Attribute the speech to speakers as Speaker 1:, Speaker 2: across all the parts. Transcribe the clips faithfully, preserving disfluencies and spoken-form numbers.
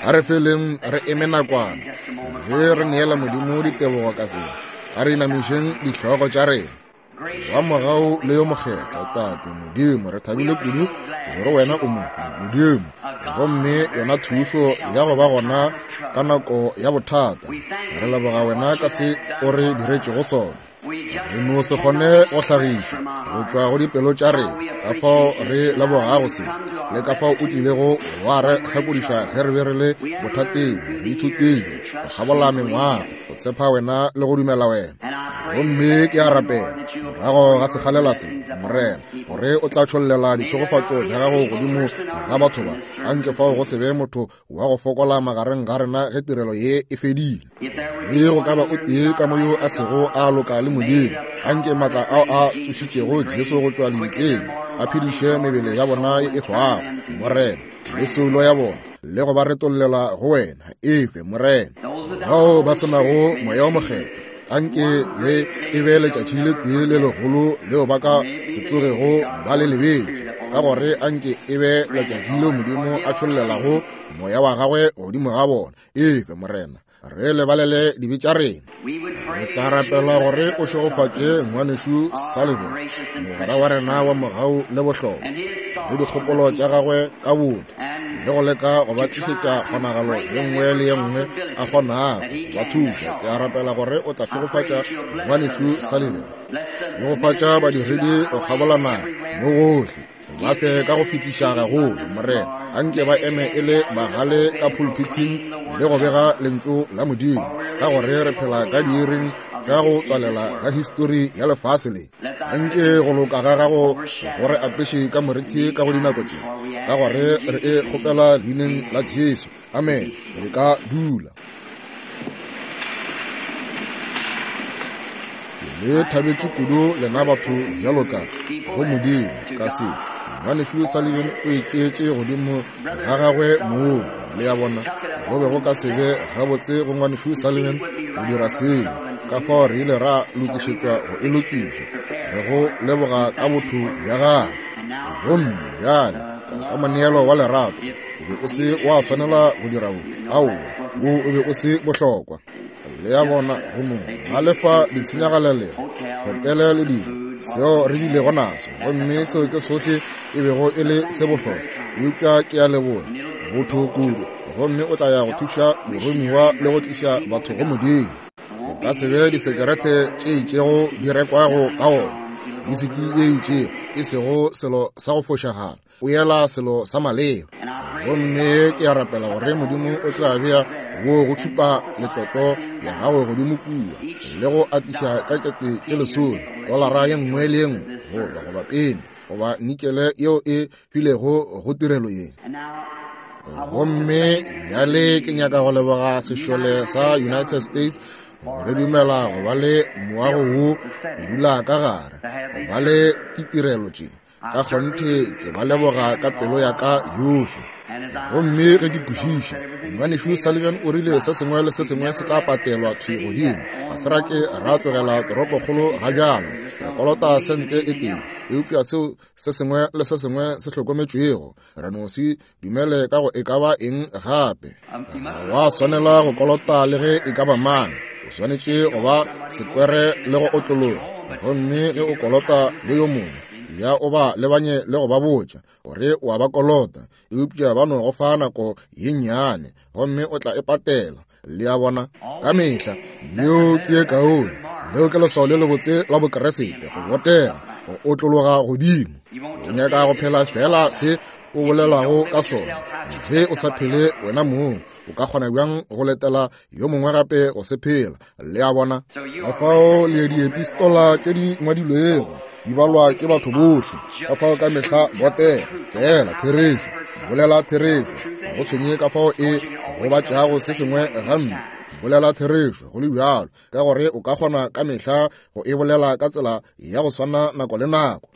Speaker 1: A re feleng re eme nakwana ge re neela Modimo ditebogo ka se. A re inamišeng dihlogo tša rena. Wa mogau le yo mokgethwa Tate Modimo, re thabile kudu gore wena o mo Modimo, gomme yona thušo ya go ba gona ka nako ya bothata. Re leboga wena ka se o re diretšego sona. Re no se kgone go hlagiša go tšwa go dipelo tša rena ka fao re lebogago se, le ka fao o tlilego wa re hlakodiša ge re be re le bothateng. Re ithutile go kgabola mengwaga go tshepa wena le go dumela wena. Gomme ke a rapela morago ga sekgalela se, Morena, gore o tla tšhollela ditšhegofatšo tša gago godimo ga batho ba. Anke fao go se be motho wa go fokola magareng ga rena ge tirelo ye e fedile. Ge go ka ba o tee ka mo yo a sego a loka le Modimo, anke maatla ao a tsošitšego Jesu go tšwa lebitleng a phediše mebele ya bona e hwago, Morena, le soulo ya bona, le go ba retollela go wena. Efe, Morena, bao ba se nago Moya o Mokgethwa, anke le e be letšatši le tee le legolo leo ba ka se tsogego ba le lebetše, ka gore anke e be letšatši leo Modimo a tšhollelago moya wa gagwe godimo ga bona. Efe, Morena, re lebalele dibe tša rena. Re tla rapela gore o šegofatše ngwanešu Sullivan, mogwera wa rena wa mogau le bohlokwa, le dikgopolo tša gagwe ka botho, le go leka go ba tlišetša kgonagalo ye nngwe le ye nngwe a kgonago go ba thuša. Ke a rapela gore o tla šegofatša ngwanešu Sullivan, šegofatša badiredi go kgabola naga mo gohle, ba fe ka go fetiša gagolo, Morena. Anke ba eme e le bagale ka pulpiting le go bega lentšu la Modimo, ka gore re phela ka diiring tša go tswalela ga histori ya lefase le. Anke go loka ga gago go re apeše ka morithi ka go dinako tše, ka gore re e kgopela leineng la Jesu. Amen. Re ka dula. Ke le thabetše kudu lena batho bjalo ka go Modimo ka se. Ngwanešu Sullivan o e tšeetše godimo ga gagwe moo, le ya bona go be go ka se be gabotse go ngwanešu Sullivan go dira seo, ka fao re ile ra lokišetšwa go e lokiša. Re go leboga ka botho bja gagwe. Gomme bjale ka moneelo wa lerato, o be o se wa swanela go dira wo, aowa, wo o be o se bohlokwa. Le ya bona go no ba lefa ditshenyagalelo, hotele le dilo seo re bilego naso, gomme seo ke sohle e bego e le se bohlokwa. Eupša ke a leboga botho kudu, gomme o tla ya go thuša boromiwa le go tliša batho go Modimo. O ka se be disekerete tše itšego di rekwago ka ona, wisiki ye itšego e sego selo sa go fošagala, o yela selo sa maleba. Gomme ke a rapela gore Modimo o tla bea wo go tšhupa letlotlo ya gago godimo kua, le go atiša ka kete tše lesome tolara ye nngwe le ye nngwe, goba goba peni goba nikele yeo e filego go tirelo ye. Gomme bjale ke nyaka go leboga sešole sa United States gore dumela go ba le moago wo go dula ka gare, go ba le ditirelo tše. Ka kgonthe ke ba leboga ka pelo ya ka yohle. Gomme ge ke kwešiša, ngwanešu Sullivan o rile se sengwe le se sengwe se tla patelwa thwi godimo. Ga se ra ke ra tlogela toropokgolo ga bjalo, re kolota sente e tee, eupša seo se sengwe le se sengwe se hlokometšwego, re no se dumele ka go e ka ba eng gape. Ga wa swanela go kolota le ge e ka ba mang, o swanetše go ba sekwere le go otlologa. Gomme ge o kolota le yo mongwe, ya o ba lebanye le go ba botša gore o a ba kolota, eupša ba no go fa nako ye nnyane, gomme o tla e patela. Le a bona, ka mehla yeo ke ye kaone. Leo ke leswao le lebotse la Bokeresete, go botega, go otlologa godimo. O nyaka go phela fela se o bolelago ka sona. Ge o sa phele wena mong, o ka kgona bjang go letela yo mongwe gape go se phela? Le a bona, ka fao le diepistola tše di ngwadilwego di balwa ke batho bohle. Ka fao ka mehla botega, bolela therešo, bolela therešo. Ga go tshwenye ka fao e gobatšago se sengwe gampe, bolela therešo go le bjalo, ka gore o ka kgona ka mehla go e bolela ka tsela ya go swana nako le nako.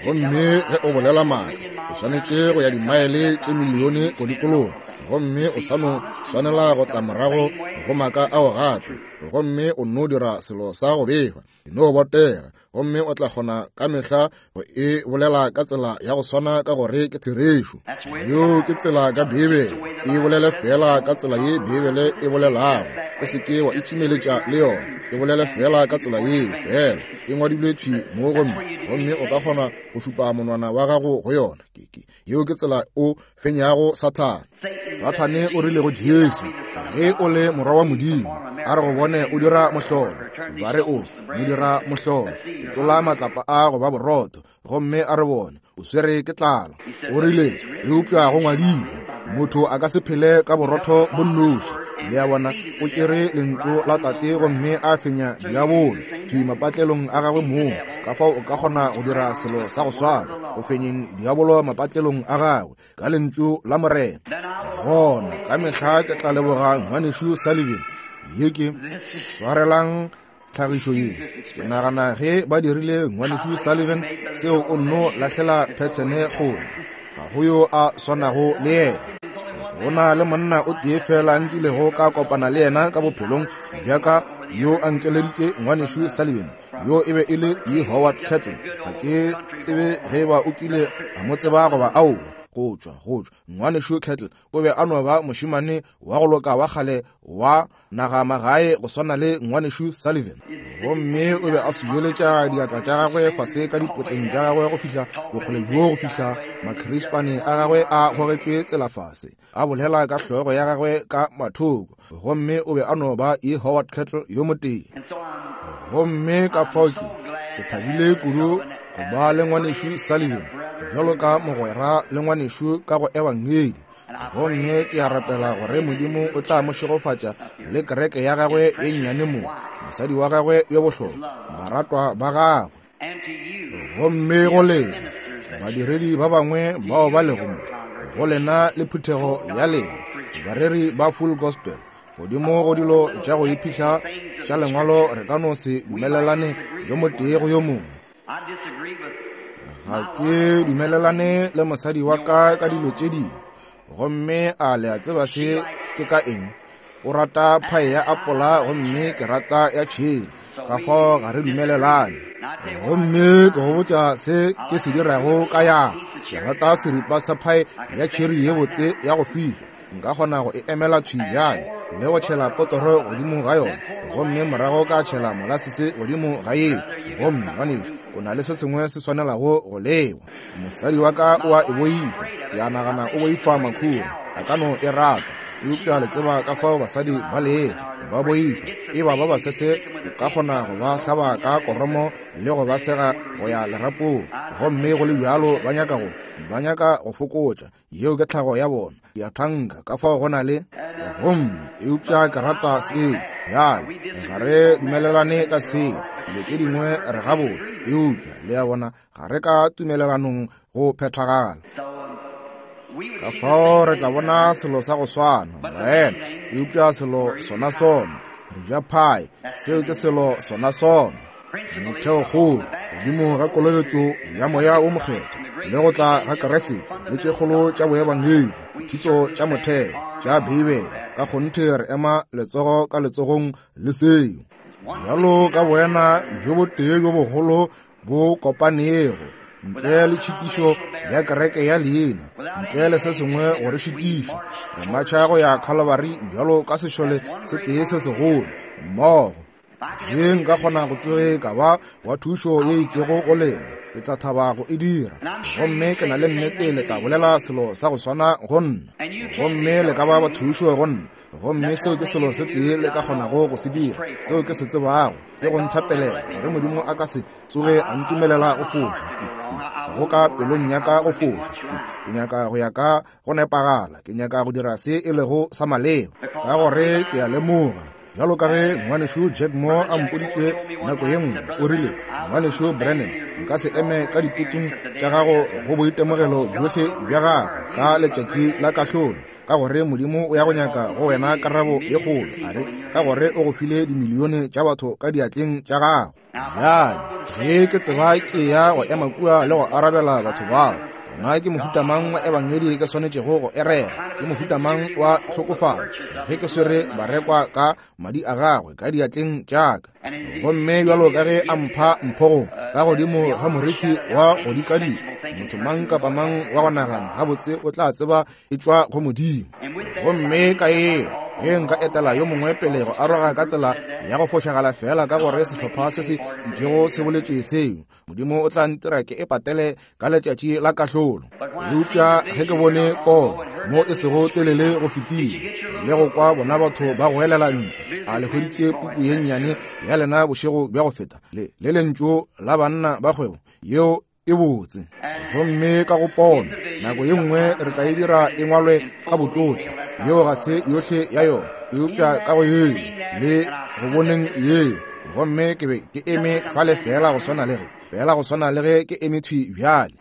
Speaker 1: Gomme ge o bolela maaka, o swanetše go ya dimaele tše milione go dikologa, gomme o sa no swanela go tla morago go maaka ao gape, gomme o no dira selo sa go befa. No botega, gomme o tla kgona ka mehla go e bolela ka tsela ya go swana, ka gore ke therešo. Yeo ke tsela ka Bibele. E bolele fela ka tsela ye Beibele e bolelago. O se ke wa itšimeletša le yona. E bolele fela ka tsela yeo fela. E ngwadilwe thwi mo gomme, gomme o ka kgona go šupa monwana wa gago go yona. Ke, ke, yeo ke tsela o fenyago Sathane. Sathane o rile go Jesu, ge o le morwa wa Modimo, a re go bone o dira mohlolo. Ba re o mo dira mohlolo. Fetola matlapa a go ba borotho, gomme a re bone o swere ke tlala. O rile, eupša go ngwadilwe, motho a ka se phele ka borotho bo nnoši. Le a bona, o tšere lentšu la Tate gomme a fenya diabolo thwi mapatlelong a gagwe mong. Ka fao o ka kgona go dira selo sa go swana, go fenyeng diabolo mapatlelong a gagwe ka lentšu la Morena. Gona ka mehla ke tla leboga ngwanešu Sullivan. Ye ke swarelang tlhagišo ye. Ke nagana ge ba dirile ngwanešu Sullivan seo o nno lahlela phethene kgole. Ga go yo a swanago le yena. Go na le monna o tee fela nkilego ka kopana le yena ka bophelong bja ka yo a nkeleditše ngwanešu Sullivan. Yo e be e le E. Howard Kettle. Ga ke tsebe ge ba o kile a mo tseba goba aowa. Go tšwa, go tšwa. Ngwanešu Kettle o be a no ba mošemane wa go loka wa kgale wa naga magae go swana le ngwanešu Sullivan. Gomme o be a subeletša diatla tša gagwe fase ka dipotleng tša gagwe go fihla bokgole bjo go fihla makhrispane a gagwe a gogetšwe tsela fase. A bolela ka hlogo ya gagwe ka mathoko. Gomme o be a no ba E. Howard Kettle yo motee. Gomme ka fao ke, ke thabile kudu go ba le ngwanešu Sullivan bjalo ka mogwera le ngwanešu ka go ebangedi. Gomme ke a rapela gore Modimo o tla mo šegofatša le kereke ya gagwe e nnyane mo, mosadi wa gagwe yo bohlokwa, baratwa ba gagwe. Gomme go lena badiredi ba bangwe bao ba lego mo, go lena le phuthego ya lena, bareri ba Full Gospel, godimo go dilo tša go iphihla tša lengwalo re ka no se dumelelane yo motee go yo mongwe. Ga ke dumelelane le mosadi wa ka ka dilo tše dingwe. Gomme a le a tseba se ke ka eng? O rata phae ya apola gomme ke rata ya tšheri. Ka fao ga re dumelelane. Gomme ke go botša se ke se dirago ka ya. Ke rata seripa sa phae ya tšheri ye botse ya go fiša. Nka kgona go e emela thwi bjale le go tšhela potoro godimo ga yona, gomme morago ka tšhela molasese godimo ga yeo. Gomme ngwanešu, o na le se sengwe se swanelago go lewa. Mosadi wa ka o a e boifa. Ke a nagana o boifa makhura. A ka no e rata, eupša le tseba ka fao basadi ba lego, ba boifa. E ba ba basese, o ka kgona go ba hlaba ka koromo le go ba sega go ya lerapong. Gomme go le bjalo ba nyaka go ba nyaka go fokotša. Yeo ke tlhago ya bona. Ke a thanka ka fao go na le. Gomme eupša ke rata seo. Bjale ga re dumelelane ka seo. Dilo tše dingwe re gabotse, eupša le a bona ga re ka tumelelanong go phethagala. Ka fao re tla bona selo sa go swana, baena, eupša selo sona sona. Re ja phae, seo ke selo sona sona. Motheokgolo godimo ga kolobetšo ya moya o mokgethwa le go tla ga Keresete le tše kgolo tša boebangedi, dithuto tša motheo tša Beibele, ka kgonthe re ema letsogo ka letsogong le seo. Bjalo ka boena bjo botee bjo bogolo bo kopanego, ntle le tšhitišo ya kereke ya leina, ntle le se sengwe go re šitiša, re matšha go ya Calvary bjalo ka sešole se tee se segolo mmogo. Ge nka kgona go tsoge ka ba wa thušo ye itšego go lena, ke tla thaba go e dira. Gomme ke na le nnete le tla bolela selo sa go swana go nna. Gomme le ka ba ba thušo go nna. Gomme seo ke selo se tee le ka kgonago go se dira. Seo ke se tsebago ke go nthapelela gore Modimo a ka se tsoge a ntumelela go foša. Ke, ke, go ka pelong ya ka go foša. Ke, ke nyaka go ya ka go nepagala. Ke nyaka go dira se e lego sa maleba. Ka gore ke a lemoga. Bjalo ka ge ngwanešu Jack Moore a mpoditše nako ye nngwe, o rile, ngwanešu Brennan, nka se eme ka diputsong tša gago go boitemogelo bjohle bja gago ka letšatši la kahlolo, ka gore Modimo o ya go nyaka go wena karabo ye kgolo, a re, ka gore o go file dimilione tša batho ka diatleng tša gago. Bjale, ge ke tseba ke ya go ema kua le go arabela batho bao, gona ke mohuta mang wa ebangedi ke swanetšego go e rera? Ke mohuta mang wa tlhokofalo ge ke swere barekwa ka madi a gagwe ka diatleng tša ka? Gomme bjalo ka ge a mpha mphogo ka godimo ga moriti wa go dikadika, motho mang kapa mang wa go nagana gabotse o tla tseba e tšwa go Modimo. Gomme ka eo ge nka etela yo mongwe pele go aroga ka tsela ya go fošagala fela ka gore sehlopha se se itšego se boletše seo, Modimo o tla ntira ke e patele ka letšatši la kahlolo. Eupša ge ke bone pono mo e sego telele go fetile le go kwa bona batho ba goelela ntle, a le hweditše puku ye nnyane ya lena bošego bja go feta le le lentšu la banna ba kgwebo yeo e botse. Gomme ka go pono nako ye nngwe re tla e dira e ngwalwe ka botlotla, yeo ga se yohle ya yona, eupša ka go yeo le go boneng yeo. Gomme ke be ke eme fale fela go swana le ge fela go swana le ge ke eme thwi bjale.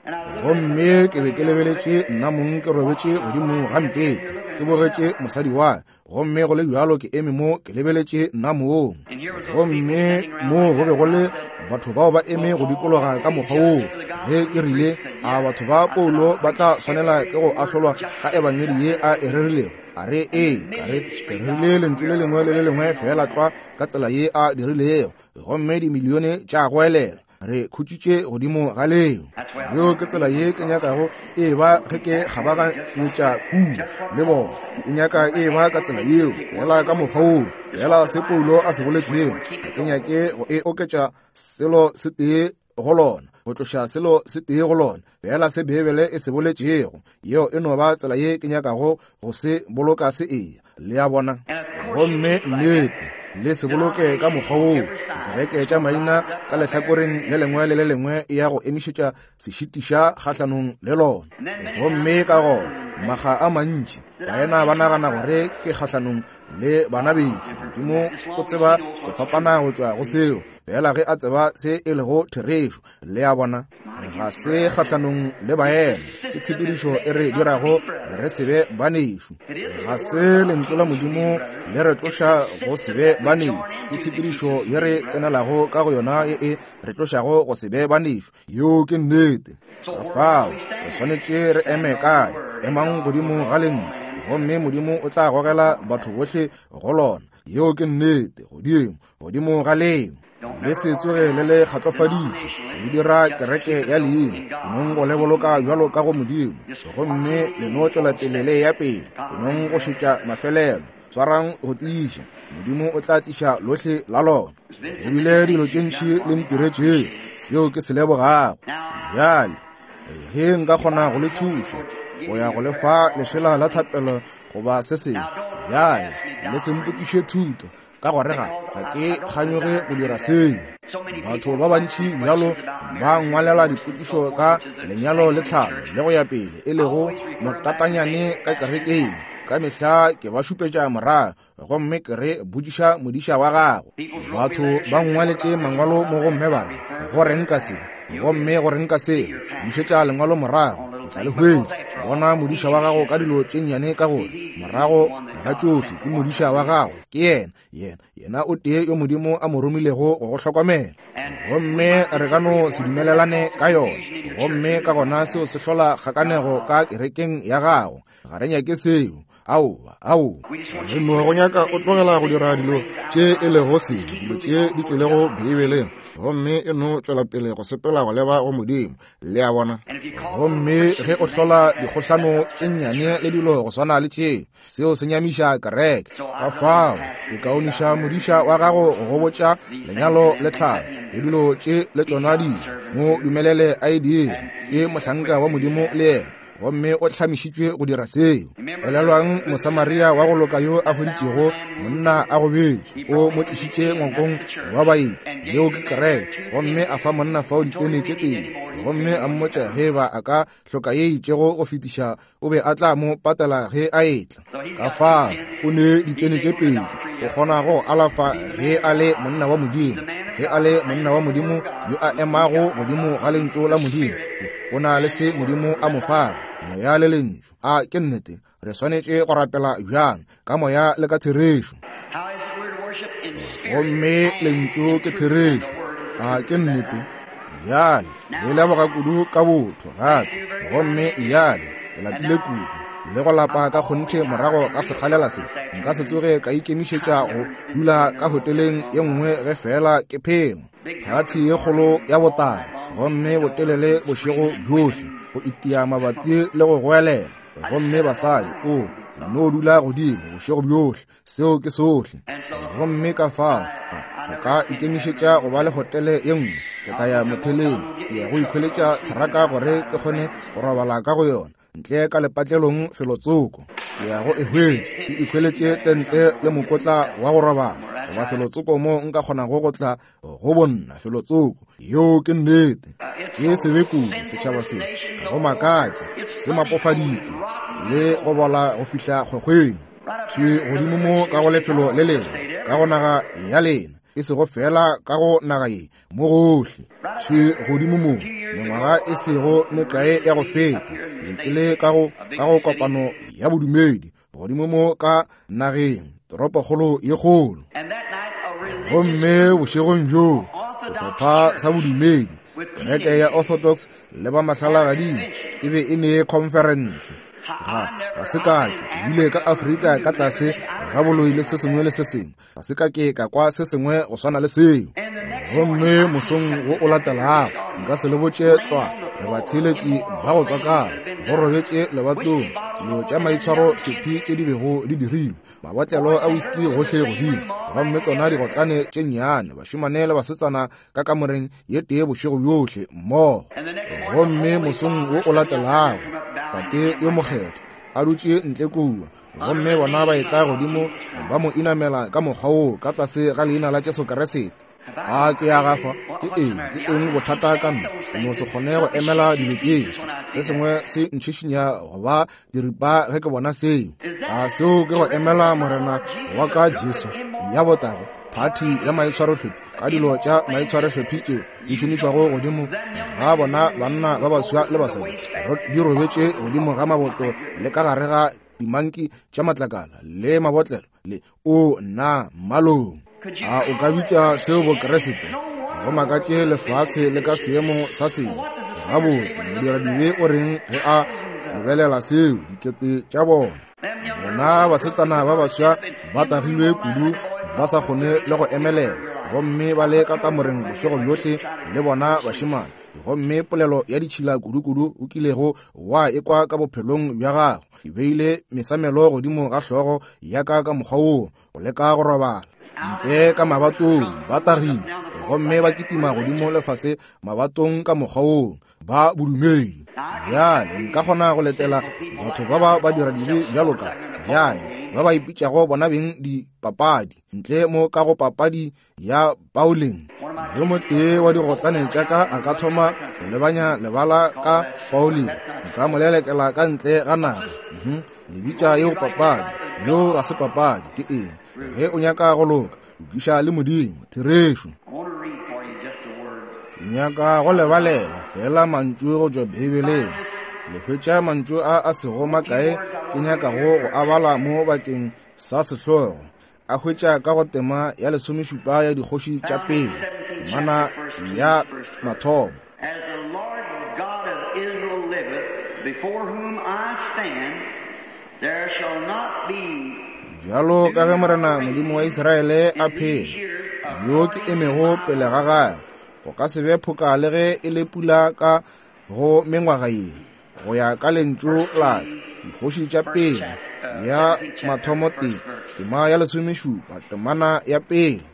Speaker 1: Gomme ke be ke lebeletše nna mong ke robetše godimo ga mpete, ke bogetše mosadi wa, gomme go le bjalo ke eme mo ke lebeletše nna mong. Gomme mo go be go le batho bao ba eme go dikologa ka mokgwa woo. Ge ke rile, a batho ba Paulo ba tla swanela ke go ahlolwa ka ebangedi ye a e rerilego? A re ee, ka re ke rile lentšu le lengwe le le lengwe fela tlwa ka tsela ye a dirilego, gomme dimilione tša goelela. Re khutšitše godimo ga leo. Yeo ke tsela ye ke nyakago e ba ge ke kgabaganyetša kua le bona. E nyaka e ba ka tsela yeo, fela ka mokgwa woo, fela se Paulo a se boletšego. Ga ke nyake go e oketša selo se tee go lona, go tloša selo se tee go lona, fela se Beibele e se boletšego. Yeo e no ba tsela ye ke nyakago go se boloka se eya, le a bona. Gomme nnete le se boloke ka mokgwa woo. Dikereke tša maina ka lehlakoreng le lengwe le le lengwe ya go emišetša sešitiša kgahlanong le lona. Gomme ka gona makga a mantši baena ba nagana gore ke kgahlanong le bana bešo. Modimo o tseba go fapana go tšwa go seo, fela ge a tseba se e lego therešo, le a bona. Ga se kgahlanong le baena, ke tshepedišo e re dirago re se be banešu. Ga se lentšu la Modimo le re tloša go se be banešu, ke tshepedišo ye re tsenelago ka go yona ye e re tlošago go se be banešu. Yeo ke nnete. Ka fao re swanetše re eme kae? Emang godimo ga lentšu, gomme Modimo o tla gogela batho bohle go lona. Yeo ke nnete, godimo godimo ga leo. Le se tsoge le le kgatlofaditše le dira kereke ya leina, nong go le boloka bjalo ka go Modimo, gomme le no tšwela pele le ya pele, nong go šetša mafelelo. Swarang go tiiša, Modimo o tla tliša lohle la lona. Go bile dilo tše ntši le ntiretšego, seo ke se lebogago. Bjale ge nka kgona go le thuša go ya go le fa lešela la thapelo goba se sengwe, bjale le se mpotšiše thuto, ka gore ga ga ke kganyoge go dira seo. Batho ba bantši bjalo ba ngwalela dipotšišo ka lenyalo le tlhalo le go ya pele, e lego motatanyane ka kerekeng. Ka mehla ke ba šupetša morago, gomme ke re botšiša modiša wa gago. Batho ba ngwaletše mangwalo mo gomme ba re, go reng ka se, gomme go reng ka seo. Bušetša lengwalo morago, o tla le hwetša. Bona modiša wa gago ka dilo tše nnyane, ka gore morago ga tšohle ke modiša wa gago, ke yena yena yena o tee yo Modimo a mo romilego go go hlokomela. Gomme re ka no se dumelelane ka yona, gomme ka gona seo se hlola kgakanego ka kerekeng ya gago. Ga re nyake seo. Aowa, aowa. Re no go nyaka o tlogela go dira dilo tše e lego sebe, dilo tše di tšwelego Beibeleng, gomme e no tšwela pele go sepela go leba go Modimo, le a bona. Gomme ge o hlola dikgohlano tše nnyane le dilo go swana le tšeo, seo se nyamiša kereke. Ka fao ke kaoniša modiša wa gago go go botša lenyalo le tlhalo le dilo tše le tšona dilo, mo dumelele a e dire. Ke mohlanka wa Modimo le yena, gomme o hlamišitšwe go dira seo. Elelwang Mosamaria wa go loka yo a hweditšego monna a gobetše, o mo tlišitše ngwakong wa baeti, yeo ke kereke, gomme a fa monna fao dipene tše pedi, gomme a mmotša ge ba a ka hloka ye itšego go fetiša, o be a tla mo patela ge a etla. Ka fao o ne dipene tše pedi, o kgona go alafa ge a le monna wa Modimo. Ge a le monna wa Modimo yo a emago godimo ga lentšu la Modimo, o na le se Modimo a mo fago, moya le lentšu. A ke nnete? Re swanetše go rapela bjang? Ka moya le ka therešo. Gomme lentšu ke therešo. A ke nnete? Bjale le leboga kudu ka botho gape. Gomme bjale ke lapile kudu le go lapa ka kgonthe morago ga sekgalela se. Nka se tsoge ka ikemišetša go dula ka hoteleng ye nngwe ge fela ke phela. Phathi ye kgolo ya botala, gomme botelele bošego bjohle, go itia mabati le go goelela. Gomme basadi, o No dula godimo bošego bjohle, seo ke sohle. Gomme ka fao ga ka ikemišetša go ba le hotele ye nngwe. Ke tla ya motheleng, ke ya go ikhweletša theraka gore ke kgone go robala ka go yona ntle ka lepatlelong felotsoko. Ke ya go e hwetša, ke ikhweletše tente le mokotla wa go robala, goba felotsoko mo nka kgonago go tla go bonna felotsoko. Yeo ke nnete. Ke sebe kudu setšhaba se, ga go makatše, se mapofaditšwe le go bola go fihla kgwekgweng. Thwi godimo mo ka go lefelo le lengwe, ka go naga ya lena, e sego fela ka go naga ye, mo gohle. Thwi godimo mo, mengwaga e sego mekae ya go feta, ke ke le ka go ka go kopano ya bodumedi godimo mo ka nageng, toropokgolo ye kgolo. Gomme bošegong bjoo, sehlopha sa bodumedi, kereke ya Orthodox le ba mahlalagading, e be e ne conference. Ga ga se ka ke ke bile ka Afrika ka tlase ga boloi le se sengwe le se sengwe, ga se ka ke ka kwa se sengwe go swana le seo. Gomme mosong wo o latelago, nka se le botše tlwa, re batheeletši ba go tswakana, go robetše lebatong, dilo tša maitshwaro hlophi tše di bego di dirilwe, mabotlelo a whisky gohle godimo, gomme tsona digotlane tše nnyane, bašemane le basetsana ka kamoreng ye tee bošego bjohle mmogo. Gomme mosong wo o latelago, tate yo mokgethwa a dutše ntle kua, gomme bona ba etla godimo ba mo inamela ka mokgwa woo ka tlase ga leina la Jesu Kriste. A ke ya gafa, ke eng, ke eng bothata ka nna? Ke no se kgone go emela dilo tšeo. Se sengwe se ntšhišinya go ba diripa ge ke bona seo. A seo ke go emela Morena wa ka Jesu ya botago, phathi ya maitshwarohlephi, ka dilo tša maitshwarohlephi tšeo di šomišwago godimo ga bona banna ba baswa le basadi, di robetše godimo ga maboto le ka gare ga dimanki tša matlakala le mabotlelo le o nna mmalong. A o ka bitša seo Bokreste? Go makatše lefase le ka seemo sa seng. Gabotse, modiradibe o reng ge a lebelela seo? Dikete tša bona. Bona basetsana ba baswa ba tagilwe kudu, ba sa kgone le go emelela, gomme ba le ka kamoreng bošego bjohle le bona bašemane. Gomme polelo ya ditšhila kudu-kudu o kilego wa ekwa ka bophelong bja gago, e beile mesamelo godimo ga hlogo ya ka ka mokgwa woo, go leka go robala. Ntle ka mabatong ba tagile, gomme ba kitima godimo lefase mabatong ka mokgwa woo, ba bodumedi. Bjale nka kgona go letela batho ba ba ba dira dibe bjalo ka bjale ba ba ipitšago bona beng dipapadi, ntle mo ka go papadi ya bowling. Yo motee wa digotlane tša ka a ka thoma go lebanya lebala ka bowling, nka mo lelekela ka ntle ga naga. Mhm, le bitša yeo papadi? Yeo ga se papadi. Ke eng? Ge o nyaka go loka, lokiša le Modimo, therešo. Ke nyaka go lebalela fela mantšu go tšwa Beibeleng. Le hwetša mantšu a a sego makae ke nyakago go a bala mo bakeng sa sehlogo. A hwetša ka go tema ya lesomešupa ya dikgoši tša pele, temana ya mathomo.
Speaker 2: As the Lord God of Israel liveth, before whom I stand, there shall not be
Speaker 1: Bjalo ka ge Morena Modimo wa Israele a phela, yo ke emego pele ga gagwe, go ka se be phoka le ge e le pula ka go mengwaga ye, go ya ka lentšu la ka. Dikgoši tša pele ya mathomo tee, tema ya lesomešupa, temana ya pele.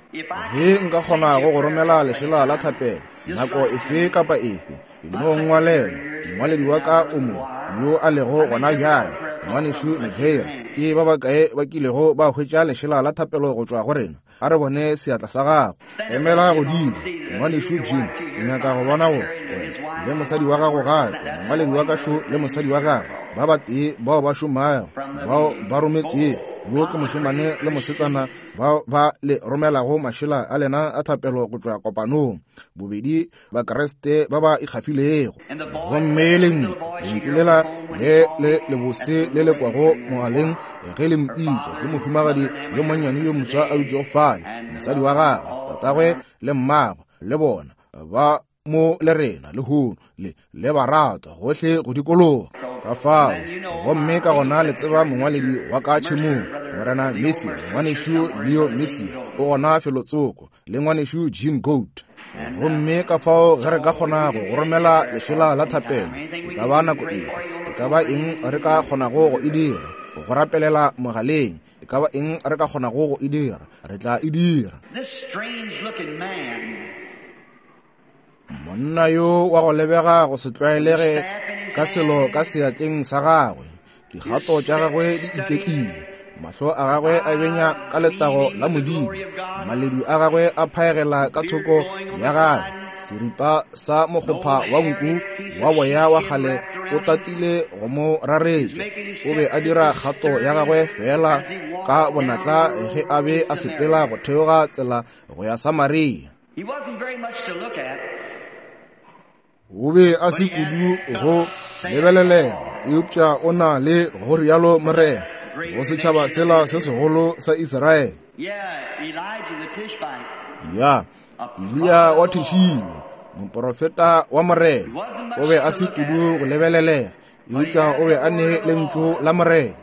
Speaker 1: Ge nka kgona go go romela lešela la thapelo nako efe kapa efe, no nngwalela. Mongwaledi wa ka o mo, yo a lego gona bjale, ngwanešu Maguire. Ke ba bakae ba kilego ba hwetša lešela la thapelo go tšwa go rena? A re bone seatla sa gago. Emela godimo, ngwanešu Jim. Ke nyaka go bona gore wena le mosadi wa gago gape, mongwaledi wa ka šo le mosadi wa gagwe, ba batee bao ba šomago, bao ba rometšego, yo ke mošemane le mosetsana bao ba le romelago mašela a lena a thapelo go tšwa kopanong, bobedi Bakreste ba ba ikgafilego. Gomme lentšu, lentšu lela le le lebose le le kwago mogaleng ge le mpitša, ke mohumagadi yo monnyane yo moswa a dutšego fale, mosadi wa gagwe, tatagwe le mmagwe, le bona ba mo le rena lehono, le le baratwa gohle go dikologa ka fao. Gomme ka gona le tseba mongwaledi wa ka tšhemong, Morena Messi, ngwanešu Leo Messi, o gona felotsoko, le ngwanešu Jean Goat. Gomme ka fao ge re ka kgona go go romela lešela la thapelo, e ka ba nako efe, e ka ba eng re ka kgonago go e dira, go rapelela mogaleng. E ka ba eng re ka kgonago go e dira, re tla e dira. Monna yo wa go lebega go se tlwaelege ka selo ka seatleng sa gagwe, dikgato tša gagwe di iketlile, mahlo a gagwe a benya ka letago la Modimo, maledu a gagwe a phaegela ka thoko ya gagwe, seripa sa mokgopha wa nku wa boya wa kgale o tatile go mo raretša. O be a dira kgato ya gagwe fela ka bonatla ge a be a sepela go theoga tsela go ya Samaria. O be a se kudu go lebelelega, eupša o na le go rialo Morena go setšhaba sela se segolo sa Israele. Ya Eliya wa Tishibe, moprofeta wa Morena, o be a se kudu go lebelelega, eupša o be a ne lentšu la Morena.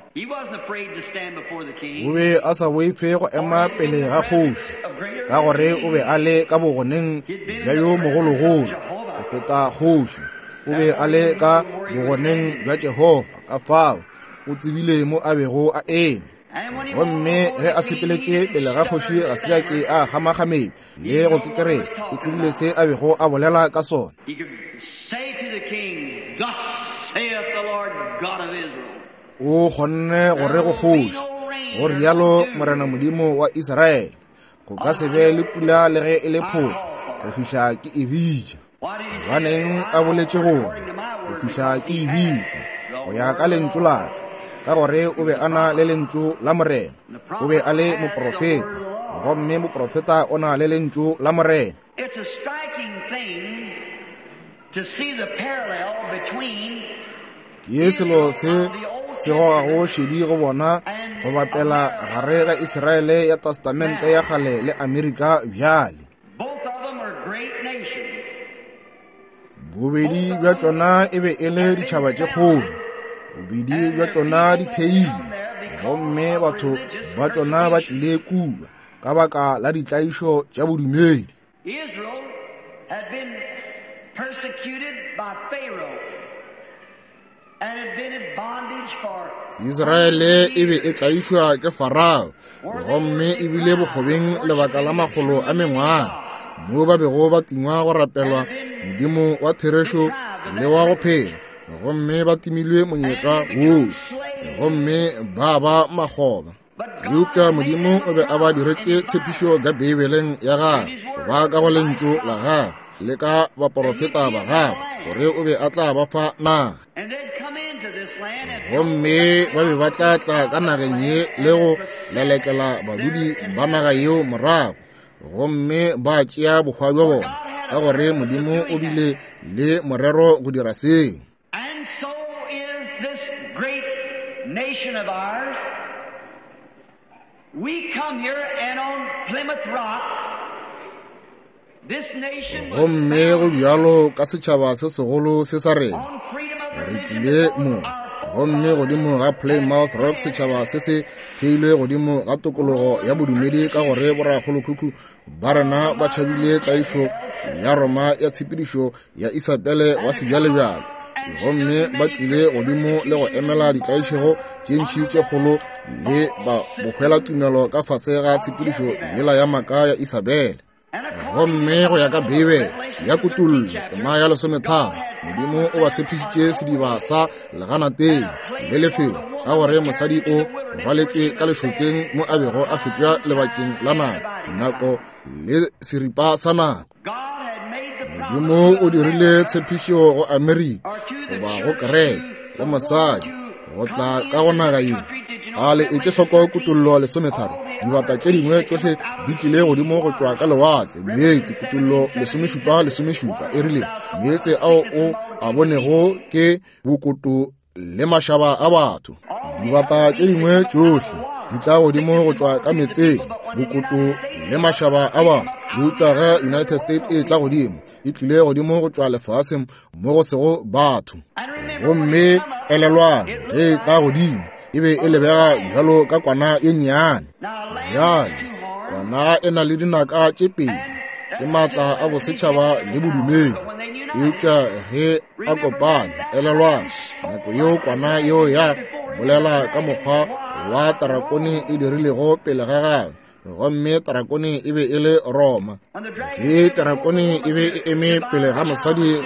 Speaker 1: O be a sa boife go ema pele ga kgoši, ka gore o be a le ka bogoneng bja yo mogologolo go feta kgoši. O be a le ka bogoneng bja Jehofa, ka fao o tsebile mo a bego a eme. Gomme ge a sepeletše pele ga kgoši, ga se a ke a kgamakgamedi le go kekerela. O tsebile se a bego a bolela ka sona. O kgonne gore go kgoši, go rialo Morena Modimo wa Israele, go ka se be le pula le ge e le phoka go fihla ke e bitša. Gobaneng a boletše gore go fihla ke e bitša go ya ka lentšu la ka? Ka gore o be a na le lentšu la Morena. O be a le moprofeta, gomme moprofeta o na le lentšu la Morena. Ke selo se se gogago šedi go bona go bapela gare ga Israele ya Testamente ya kgale le Amerika bjale. Bobedi bja tšona e be e le ditšhaba tše kgolo, bobedi bja tšona di theilwe, gomme batho ba tšona ba tlile kua ka baka la ditlaišo tša bodumedi. Israele e be e tlaišwa ke Farao, gomme e bile bokgobeng lebaka la makgolo a mengwaga, mo ba bego ba tingwa go rapelwa Modimo wa therešo le wa go phela, gomme ba timilwe monyetla woo, gomme ba ba makgoba. Eupša Modimo o be a ba diretše tshepišo ka Beibeleng ya gagwe, ba ka go lentšu la gagwe le ka baporofeta ba gagwe, gore o be a tla ba fa naga. Gomme ba be ba tla tla ka nageng ye le go lelekela badudi ba naga yeo morago, gomme ba tšea bohwa bja bona, ka gore Modimo o bile le morero go dira seo. Gomme go bjalo ka setšhaba se segolo se sa rena, re tlile mo, gomme godimo ga Plymouth Rock setšhaba se se theilwe godimo ga tokologo ya bodumedi, ka gore borakgolokhukhu ba rena ba tšhabile tlaišo ya Roma ya tshepedišo ya Isabele wa sebjalebjale, gomme ba tlile godimo le go emela ditlaišego tše ntši tše kgolo le ba bohwelatumelo ka fase ga tshepedišo yela ya maaka ya Isabele. Gomme go ya ka Beibele ya Kutullo tema ya lesometharo, Modimo o ba tshepišitše sediba sa leganateng le lefelo, ka gore mosadi o rwaletšwe ka lešokeng mo a bego a fetša lebakeng la nako, nako le seripa sa nako. Modimo o dirile tshepišo go Amerika goba go kereke, go mosadi, go tla ka go naga ye. A le etše hloko Kutullo lesometharo, dibata tše dingwe tšohle di tlile godimo go tšwa ka lewatle, meetse. Kutullo lesomešupa lesomešupa e rile meetse ao o a bonego ke bokoto le mašaba a batho. Dibata tše dingwe tšohle di tla godimo go tšwa ka metseng, bokoto le mašaba a batho. Eupša ge United States e tla godimo, e tlile godimo go tšwa lefaseng mo go sego batho. Gomme elelwang, ge e tla godimo e be e lebega bjalo ka kwana e nnyane. Bjale kwana e na le dinaka tše pedi, ke maatla a bosetšhaba le bodumedi. Eupša ge a kopane, elelwang, nako yeo kwana yeo ya bolela ka mokgwa wa tarakone e dirilego pele ga gagwe, gomme tarakone e be e le Roma. Ge tarakone e be e eme pele ga mosadi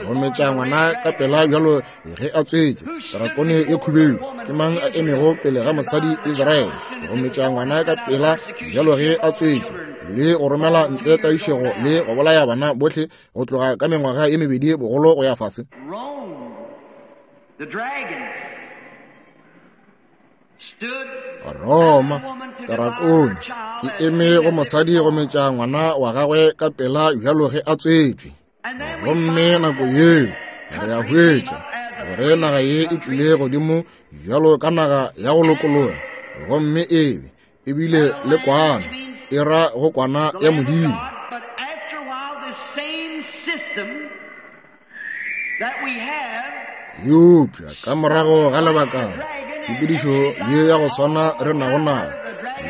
Speaker 1: go metša ngwana ka pela bjalo ge a tswetše, tarakone e khubedu, ke mang a emego pele ga mosadi Israele go metša ngwana ka pela bjalo ge a tswetše, le go romela ntle tlaišego le go bolaya bana bohle go tloga ka mengwaga e mebedi bogolo go ya fase? Roma, tarakone e eme go mosadi go metša ngwana wa gagwe ka pela bjalo ge a tswetšwe. Gomme nako yeo re a hwetša gore naga ye e tlile godimo bjalo ka naga ya go lokologa, gomme ebe ebile le kwana, e ra go kwana ya Modimo. Eupša ka morago ga lebakana, tshepedišo ye ya go swana re nago nayo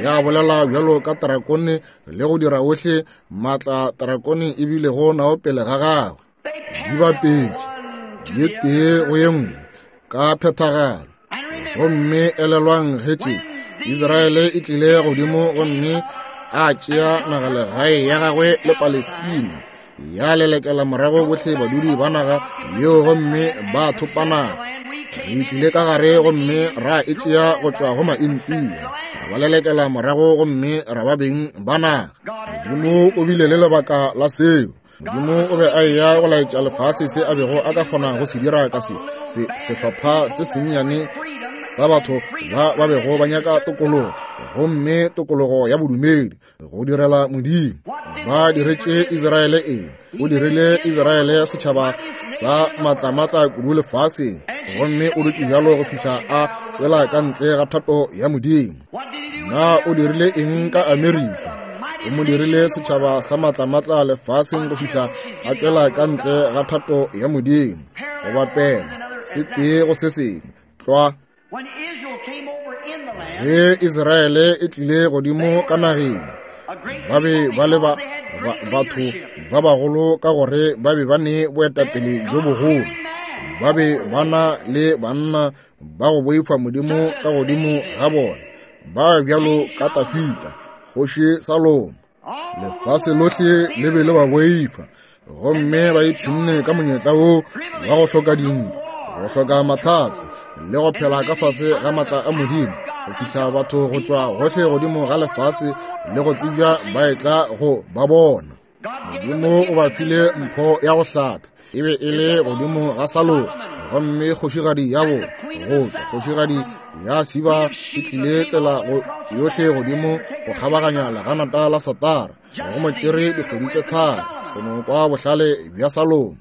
Speaker 1: ya bolela bjalo ka tarakone le go dira ohle maatla tarakone e bilego nao pele ga gagwe, di bapetše ye tee go ye nngwe ka phethagalo. Gomme elelwang ge tše Israele e tlile godimo gomme a tšea nagalegae ya gagwe le Palestina, ya lelekela morago bohle badudi ba naga yeo gomme ba thopa naga. Re tlile ka gare gomme ra e tšea go tšwa go Maintia, ra ba lelekela morago gomme ra ba beng ba naga. Modimo o bile le lebaka la seo. Modimo o be a eya go laetša lefase se a bego a ka kgona go se dira ka se se sehlopha se sennyane sa batho ba ba bego ba nyaka tokologo, gomme tokologo ya bodumedi go direla Modimo. Ba diretše Israele eng? O dirile Israele setšhaba sa matlamatla kudu lefaseng, gomme o dutše bjalo go fihla a tšwela ka ntle ga thato ya Modimo. Na o dirile eng ka Amerika? O mo dirile setšhaba sa matlamatla lefaseng go fihla a tšwela ka ntle ga thato ya Modimo. Go bapela se tee go se sengwe tlwa. Ge Israele e tlile godimo ka nageng, ba be ba le ba, ba, batho ba bagolo ka gore ba be ba ne boetapele bjo bogolo, ba be ba na le banna ba go boifa Modimo ka godimo ga bona, ba bjalo ka Tafita, kgoši Salomo. Lefase lohle le be le ba boifa, gomme ba ipshinne ka monyetla wo wa go hloka dintwa, go hloka mathata, le go phela ka fase ga matla a Modimo, go fihla batho go tšwa gohle godimo ga lefase le go tsebja ba etla go ba bona. Modimo o ba file mpho ya go hlatha, e be e le godimo ga Salomo, gomme kgošigadi ya bona go tšwa kgošigadi ya Siba e tlile tsela go yohle godimo go kgabaganya leganata la Satara, go mo tšere dikgwedi tše tharo go no kwa bohlale bja Salomo.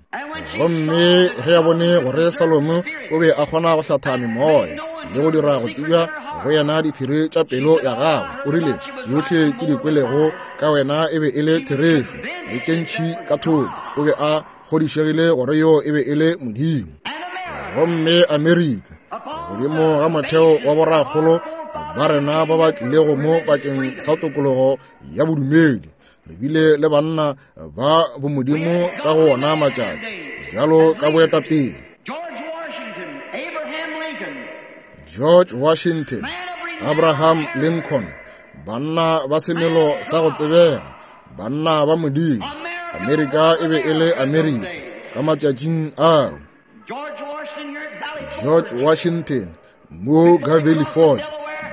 Speaker 1: Gomme ge a bone gore Salomo o be a kgona go hlatha memoya le go dira go tsebja go yena diphiri tša pelo ya gagwe, o rile, tšohle ke di kwelego ka wena e be e le therešo, le tše ntši ka thoko. O be a kgodišegile gore yo e be e le Modimo. Gomme Amerika, godimo ga motheo wa borakgolo ba rena ba ba tlilego mo bakeng sa tokologo ya bodumedi, re bile le banna ba bomodimo ka go ona matšatši bjalo ka boetapele. George Washington, Abraham Lincoln, banna ba semelo sa go tsebega, banna ba Modimo. Amerika e be e le Amerika ka matšatšing ao. George Washington mo Valley Forge,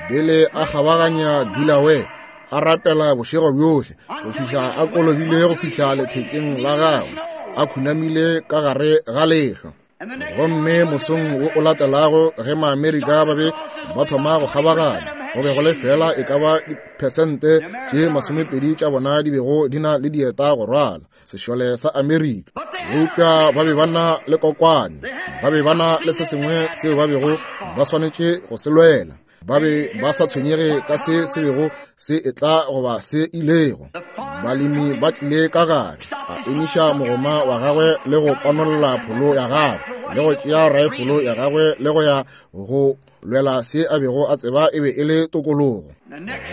Speaker 1: bele a kgabaganya Delaware, a rapela bošego bjohle go fihla a kolobile go fihla lethekeng la gagwe, a khunamile ka gare ga lehlwa. Gomme mosong wo o latelago ge Maamerika ba be ba thoma go kgabaganya, go be go le fela e ka ba diphesente tše masomepedi tša bona di bego di na le dieta go rwala sešole sa Amerika. Eupša ba be ba na le kokwane, ba be ba na le se sengwe seo ba bego ba swanetše go se lwela. Ba be ba sa tshwenyege ka se se bego se etla goba se ilego. Balemi ba tlile ka gare, a emiša mogoma wa gagwe le go panolla pholo ya gagwe le go tšea raefolo ya gagwe le go ya go lwela se a bego a tseba e be e le tokologo.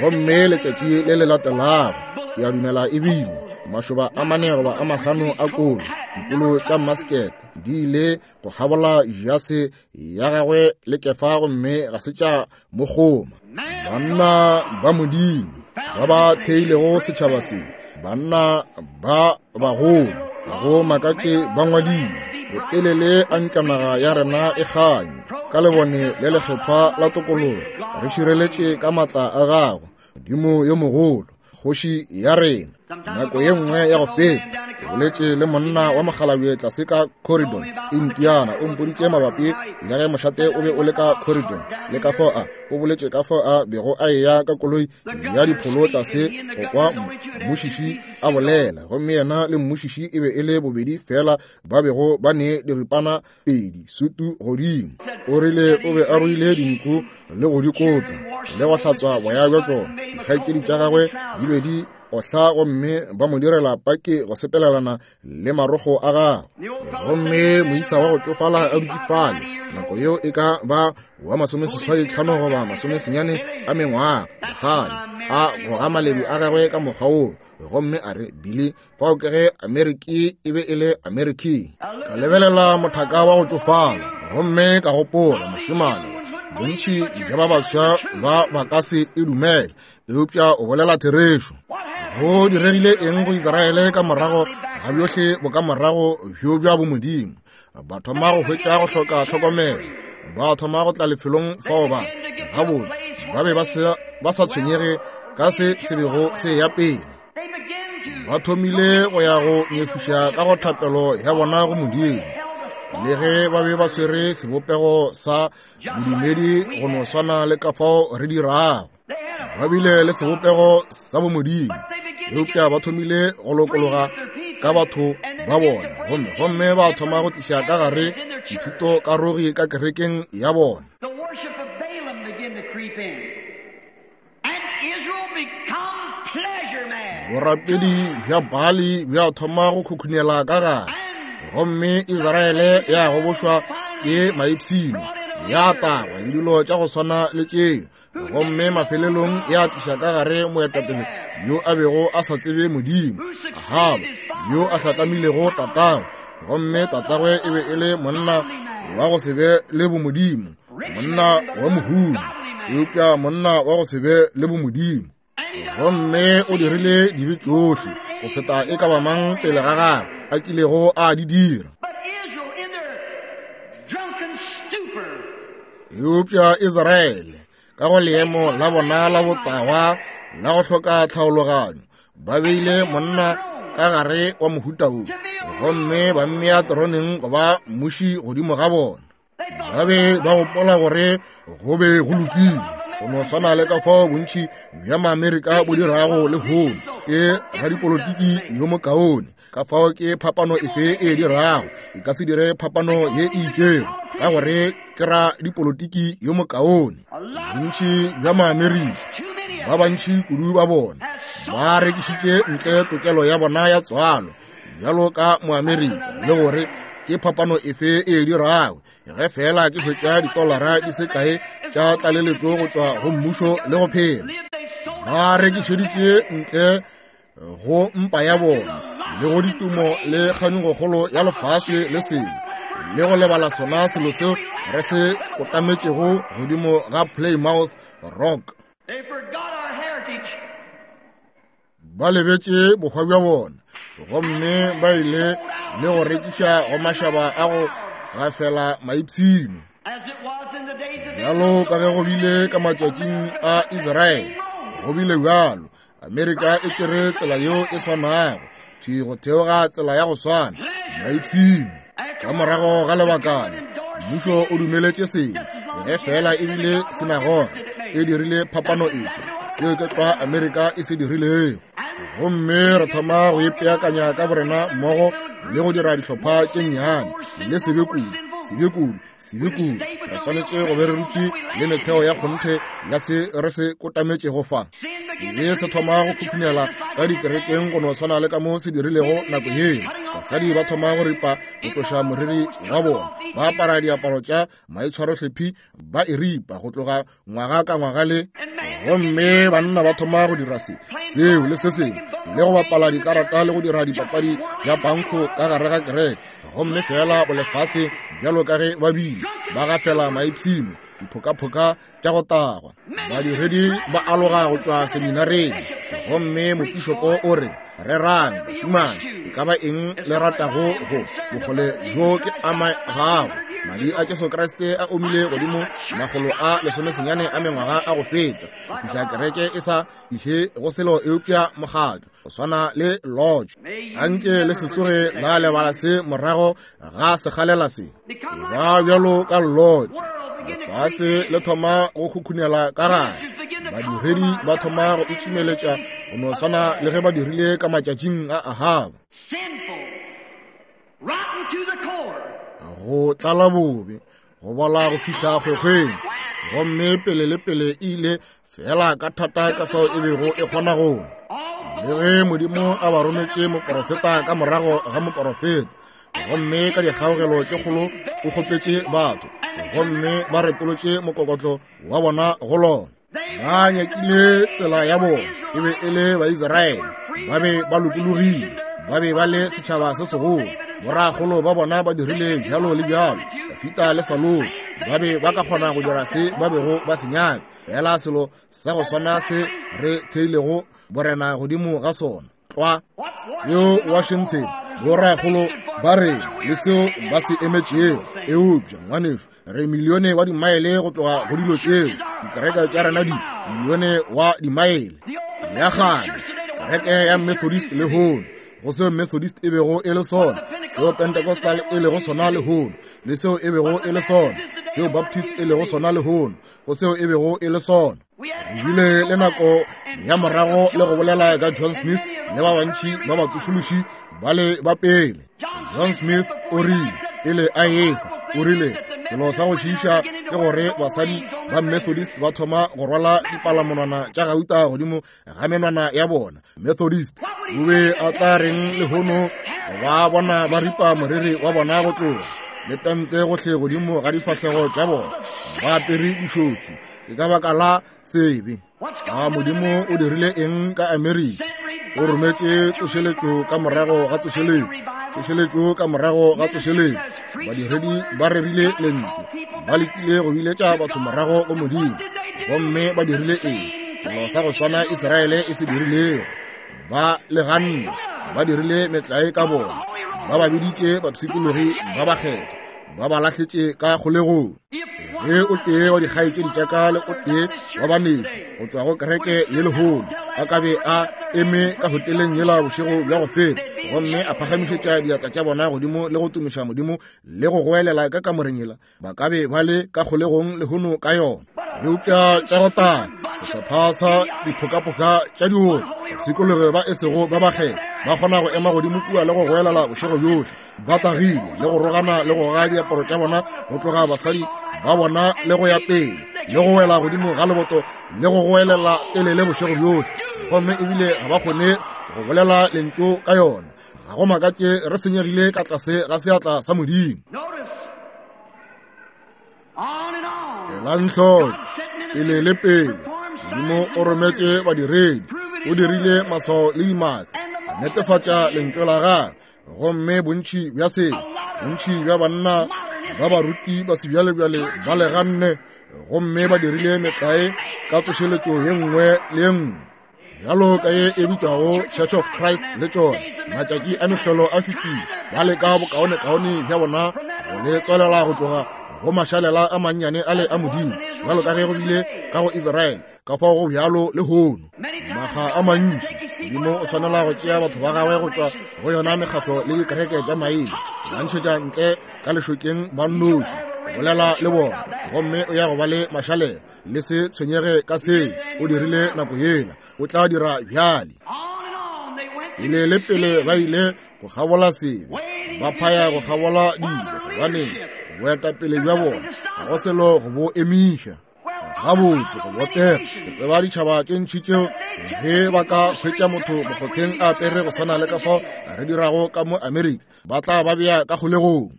Speaker 1: Gomme letšatši le le latelago, ke a dumela ebile Mašoba a mane goba a mahlano a kolo, dikolo tša maskete di ile go kgabola jase ya gagwe le kefa, gomme ga se tša mo kgoma. Banna ba Modimo ba ba theilego setšhaba se, banna ba bagolo, ga go makatše ba ngwadile, botelele a nka naga ya rena e kganye ka lebone le lekgethwa la tokologo, re šireletše ka matla a gago, Modimo yo mogolo, kgoši ya rena. Nako ye nngwe ya go feta ke boletše le monna wa mokgalabje tlase ka Corridon, Indiana. O mpoditše mabapi le ge mošate o be o le ka Corridon, le ka fao a o boletše ka fao a bego a eya ka koloi ya dipholo tlase go kwa mmušiši a bolela, gomme yena le mmušiši e be e le bobedi fela ba bego ba ne diripana pedi sutu godimo. O rile o be a ruile dinku le go di kota le go hlatswa boya bja tšona. Dikgaetšedi tša gagwe di be di ohla gomme ba mo direla paki go sepelelana le marogo a gagwe. Gomme moisa wa go tšofala a dutše fale, nako yeo e ka ba wa masomeseswai tlhano goba masomesenyane a mengwaga, bogale a goga maledu a gagwe ka mokgwa woo, gomme a re, Billy, fao ke ge Ameriki e be e le Ameriki. Ka lebelela mothaka wa go tšofala, gomme ka gopola, mošemane, bontši bja ba baswa ba ba ka se e dumele, eupša o bolela therešo. Go diregile eng go Israele ka morago ga bjohle bokamorago bjo bja bomodimo? Ba thoma go hwetša go hloka tlhokomelo, ba thoma go tla lefelong fao ba gabotse ba be ba se ba sa tshwenyege ka se se bego se ya pele. Ba thomile go ya go nyefiša ka go thapelo ya bona go Modimo, le ge ba be ba swere sebopego sa bodumedi go no swana le ka fao re dirago. Ba bile le sebopego sa bomodimo, eupša ba thomile go lokologa ka batho ba bona, gomme gomme ba thoma go tliša ka gare dithuto karogi ka kerekeng ya bona.
Speaker 2: The worship of Balaam began to creep in, and Israel become pleasure man.
Speaker 1: Borapedi bja Baali bja thoma go khukhunela ka gare, gomme Israele ya gobošwa ke maipshino, ya tagwa le dilo tša go swana le tšeo, gomme mafelelong ya tliša ka gare moetapele yo a bego a sa tsebe Modimo, Ahaba, yo a hlatlamilego tatagwe, gomme tatagwe e be e le monna wa go se be le bomodimo, monna wa mohumi, eupša monna wa go se be le bomodimo. Gomme o dirile dibe tšohle go feta e ka ba mang pele ga gagwe a kilego a di dira.
Speaker 2: But Israel, in their drunken stupor,
Speaker 1: Eupša Israele ka go leemo la bona la botagwa la go hloka tlhaologanyo, ba beile monna ka gare wa mohuta wo, gomme ba mmea teroneng go ba mmuši godimo ga bona. Ba be ba gopola gore go be go lokile, go no swana le ka fao bontši bja Maamerika bo dirago lehono. Ke radipolotiki yo mokaone, ka fao ke phapano efe e dirago? E ka se dire phapano ye e itšego, ka gore ke radipolotiki yo mokaone. Bontši bja Maamerika, ba bantši kudu ba bona, ba rekišitše ntle tokelo ya bona ya tswalo bjalo ka Moamerika, le gore ke phapano efe e dirago ge fela ke hwetša ditolara di se kae tša tlaleletšo go tšwa go mmušo le go phela. Ba rekišeditše ntle go mpa ya bona le go ditumo le kganyogokgolo ya lefase le selo, le go lebala sona selo seo re se kotametšego godimo ga Plymouth Rock.
Speaker 2: They forgot our heritage.
Speaker 1: Ba lebetše bohwa bja bona, gomme ba ile le go rekiša go mašaba a go gafela maipshino.
Speaker 2: As it was in the days of
Speaker 1: Bjalo ka ge go bile ka matšatšing a Israele, go bile bjalo. Amerika e tšere tsela yeo e swanago, thwi go theoga tsela ya go swana, maipshino. Ka morago ga lebakana, mmušo o dumeletše sebe, ge fela ebile sinagoga e dirile phapano efe, seo ke tlwa Amerika e se dirilego. Gomme re thoma go ipeakanya ka borena mmogo le go dira dihlopha tše nnyane le sebe kudu, sebe kudu, sebe kudu. Re swanetše go be re dutše le metheo ya kgonthe ya se re se kotametšego fa. Sebe se thoma go khukhunela ka dikerekeng go no swana le ka mo se dirilego nako yeo. Basadi ba thoma go ripa go tloša moriri wa bona, ba apara diaparo tša maitshwarohlephi, ba e ripa go tloga ngwaga ka ngwaga le Gomme banna ba thoma go dira se, seo le se sengwe, le go bapala dikarata le go dira dipapadi tša pankho ka gare ga kereke. Gomme fela bolefase bjalo ka ge ba bile ba gafela maipshino, diphokaphoka tša go tagwa. Badiredi ba aloga go tšwa seminareng, gomme mopišopo o re, rerang bašimane, e ka ba eng le ratago go bokgole bjo ke ama gago. Madi a Jesu Kriste a omile godimo makgolo a lesomesenyane a mengwaga a go feta, go fihla kereke e sa iše go selo eupša mokgatlo go swana le lodge. Anke le se tsoge la lebala se morago ga sekgalela se. E ba bjalo ka lodge, lefase le thoma go khukhunela ka gare. Badiredi ba thoma go itšhimeletša go no swana le ge ba dirile ka matšatšing a Ahaba. Go tlala bobe, go bola go fihla kgwekgweng, gomme pele le pele e ile fela ka thata ka fao e bego e kgona go. Le ge Modimo a ba rometše moporofeta ka morago ga moporofeta, gomme ka dikgaogelo tše kgolo o kgopetše batho, gomme ba retolotše mokokotlo wa bona go lona. Ba nyakile tsela ya bona, e be e le Baisraele, ba be ba lokologile, ba be ba le setšhaba se segolo. Borakgolo ba bona ba dirile bjalo le bjalo, Dafita le Salomo ba be ba ka kgona go dira se ba bego ba se nyaka, fela selo sa go swana se re theilego borena godimo ga sona tlwa seo Washington borakgolo ba re le seo ba se emetšego. Eupša ngwanešu, re milione wa dimaele go tloga go dilo tšeo. Dikereke tša rena di milione wa dimaele. Ya kgale kereke ya Methodist lehono, go seo Methodist e bego e le sona, seo Pentecostal e lego sona lehono, le seo e bego e le sona, seo Baptist e lego sona lehono, go seo e bego e le sona. Re bile le nako ya morago le go bolela ka John Smith le ba bantši ba batsošološi ba le ba pele. John Smith o rile pele a ehwa, o rile selo sa go šiiša ke gore basadi ba Methodist ba thoma go rwala dipalamonwana tša gauta godimo ga menwana ya bona. Methodist o be a tla reng lehono ba bona ba ripa moriri wa bona go tloga, le tente gohle godimo ga difahlego tša bona, ba apere dišothi. Ke ka baka la sebe. A Modimo o dirile eng ka Amerika? O rometše tsošeletšo ka morago ga tsošeletšo, tsošeletšo ka morago ga tsošeletšo. Badiredi ba rerile lentšu, ba lekile go biletša batho morago go Modimo, gomme ba dirile eng? Selo sa go swana Israele e se dirilego. Ba le ganne, ba dirile metlae ka bona, ba ba biditše bapshikologi ba bakgethwa, ba ba lahletše ka kgolegong. Ge o tee wa dikgaetšedi tša ka le o tee wa banešu go tšwa go kereke ye lehono a ka be a eme ka hoteleng yela bošego bja go feta, gomme a phagamišetša diatla tša bona godimo le go tumiša Modimo le go goelela ka kamoreng yela, ba ka be ba le ka kgolegong lehono ka yona. Eupša tša go tala sehlopha sa diphokapoka tša dioto, bapshikologi ba e sego ba bakgethwa, ba kgona go ema godimo kua le go goelela bošego bjohle ba tagile le go rogana le go goga diaparo tša bona go tloga basadi ba bona le go ya pele le go wela godimo ga leboto le go goelela telele bošego bjohle, gomme ebile ga ba kgone go bolela lentšu ka yona. Ga go makatše re senyegile ka tlase ga seatla sa Modimo. Elang hloko, pele le pele Modimo o rometše badiredi, o dirile maswao le dimaka, a netefatša lentšu la gagwe, gomme bontši bja se, bontši bja banna ba baruti ba sebjalebjale ba le ganne, gomme ba dirile metlae ka tsošeletšo ye nngwe le ye nngwe bjalo ka ye e bitšwago Church of Christ le tšona. Matšatši a mehlolo a fetile, ba leka bokaonekaone bja bona go le tswalela go tloga go mašalela a mannyane a le a Modimo, bjalo ka ge go bile ka go Israele, ka fao go bjalo lehono. Makga a mantši Modimo o tshwanela go tšea batho ba gagwe go tšwa go yona mekgatlo le dikereke tša maina, ba ntšhetša ntle ka lešokeng ba nnoši, bolela le bona, gomme o ya go ba le mašalela. Le se tshwenyege ka seo, o dirile nako yela, o tla dira bjale. Pele le pele ba ile go kgabola sebe, ba phaya go kgabola dilo, gobane boetapele bja bona ga go selo go bo emiša. Gabotse go botega, ke tseba ditšhaba tše ntši tšeo ge ba ka hwetša motho mokgotheng a apere go swana le ka fao re dirago ka mo Amerika, ba tla ba bea ka kgolegong.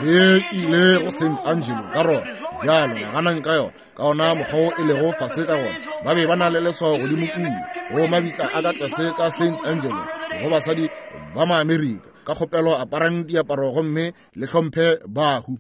Speaker 1: Ge ke ile go Saint Angelo ka rona Bjalo naganang ka yona, ka ona mokgwa wo e lego fase ka gona. Ba be ba na le leswao godimo kua go mabitla a ka tlase ka Saint Angelo go basadi ba Maamerika. Ka kgopelo aparang diaparo gomme le hlomphe bahu.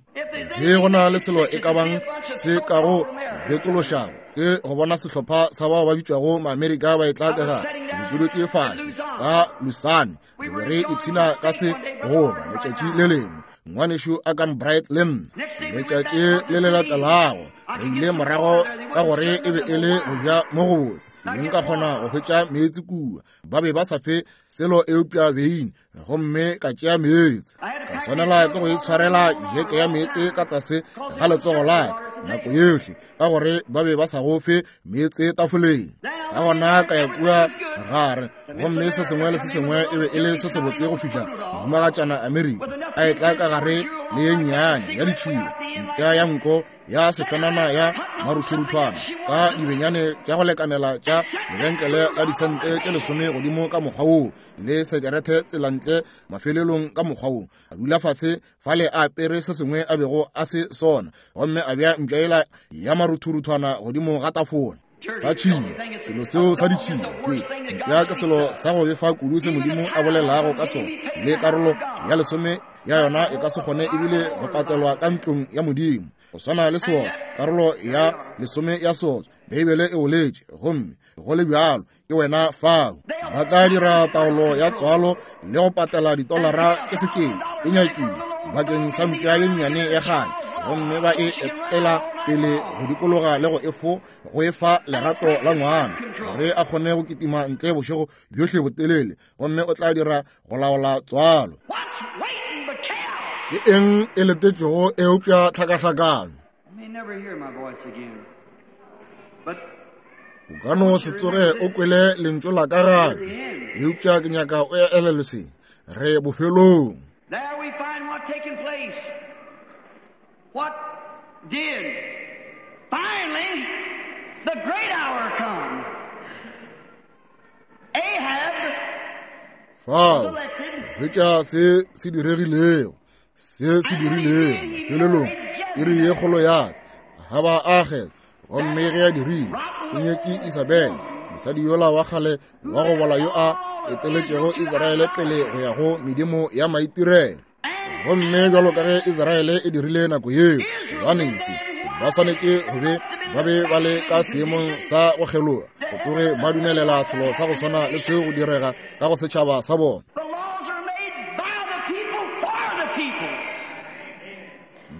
Speaker 1: Ge go na le selo e ka bang se ka go betološago ke go bona sehlopha sa bao ba bitšwago Maamerika ba etla ka gare. Ke dutše fase ka Lusane, re be re ipshina ka se goba letšatši le lengwe. Ngwanešu a kan Bright le nna letšatši le le latelago re ile morago ka gore e be e le go ja mo go botse. Ke nka kgona go hwetša meetse kua. Ba be ba sa fe selo eupša beine, gomme ka tšea meetse. Ka swanela ke go itshwarela jeke ya meetse ka tlase ga letsogo la ka nako yohle, ka gore ba be ba sa go fe meetse tafoleng. Ka gona ka ya kua gare, gomme se sengwe le se sengwe e be e le se sebotse go fihla mohumagatšana Amerika a etla ka gare le ye nnyane ya ditšhila, mpša ya nko ya sefenana ya maruthuruthwana ka dibenyane tša go lekanela tša lebenkele la disente tše lesome godimo ka mokgwa woo, le sekerete tselantle mafelelong ka mokgwa woo. A dula fase fale a apere se sengwe a bego a se sona, gomme a bea mpša yela ya maruthuruthwana godimo ga tafola. Sa tšhila, selo seo sa ditšhila ke mpša, ke selo sa go befa kudu se Modimo a bolelago ka sona, le karolo ya lesome ya yona e ka se kgone ebile go patelwa ka ntlong ya Modimo. Go swana le sona, karolo ya lesome ya sona, Beibele e boletše, gomme go le bjalo ke wena fao. Ba tla dira taolo ya tswalo le go patela ditolara tše sekete e nyakile bakeng sa mpša ye nnyane ya kgale, gomme ba e etela pele go dikologa le go efo go efa lerato la ngwana gore a kgone go kitima ntle bošego bjohle botelele, gomme o tla dira go laola tswalo. Ke eng e letetšego eupša tlhakahlakano? O ka no se tsoge o kwele lentšu la ka gape, eupša ke nyaka o elelwe se. Re bofelong.
Speaker 2: What did finally the great hour come? Ahab
Speaker 1: fao hwetša se se diregilego, se se dirilego mafelelong iri ye kgolo ya tla. Ahaba a kgethwa, gomme ge a dirile o nyetše Isabele, mosadi yola wa kgale wa go bola yo a eteletšego Israele pele go ya go medimo ya maitirelo. Gomme bjalo ka ge Israele e dirile nako yeo, gobane se ba swanetše go be ba be ba le ka seemong sa go kgeloga, go tsoge ba dumelela selo sa go swana le seo go direga ka go setšhaba sa bona.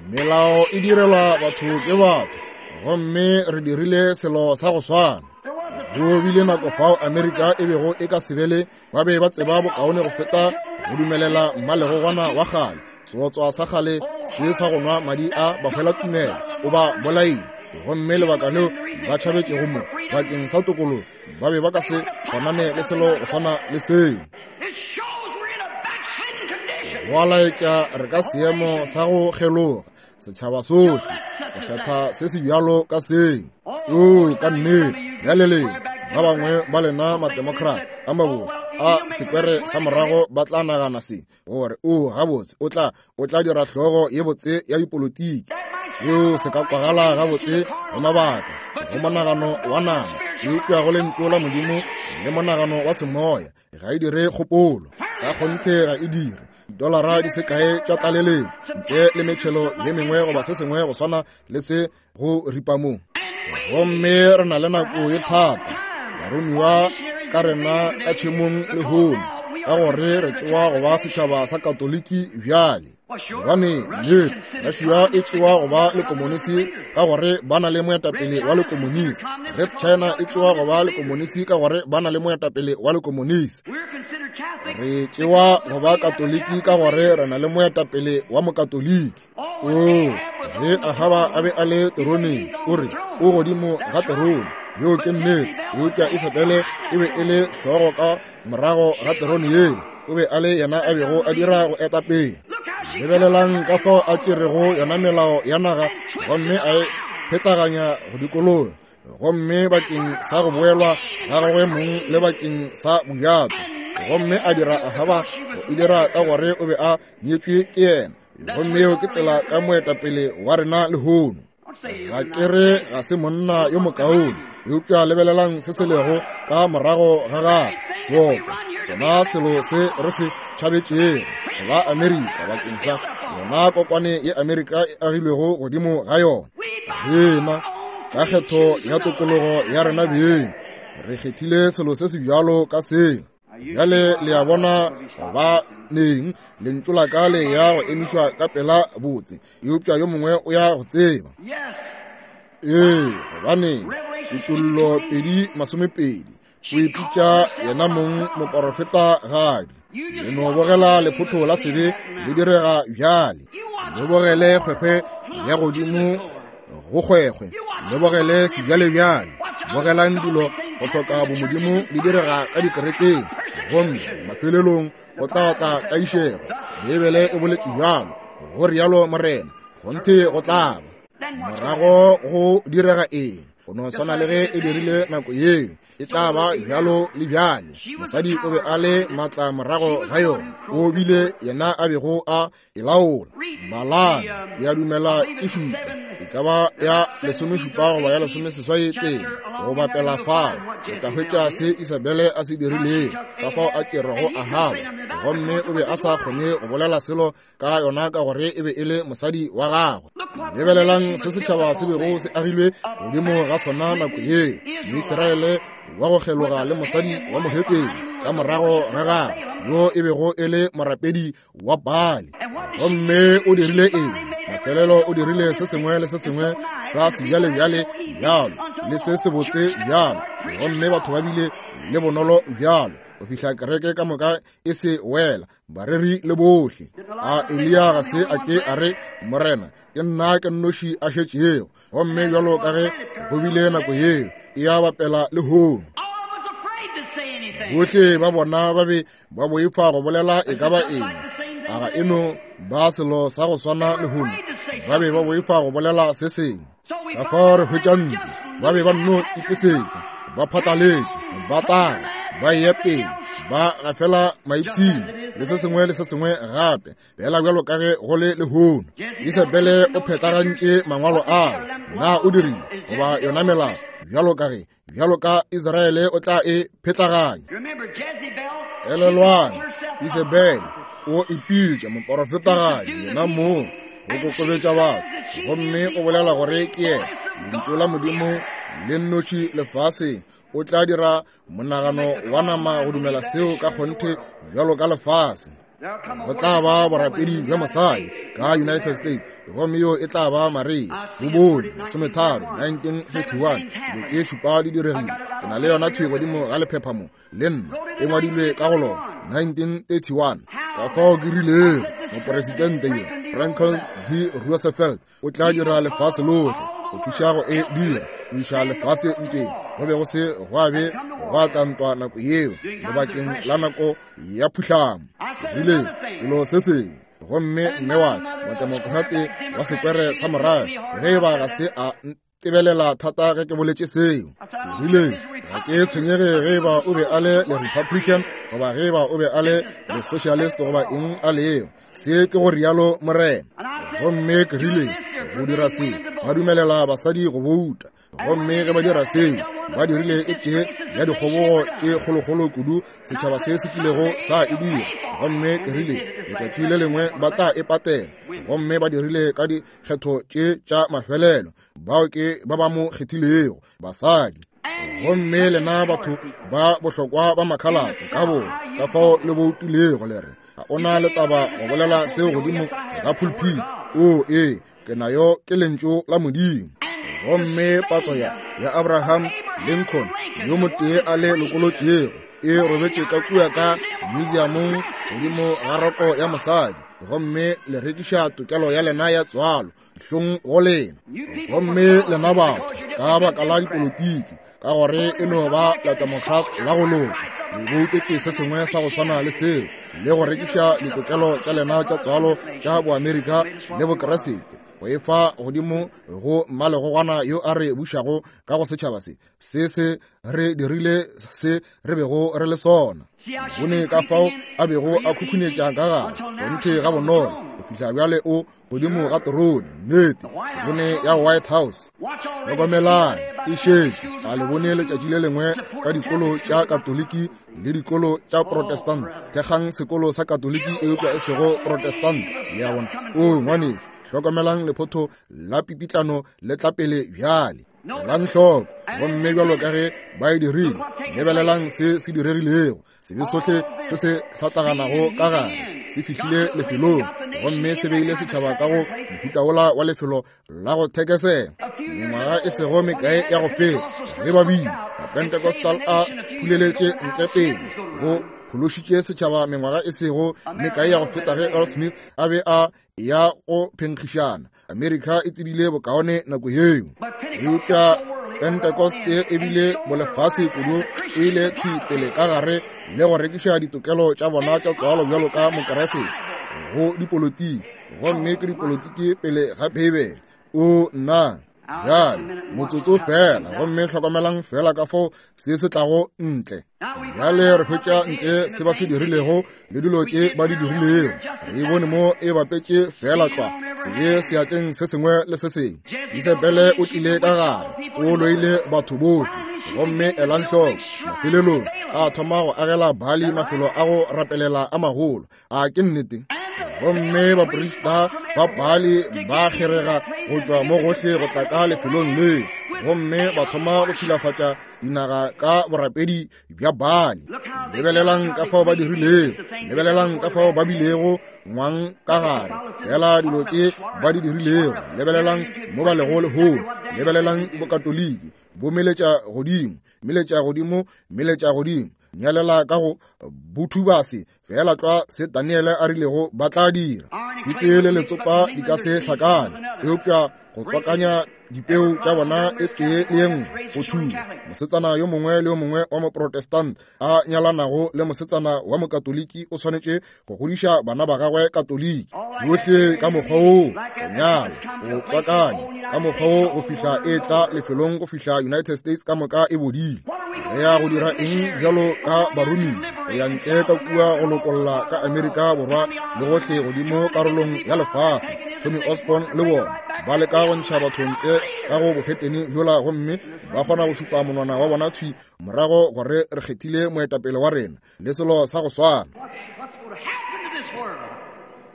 Speaker 1: Melao e direlwa batho ke batho, gomme re dirile selo sa go swana. Go bile nako fao Amerika e bego e ka se be le, ba be ba tseba bokaone go feta go dumelela mmalegogwana wa kgale, seotswa sa kgale se sa go nwa madi a bahwelatumelo, o ba bolaile. Gomme lebaka leo ba tšhabetšego mo bakeng sa tokologo, ba be ba ka se kgonane le selo go swana le seo. Go a laetša re ka seemo sa go kgeloga, setšhaba sohle go kgetha se se bjalo ka seo. Oo, ka nnete, bjale lena ba bangwe ba lena mademocrat a mabotse a sekwere sa morago ba tla nagana se gore o gabotse o tla o tla dira hlogo ye botse ya dipolotiki. Seo se ka kwagala gabotse go mabaka, go monagano wa nama, eupša go lentšu la Modimo le monagano wa semoya ga e dire kgopolo. Ka kgonthe ga e dire. Dolara di se kae tša tlaleletšo ntle le metšhelo ye mengwe goba se sengwe go swana le se go ripa mo. Gomme re na le nako ye thata, baromiwa ka rena ka tšhemong lehono, ka gore re tšewa go ba setšhaba sa Katoliki bjale. Gobane nnete Russia e tšewa go ba lekomonisi ka gore ba na le moetapele wa lekomonisi. Red China e tšewa go ba lekomonisi ka gore ba na le moetapele wa lekomonisi. Re tšewa go ba Katoliki ka gore re na le moetapele wa mokatoliki. Oo, ge Ahaba a be a le teroneng, o re o godimo ga terone. Yeo ke nnete, eupša Isabele e be e le hlogo ka morago ga terone yela. O be a le yena a bego a dira go eta pele. Lebelelang ka fao a tšerego yona melao ya naga gomme a e phetlaganya go dikologa, gomme bakeng sa go boelwa ga gagwe mong le bakeng sa bojato, gomme a dira Ahaba go e dira ka gore o be a nyetšwe ke yena. Gomme yeo ke tsela ka moetapele wa rena lehono. Ga ke re ga se monna yo mokaone, eupša lebelelang se se lego ka morago ga gagwe, seotswa, sona selo se re se tšhabetšego ba Amerika bakeng sa yona kokwane ye Amerika e agilwego godimo ga yona. Rena ka kgetho ya tokologo ya rena beng re kgethile selo se se bjalo ka seo. Bjale le a bona ba neng lentšu la ka le ya go emišwa ka pela botse, eupša yo mongwe o ya go tseba. Ee, gobane Kutollo pedi masomepedi o ipitša yena mong moporofetagadi. Le no bogela lephotho la sebe le direga bjale. Le bogele kgwekgwe ya godimo go kgwekgwe, le bogele sebjalebjale. Bogelang dilo go hloka bomodimo di direga ka dikerekeng, gomme mafelelong go tla tla tlaišego. Beibele e boletše bjalo, go rialo Morena, kgonthe go tla ba. Morago go direga eng? Go no swana le ge e dirile nako yeo, e tla ba bjalo le bjale. Mosadi o be a le maatla morago ga yona, o bile yena a bego a e laola. Balang, ke a dumela ke šupa, e ka ba ya lesomešupa goba ya lesomeseswai teng, go bapela fao le tla hwetša se Isabele a se dirilego, ka fao a tšerego Ahaba, gomme o be a sa kgone go bolela selo ka yona ka gore e be e le mosadi wa gagwe. Lebelelang se setšhaba se bego se agilwe godimo ga sona nako yeo, Moisraele wa go kgeloga le mosadi wa mohetene ka morago ga gagwe, yo e bego e le morapedi wa Baali. Gomme o dirile eng? Mafelelo o dirile se sengwe le se sengwe sa sebjalebjale bjalo le se sebotse bjalo, gomme batho ba bile le bonolo bjalo go fihla kereke ka moka e se wela, bareri le bohle. A Eliya ga se a ke a re, Morena, ke nna ke nnoši a šetšego, gomme bjalo ka ge go bile nako yeo, e a bapela lehono. Bohle ba bona ba be ba boifa go bolela e ka ba eng. A ga eno ba selo sa go swana lehono, ba be ba boifa go bolela se sengwe. Ka fao re hwetša ntlo, ba be ba nno itesetša, ba phatlaletše, ba taga, ba eya pele, ba gafela maipshino le se sengwe le se sengwe gape, fela bjalo ka ge go le lehono. Isabele o phetagantše mangwalo ao, na o dirile goba yona melao, bjalo ka ge bjalo ka Israele o tla e phetlaganya. Elelwang, Isabele o ipitša moporofetagadi yena mong go kokobetša batho, gomme o bolela gore ke yena lentšu la Modimo le nnoši lefaseng. O tla dira monagano wa nama go dumela seo ka kgonthe bjalo ka lefase. Go tla ba borapedi bja mosadi ka United States, gomme yo e tla ba Maria. Bobone masometharo nineteen thirty-one, dilo tše šupa di diregile. Ke na le yona thwi godimo ga lephepha mo le nna, e ngwadilwe ka go lona nineteen thirty-one. Ka fao ke rilego moporesidente yo Franklin D. Roosevelt o tla dira lefase lohle go thuša go e dira, go iša lefase ntweng. Go be go se gwa be gwa tla ntwa nako yeo lebakeng la nako ya phuhlamo. Rile selo se sengwe, gomme mme wa motemokrate wa sekwere sa morago, ge e ba ga se a ntebelela thata ge ke boletše seo. Rile ga ke tshwenyege ge e ba o be a le le Republican goba ge e ba o be a le le Socialist goba eng a leo, se ke go rialo Morena. Gomme ke rile go dira se, ba dumelela basadi go bouta, gomme ge ba dira seo, ba dirile e tee ya dikgobogo tše kgolokgolo kudu setšhaba se se kilego sa e dira. Gomme ke rile letšatši le lengwe ba tla e patela, gomme ba dirile ka dikgetho tše tša mafelelo, bao ke ba ba mo kgethilego, basadi. Gomme lena batho ba bohlokwa ba makhalate ka bona, ka fao le boutilego le re ga ona le taba go bolela seo godimo ga pulpit. O ee, ke nayo ke lentšu la Modimo. Gomme patso ya ya Abraham Lincoln yo motee a le lokolotšego e robetše ka kua ka museumong godimo ga roko ya mosadi, gomme le rekiša tokelo ya lena ya tswalo hlong go lena. Gomme lena batho ka baka la dipolotiki, ka gore e no ba la Democrat la go loka, le boutetše se sengwe sa go swana le seo, le go rekiša ditokelo tša lena tša tswalo tša Boamerika le Bokeresete, go e fa godimo go mmalegogwana yo a re bušago ka go setšhaba se. Se se re dirile se re bego re le sona. Bone ka fao a bego a khukhunetša ka gare, kgonthe ga bonolo fihla bjale o godimo ga terone, nnete, terone ya White House. Hlokomelang, e šetše a le bone letšatši le lengwe ka dikolo tša Katoliki le dikolo tša Protestant. Thekgang sekolo sa Katoliki eupša e sego Protestant. Le a bona? O ngwanešu, hlokomelang lephotho la pipitlano le tla pele bjale. Elang hloko, gomme bjalo ka ge ba e dirile, lebelelang se se diregilego. Sebe sohle se se hlatlaganago ka gare se fihlile lefelong, gomme se beile setšhaba ka go mohuta wola wa lefelo la go thekesela. Mengwaga e sego mekae ya go feta, ge ba bile Mapentecostal a phuleletše ntle pele go phološitše setšhaba mengwaga e sego mekae ya go feta ge Earl Smith a be a ya go phenkgišana. Amerika e tsebile bokaone nako yeo, eupša Pentecoste e bile bolefase kudu, e ile thwi pele ka gare le go rekiša ditokelo tša bona tša tswalo bjalo ka Mokeresete go dipolotiki, gomme ke dipolotiki pele ga Beibele. O nna bjale motsotso fela, gomme hlokomelang fela ka fao se se tlago ntle. Bjale re hwetša ntle se ba se dirilego le dilo tše ba di dirilego. Re e bone mo e bapetše fela tlwa sebe seatleng se sengwe le se sengwe. Isabele o tlile ka gare, o loile batho bohle, gomme elang hloko, mafelelong a thoma go agela Baali mafelo a go rapelela a magolo. A ke nnete? Gomme baprista ba Baali ba kgerega go tšwa mo gohle go tla ka lefelong leo, gomme ba thoma go tšhilafatša dinaga ka borapedi bja Baali. Lebelelang ka fao ba dirilego, lebelelang ka fao ba bilego ngwang ka gare, fela dilo tše ba di dirilego. Lebelelang mo ba lego lehono, lebelelang bokatoliki bo meletša godimo, meletša godimo, meletša godimo, nyalela ka go bothubase, fela tlwa se Daniele a rilego ba tla dira. Tshipi le letsopa di ka se hlakane, eupša go tswakanya dipeu tša bona e tee le ye nngwe go thuba. Mosetsana yo mongwe le yo mongwe wa Moprotestant a nyalanago le mosetsana wa Mokatoliki o swanetše go godiša bana ba gagwe Katoliki. Tšohle ka mokgwa woo, go nyala, go tswakanya ka mokgwa woo go fihla e tla lefelong go fihla United States ka moka e bodile. Re ya go dira eng bjalo ka baromiwa go ya ntle ka kua go lokolla ka Amerika Borwa le gohle godimo karolong ya lefase? Tommy Osborn le bona ba leka go ntšha batho ntle ka go bohetene bjola, gomme ba kgona go šupa monwana wa bona thwi morago gore re kgethile moetapele wa rena le selo sa go swana.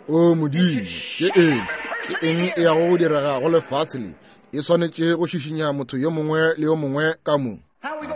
Speaker 1: O Modimo, ke eng ke eng e yago go direga go lefase le? E swanetše go šišinya motho yo mongwe le yo mongwe ka mo.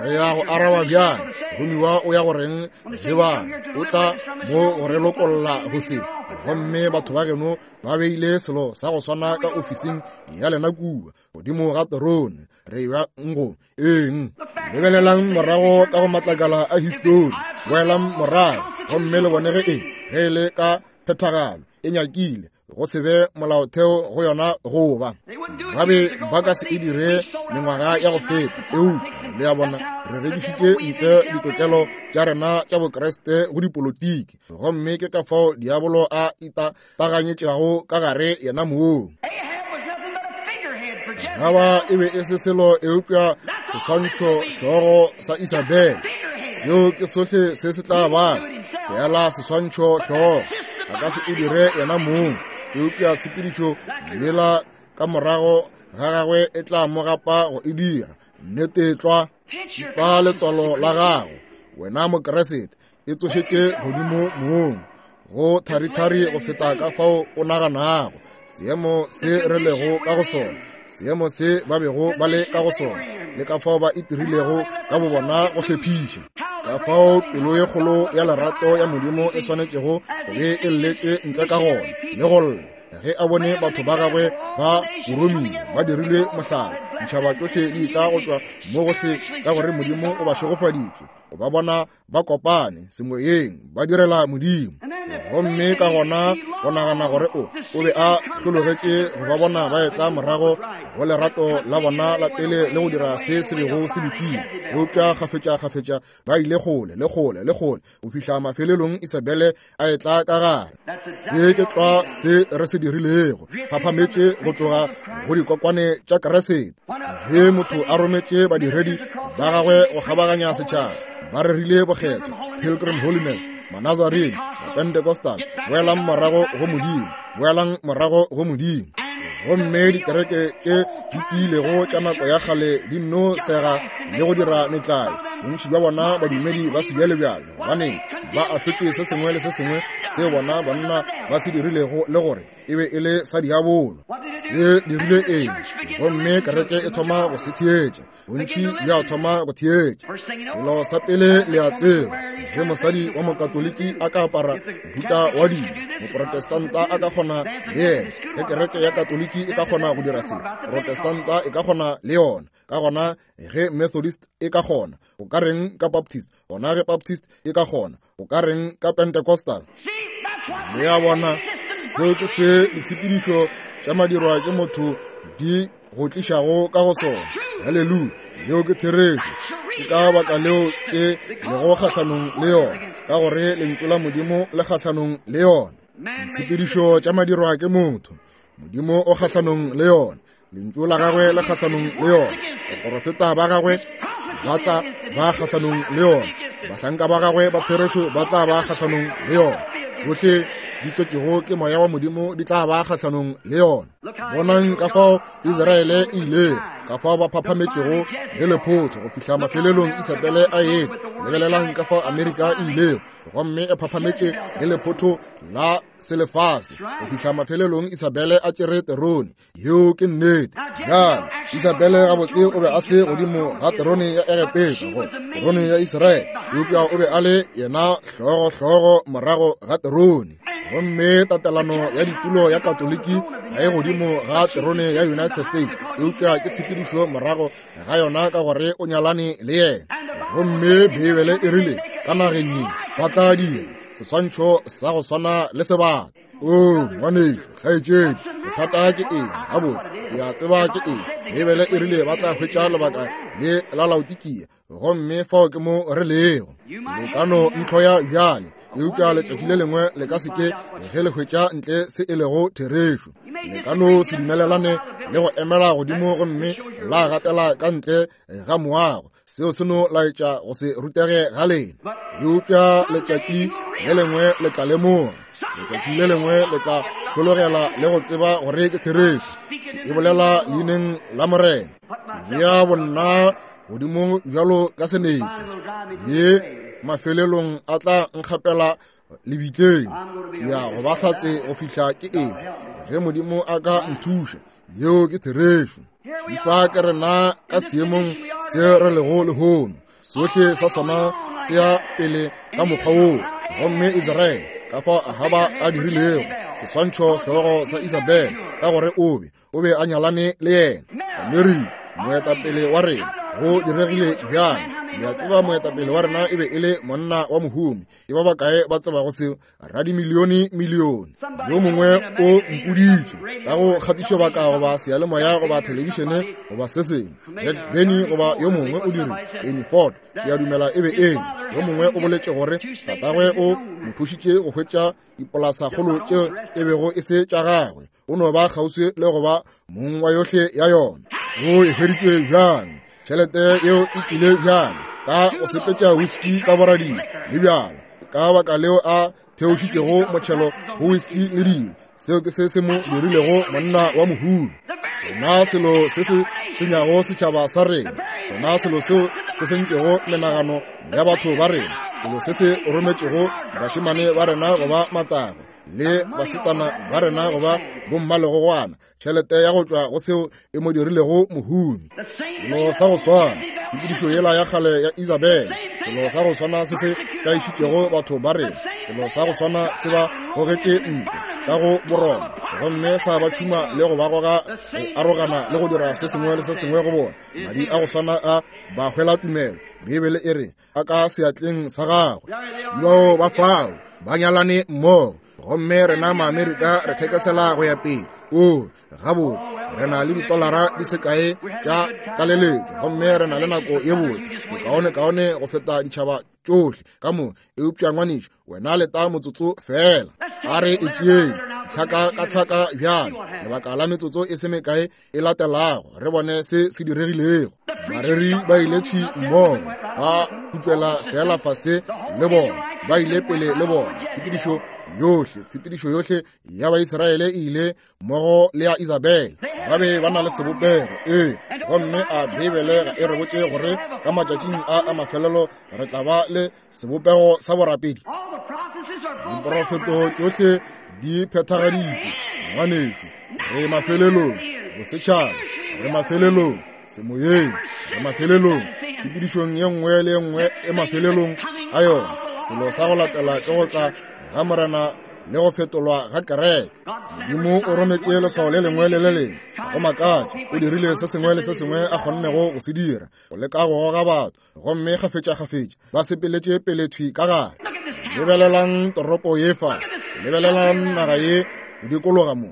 Speaker 1: Re ya go araba bjang? Romiwa o ya go reng ge ba o tla mo go re lokolla go se? Gomme batho ba geno ba beile selo sa go swana ka ofising ya lena kua godimo ga terone. Re ya ngo eng? Lebelelang morago ka go matlakala a histori, boelang morago gomme le bone ge e ge e le ka phethagalo e nyakile go se be molaotheo go yona goba ba be ba ka se e dire mengwaga ya go feta. Eupša le a bona, re rekišitše ntle ditokelo tša rena tša Bokreste go dipolotiki, gomme ke ka fao diabolo a itaganyetšago ka gare yena moo. Gaba e be e se selo eupša seswantšho hlogo sa Isabel. Seo ke sohle se se tla ba, fela seswantšho hlogo. A ka se e dire yena mong, eupša tshepedišo lela ka morago ga gagwe e tla mo gapa go e dira. Nnete tlwa, pa letswalo la gago wena Mokeresete e tsošetše godimo mong go tharithari go feta ka fao o naganago. Seemo se re lego ka go sona, seemo se ba bego ba le ka go sona, le ka fao ba itirilego ka bobona go hlephiša, ka fao pelo ye kgolo ya lerato ya Modimo e swanetšego go be e lletše ntle ka gona le go lla ge a bone batho ba gagwe ba boromiwa ba dirilwe mohlala. Ditšhaba tšohle di tla go tšwa mo gohle ka gore Modimo o ba šegofaditše, o ba bona ba kopane semoyeng ba direla Modimo. Gomme ka gona go nagana gore o o be a hlologetše go ba bona ba etla morago go lerato la bona la pele le go dira se se bego se lokile. Eupša kgafetša-kgafetša ba ile kgole le kgole le kgole go fihla mafelelong Isabele a etla ka gare. Se ke tlwa se re se dirilego, phaphametše go tloga go dikokwane tša Keresete. Ge motho a rometše badiredi ba gagwe go kgabaganya setšhaba, ba rerile bokgethwa, Pilgrim Holiness, Manazarene, Pentecostal, boelang morago go Modimo. Boelang morago go Modimo. Gomme dikereke tše di tiilego tša nako ya kgale di nno sega le go dira metlae. Bontši bja bona badumedi ba sebjalebjale, gobane ba ahlotše se sengwe le se sengwe se bona banna ba se dirilego le gore e be e le sa diabolo. Se dirile eng? Gomme kereke e thoma go se theetša. Bontši bja thoma go theetša. Selo sa pele le a tseba, ge mosadi wa mokatoliki a ka apara mohuta wa dilo, moprotestanta a ka kgona le yena. Ge kereke ya katoliki e ka kgona go dira se, protestanta e ka kgona le yona. Ka gona ge Methodist e ka kgona, o ka reng ka Baptist? Gona ge Baptist e ka kgona, o ka reng ka Pentecostal? Le a bona, seo ke se ditshepedišo tša madirwa ke motho di go tlišago ka go sona. Haleluya, yeo ke therešo. Ke ka baka leo ke lego kgahlanong le yona, ka gore lentšu la Modimo le kgahlanong le yona. Ditshepedišo tša madirwa ke motho, Modimo o kgahlanong le yona. Lentšu la gagwe le kgahlanong le yona. Baporofeta ba gagwe ba tla ba kgahlanong le yona. Bahlanka ba gagwe ba therešo ba tla ba kgahlanong le yona. Tšohle di tlotšego ke moya wa Modimo di tla ba kgahlanong le yona. Bonang ka fao Israele e ile, ka fao ba phaphametšego le lephotho go fihla mafelelong Isabele a etla. Lebelelang ka fao Amerika e ilego, gomme e phaphametše le lephotho la selefase go fihla mafelelong Isabele a tšere terone. Yeo ke nnete. Bjale Isabele gabotse o be a se godimo ga terone ya Egepeta, go terone ya Israele, eupša o be a le yena hlogo-hlogo morago ga terone. Gomme tatelano ya ditulo ya Katoliki ga e godimo ga terone ya United States, eupša ke tshepedišo morago ga yona ka gore o nyalane le yena. Gomme Beibele e rile ka nageng ye ba tla dira seswantšho sa go swana le sebata. O ngwanešu, kgaetšedi, bothata ke eng? Gabotse ke a tseba ke eng. Beibele e rile ba tla hwetša lebaka le la Laodikia, gomme fao ke mo re lego. Le ka no ntlhoya bjale, eupša letšatši le lengwe le ka se ke ge le hwetša ntle se e lego therešo. Le ka no se dumelelane le go emela godimo gomme la gatela ka ntle ga moago. Seo se no laetša go se rutege ga lena. Eupša letšatši le lengwe le tla lemoga, letšatši le lengwe le tla hlologela le go tseba gore ke therešo. Ke e bolela leineng la Morena. Ke bea bonna godimo bjalo ka senepe, ye mafelelong a tla nkgapela lebitleng. Ke ya go ba hlatse go fihla ke eng, ge Modimo a ka nthuša. Yeo ke therešo. Fifa ke rena ka seemong se re lego lehono. Sohle sa sona se ya pele ka mokgwa woo. Gomme Israele ka fao Ahaba a dirilego seswantšho hlogo sa Isabele, ka gore o be o be a nyalane le yena. Amerika, moetapele wa rena, go diregile bjang? Le a tseba moetapele wa rena e be e le monna wa mohumi. Ke ba bakae ba tsebago seo? Radimilione milione. Yo mongwe o mpoditše ka go kgatišobaka goba seyalemoya goba thelebišene goba se sengwe. Jack Benny goba yo mongwe o dirile Amy Ford, ke a dumela e be eng. Yo mongwe o boletše gore tatagwe o mo thušitše go hwetša dipolasakgolo tšeo e bego e se tša gagwe. O no ba kgauswi le go ba mong wa yohle ya yona. O e hweditše bjang? Tšhelete yeo e tlile bjang? Ka go sepetša whisky ka borading le bjalo. Ka baka leo a theošitšego motšhelo go whisky le dilo. Seo ke se se mo dirilego monna wa mohumi. Sona selo se se senyago setšhaba sa rena, sona selo seo se sentšego menagano ya batho ba rena, selo se se rometšego bašemane ba rena goba matago le basetsana ba rena goba bommalegogwana, tšhelete ya go tšwa go seo e mo dirilego mohumi. Selo sa go swana, tshepedišo yela ya kgale ya Isabele, selo sa go swana se se tlaišitšego batho ba rena, selo sa go swana se ba gogetše ntle ka go boroma, gomme sa ba tšhuma le go ba goga go arogana le go dira se sengwe le se sengwe go bona. Madi a go swana a ba hwela tumelo. Beibele e re a ka seatleng sa gagwe. Bao ba fao ba nyalane mmogo, gomme rena Maamerika re thekesela go ya pele. O gabotse, re na le ditolara di se kae tša tlaleletšo, gomme re na le nako ye botse, bokaonekaone go feta ditšhaba tšohle ka mo. Eupša ngwanešu, wena leta motsotso fela. A re e tšeeng tlhaka ka tlhaka bjale, lebaka la metsotso e se mekae e latelago, re bone se se diregilego. Bareri ba ile thwi mmogo, ba putšwela fela fase le bona. Ba ile pele le bona. Tshepedišo yohle, tshepedišo yohle ya Baisraele e ile mmogo le ya Isabel. Ba be ba na le sebopego. Ee, gomme a Beibele ga e re botše gore ka matšatšing a a mafelelo re tla ba le sebopego sa borapedi. Diprofeto tšohle di phethagaditšwe. Ngwanešu, re mafelelong, bosetšhaba, re mafelelong, semoyeng, re mafelelong, tshepedišong ye nngwe le ye nngwe e mafelelong a yona. Selo sa go latela ke go tla ga Morena le go fetolwa ga kereke. Modimo o rometše leswao le lengwe le le lengwe go makatša. O dirile se sengwe le se sengwe a kgonnego go se dira go leka go goga batho, gomme kgafetša-kgafetša ba sepeletše pele thwi ka gare. Lebelelang toropo ye fa, lebelelang naga ye go dikologa mo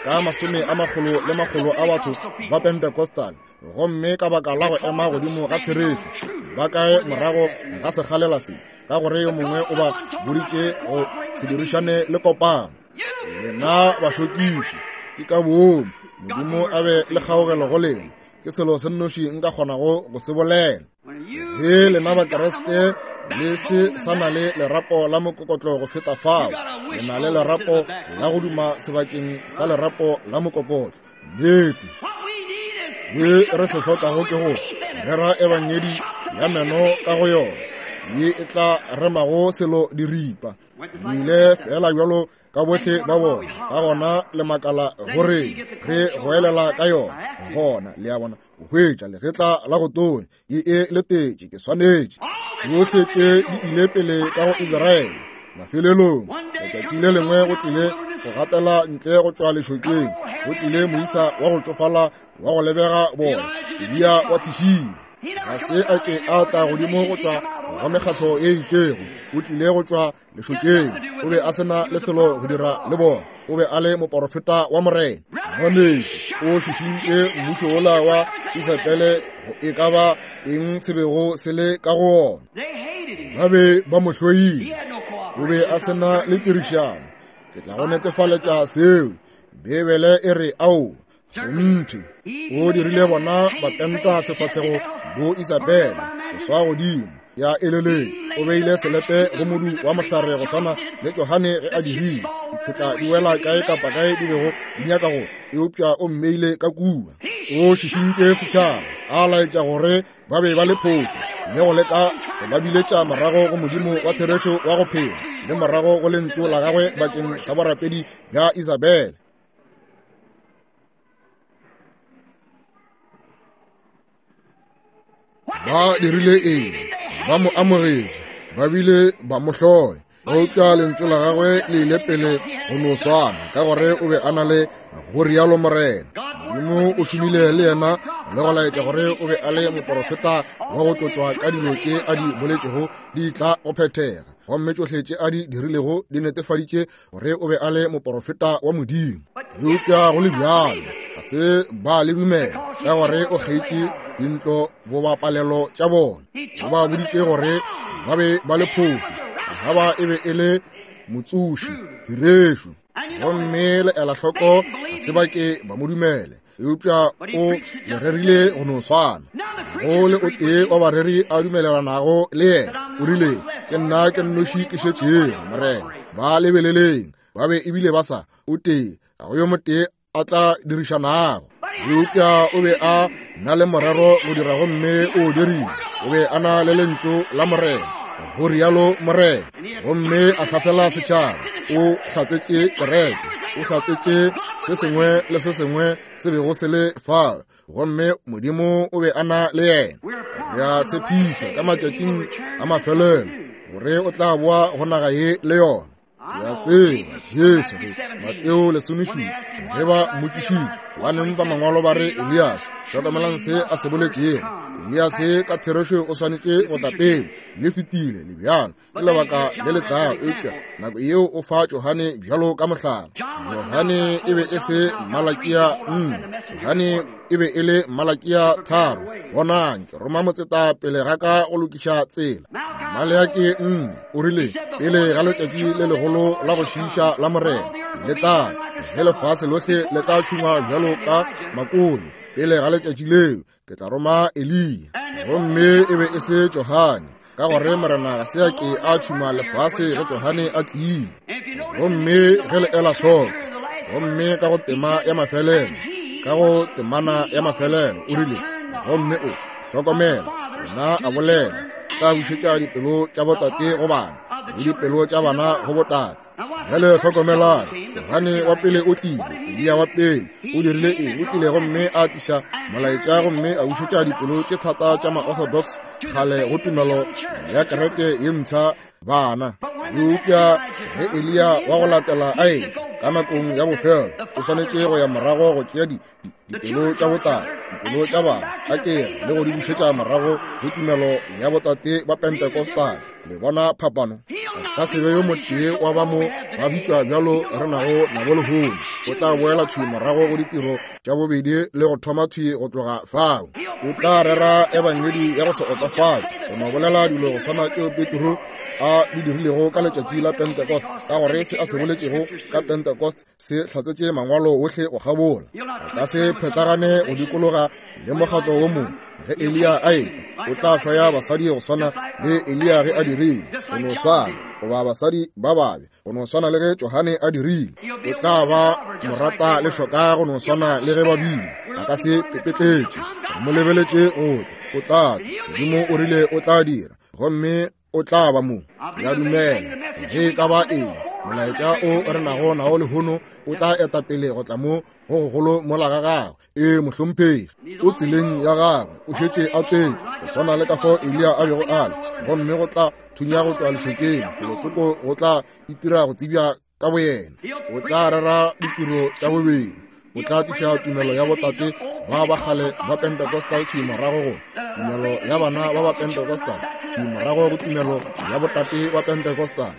Speaker 1: ka masome a makgolo le makgolo a batho ba Pentecostal, gomme ka baka la go ema godimo ga therešo ba kae morago ga sekgalela se, ka gore yo mongwe o ba boditše go se dirišane le kopano. Lena bašokiši, ke ka boomo Modimo a be le kgaogelo go lena. Ke selo se nnoši nka kgonago go se bolela. Ge lena Bakreste le se sa na le lerapo la mokokotlo go feta fao, le na le lerapo la go duma sebakeng sa lerapo la mokokotlo. Nnete, se re se hlokago ke go rera ebangedi ya meno ka go yona, ye e tla remago selo diripa. Le ile fela bjalo ka bohle ba bona, ka gona le makala gore re goelela ka yona. Gona le a bona, o hwetša legetla la go tonya, ye e letetše, ke swanetše. Tšohle tše di ile pele ka go Israele. Mafelelong, letšatši le lengwe go tlile go gatela ntle go tšwa lešokeng, go tlile moisa wa go tšofala wa go lebega bona, Eliya wa tšhišing. Ga se a ke a tla godimo go tšwa go mekgatlo e itšego, o tlile go tšwa lešokeng. O be a se na le selo go dira le bona. O be a le moporofeta wa Morena. Ngwanešu, o šišintše mmušo wola wa Isabele go e ka ba eng se bego se le ka go ona. Ba be ba mo hloile. O be a se na le tirišano. Ke tla go netefaletša seo. Beibele e re ao kgonthe. O dirile bona ba penta sefahlego bo Isabele go swa godimo ya eleletše. O beile selepe go modu wa mohlare go swana le Johane ge a dirile. Ditshetla di wela kae kapa kae di bego di nyaka go, eupša o mmeile ka kua. O šišintše setšhaba, a laetša gore ba be ba le phošo, le go leka go ba biletša morago go Modimo wa therešo wa go phela, le morago go lentšu la gagwe bakeng sa borapedi bja Isabele. Ba dirile eng? Ba mo amogetše, ba bile ba mo hloya. Eupša lentšu la gagwe le ile pele go no swana, ka gore o be a na le go rialo Morena. Modimo o šomile le yena le go laetša gore o be a le moporofeta wa go tlotšwa ka dilo tše a di boletšego di tla go phethega, gomme tšohle tše a di dirilego di netefaditše gore o be a le moporofeta wa Modimo. Eupša go le bjalo ga se ba le dumela, ka gore o kgeitše dintlo bobapalelo tša bona. O ba boditše gore ba be ba le phošo, Ahaba e be e le motsoši therešo, gomme le ela hloko ga se ba ke ba mo dumele. Eupša o le rerile go no swana. Go le o tee wa bareri a dumelelanago le yena. O rile, ke nna ke nnoši ke šetšego, Morena. Ba lebeleleng, ba be ebile ba sa o tee, ga go yo motee a tla dirišanago. Eupša o be a na le morero go dira, gomme o dirile. O be a na le lentšu la Morena, go rialo Morena, gomme a hlasela setšhaba. O hlatsetše kereke, o hlatsetše se sengwe le se sengwe se bego se le fao, gomme Modimo o be a na le yena. Re a tshepišwa ka matšatšing a mafelelo gore o tla boa go naga ye le yona. Ke a tseba Jesu ge Mateo lesomešupa ge ba mmotšišitše, gobaneng ba mangwalo ba re Elias, hlokomelang se a se boletšego. Elias ka therešo o swanetše go tla pele, le fetile le bjalo ke lebaka le le tlago, eupša nako yeo o fa Johane bjalo ka mohlala. Johane e be e se Malakia nne, Johane e be e le Malakia tharo. Bonang, ke roma motseta pele ga ka go lokiša tsela. Maleaki nne o rile, pele ga letšatši le legolo la go šiiša la Morena le tla, ge lefase lohle le tla tšhungwa bjalo ka makole, pele ga letšatši leo ke tla roma Eliya. Gomme e be e se Johane. Ka gore Morena ga se a ke a tšhuma lefase ge Johane a tlile. Gomme ge le ela hloko, gomme ka go tema ya mafelelo, ka go temana ya mafelelo, o rile, gomme o hlokomela, yena a bolela, tla bušetša dipelo tša botate go bana, le dipelo tša bana go botate. Bjale hlokomelang, Johane wa pele o tlile, Eliya wa pele o dirile eng? O tlile gomme a tliša molaetša gomme a bušetša dipelo tše thata tša ma-orthodox kgale go tumelo ya kereke ye mpsha bana. Eupša ge Eliya wa go latela a etla ka nakong ya bofelo, o swanetše go ya morago go tšea dipelo tša botate, dipelo tša bana, a kere le go di bušetša morago go tumelo ya botate ba Pentecostal. Le bona phapano? Ka se be yo motee wa ba mo ba bitšwa bjalo re nago nabo lehono. O tla boela thwi morago go ditiro tša bobedi le go thoma thwi go tloga fao. O tla rera ebangedi ya go se otsafatše, go no bolela dilo go swana tšeo Petro a di dirilego ka letšatši la Pentecost, ka gore se a se boletšego ka Pentecost se hlatsetše mangwalo ohle go kgabola. A ka se phetlagane go dikologa le mokgatlo wo mongwe. Ge Eliya a etla, o tla hloya basadi go swana le Eliya ge a dirile, go no swana, goba basadi ba babe, go no swana le ge Johane a dirile. O tla ba morata le šoka go no swana le ge ba bile. A ka se pepetletše, re mo lebeletše go tla. O tla tla. Modimo o rile o tla dira, gomme o tla ba mo. Ke a dumela ge e ka ba eng molaetša o re nago nao lehono o tla eta pele go tla mo go gogolo mola ga gagwe. Ee, mohlomphegi, o tseleng ya gagwe, o šetše a tswetšwe go swana le ka fao Eliya a bego a le, gomme go tla thunya go tšwa lešokeng felotsoko, go tla itira go tsebja ka boyena. O tla rera ditiro tša bobedi, o tla tliša tumelo ya botate ba ba kgale ba Pentecostal thwi morago go tumelo ya bana ba ba Pentecostal thwi morago go tumelo ya botate ba Pentecostal.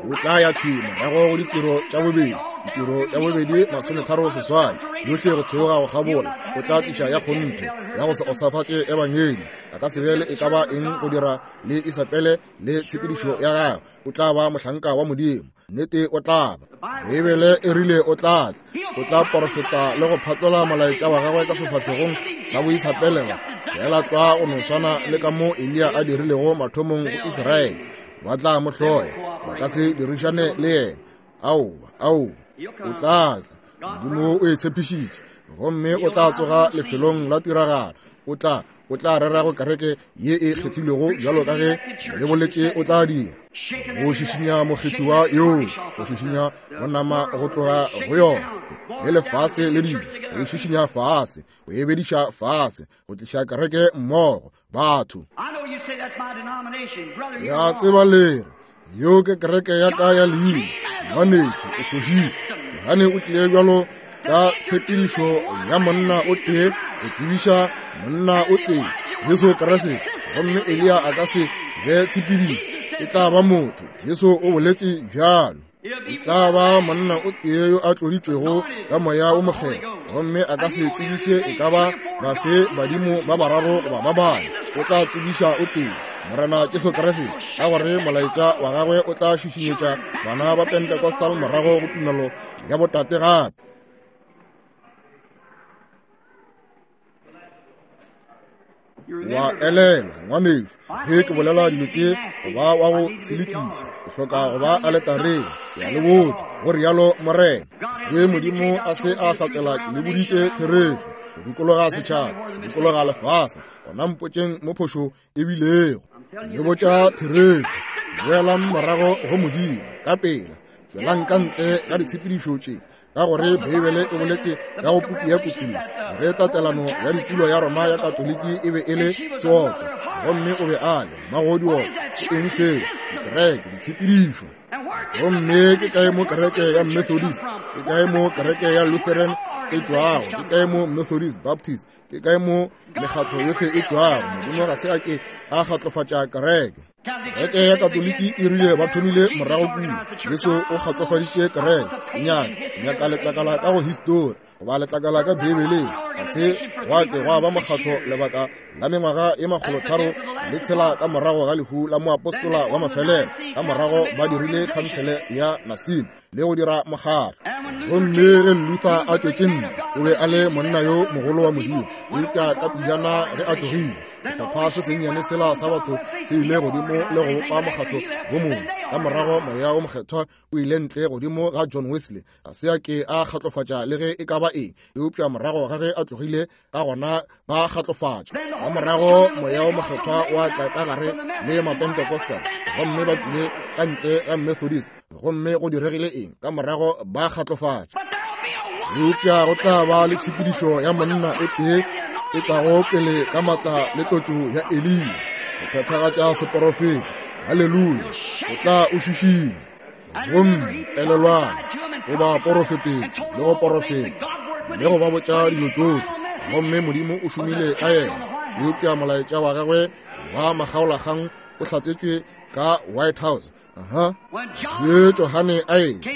Speaker 1: O tla ya thwi morago go ditiro tša bobedi, ditiro tša bobedi masometharo seswai, yohle go theoga go kgabola. O tla tliša ya kgonthe ya go se osafatše ebangedi. A ka se be le e ka ba eng go dira le Isabele le tshepedišo ya gagwe. O tla ba mohlanka wa Modimo. Nnete o tla ba. Beibele e rile o tla tla. O tla porofeta le go phatlola molaetša wa gagwe ka sefahlegong sa boisapelego, fela tlwa o no swana le ka mo Eliya a dirilego mathomong go Israele. Ba tla mo hloya, ba ka se dirišane le yena. Aowa, aowa, o tla tla. Modimo o e tshepišitše, gomme o tla tsoga lefelong la tiragalo. O tla o tla rera go kereke ye e kgethilwego bjalo ka ge le boletše o tla dira. Go šišinya mokgethiwa yoo, go šišinya bonama go tloga go yona, le lefase le dilo, go šišinya fase, go ebediša fase, go tliša kereke mmogo, batho. Ya tseba lere, yo ke kereke ya ka ya leina, ngwanešu o fošitše. Johane o tlile bjalo ka tshepedišo ya monna o tee go tsebiša monna o tee, Jesu Kriste, gomme Eliya a ka se be tshepedišo, e tla ba motho. Jesu o boletše bjalo. E tla ba monna o tee yo a tloditšwego ka moya o mokgethwa, gomme a ka se tsebiše e ka ba bafe badimo ba bararo goba ba bane. O tla tsebiša o tee, Morena Jesu Kriste, ka gore molaetša wa gagwe o tla šišinyetša bana ba Pentecostal morago go tumelo ya botate gape. Wa elelwa, ngwanešu, ge ke bolela dilo tše go ba wa go selekiša, o hloka go ba aletareng. Ke a le botša, go rialo Morena. Ge Modimo a se a hlatsela ke le boditše therešo, go dikologa setšhaba, go dikologa lefase, gona mpotšeng mo phošo e bilego. Ke le botša therešo. Boelang morago go Modimo ka pela. Tšwelang ka ntle ga ditshepedišo tše, ka gore Beibele e boletše ka go puku ya Kutullo gore tatelano ya ditulo ya Roma ya Katoliki e be e le seotswa, gomme o be a le mmago diotswa. Ke eng seo? Dikereke, ditshepedišo. Gomme ke kae mo kereke ya Methodist, ke kae mo kereke ya Lutheran e tšwago, ke kae mo Methodist, Baptist, ke kae mo mekgatlo yohle e tšwago? Modimo ga se a ke a kgatlofatša kereke. Kereke ya Katoliki e rile ba thomile morago kua. Jesu o kgatlofaditše kereke. Nyaka, nyaka letlakala ka go histori, goba letlakala ka Beibeleng. Ga se gwa ke gwa ba mokgatlo lebaka la mengwaga e makgolotharo le tshela ka morago ga lehu la moapostola wa mafelelo. Ka morago ba dirile khansele ya Nicene le go dira mokgatlo. Gomme ge Luther a tšwetše ntle, o be a le monna yo mogolo wa Modimo, eupša ka pejana ge a tlogile, Sehlopha se sennyane sela sa batho se ile godimo le go bopa mokgatlo wo mongwe. Ka morago moya wo mokgethwa o ile ntle godimo ga John Wesley. Ga se a ke a kgatlofatša le ge e ka ba eng, eupša morago ga ge a tlogile ka gona ba kgatlofatša. Ka morago moya wo mokgethwa wa tla ka gare le Mapentecostal, gomme ba tšwile ka ntle ga Methodist, gomme go diregile eng? Ka morago ba kgatlofatša. Eupša go tla ba le tshepedišo ya monna o tee e tlago pele ka matla le tlotšo ya Eliya go phethagatša seporofeto. Haleluya! O tla o šišinya. Gomme elelwang, o ba porofetetše le go porofeta le go ba botša dilo tšohle, gomme Modimo o šomile ka yena. Eupša molaetša wa gagwe wa makgaolakgang o hlatsetšwe ka White House. Aha. Ge Johane a etla,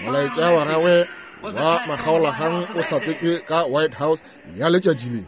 Speaker 1: molaetša wa gagwe wa makgaolakgang o hlatsetšwe ka White House ya letšatši le.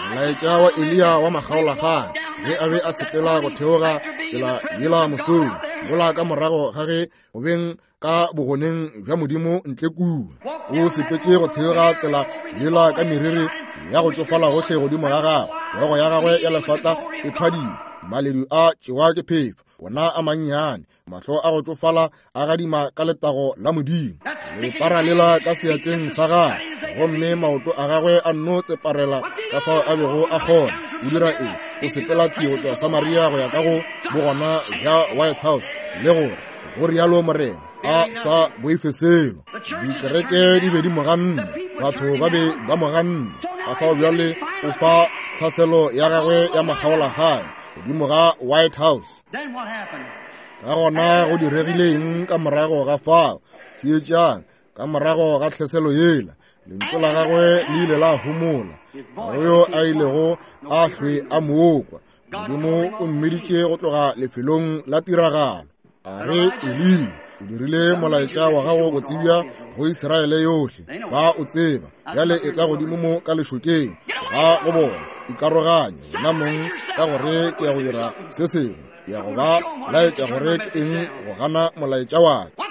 Speaker 1: Molaetša wa Eliya wa makgaolakgang ge a be a sepela go theoga tsela yela mosong, mola ka morago ga ge go beng ka bogoneng bja Modimo ntle kua, o sepetše go theoga tsela yela ka meriri ya go tšofala gohle godimo ga gagwe, hlogo ya gagwe ya lefatla e phadima, maledu a tšewa ke phefo, ona a mannyane, mahlo a go tšofala a gadima ka letago la Modimo, lepara lela ka seatleng sa gagwe, gomme maoto a gagwe a nno tseparela ka fao a bego a kgona. O dira eng? O sepela thwi go tšwa Samaria go ya ka go bogona bja White House, le gore go rialo Morena, a sa boife selo. Dikereke di be di mo ganne, batho ba be ba mo ganne. Ka fao bjale o fa tlhaselo ya gagwe ya makgaolakgang godimo ga White House. Ka gona go diregile eng ka morago ga fao? Theetšang, ka morago ga tlhaselo yela, lentšu la gagwe le ile la homola. Ga go yo a ilego a hlwe a mo kwa. Modimo o mmiditše go tloga lefelong la tiragalo. A re, Eliya, o dirile molaetša wa gago go tsebja go Israele yohle, ba o tseba. Bjale e tla godimo mo ka lešokeng ga go bona, ikaroganye wena mong ka gore ke ya go dira se sengwe, ke ya go ba laetša gore ke eng go gana molaetša wa ka.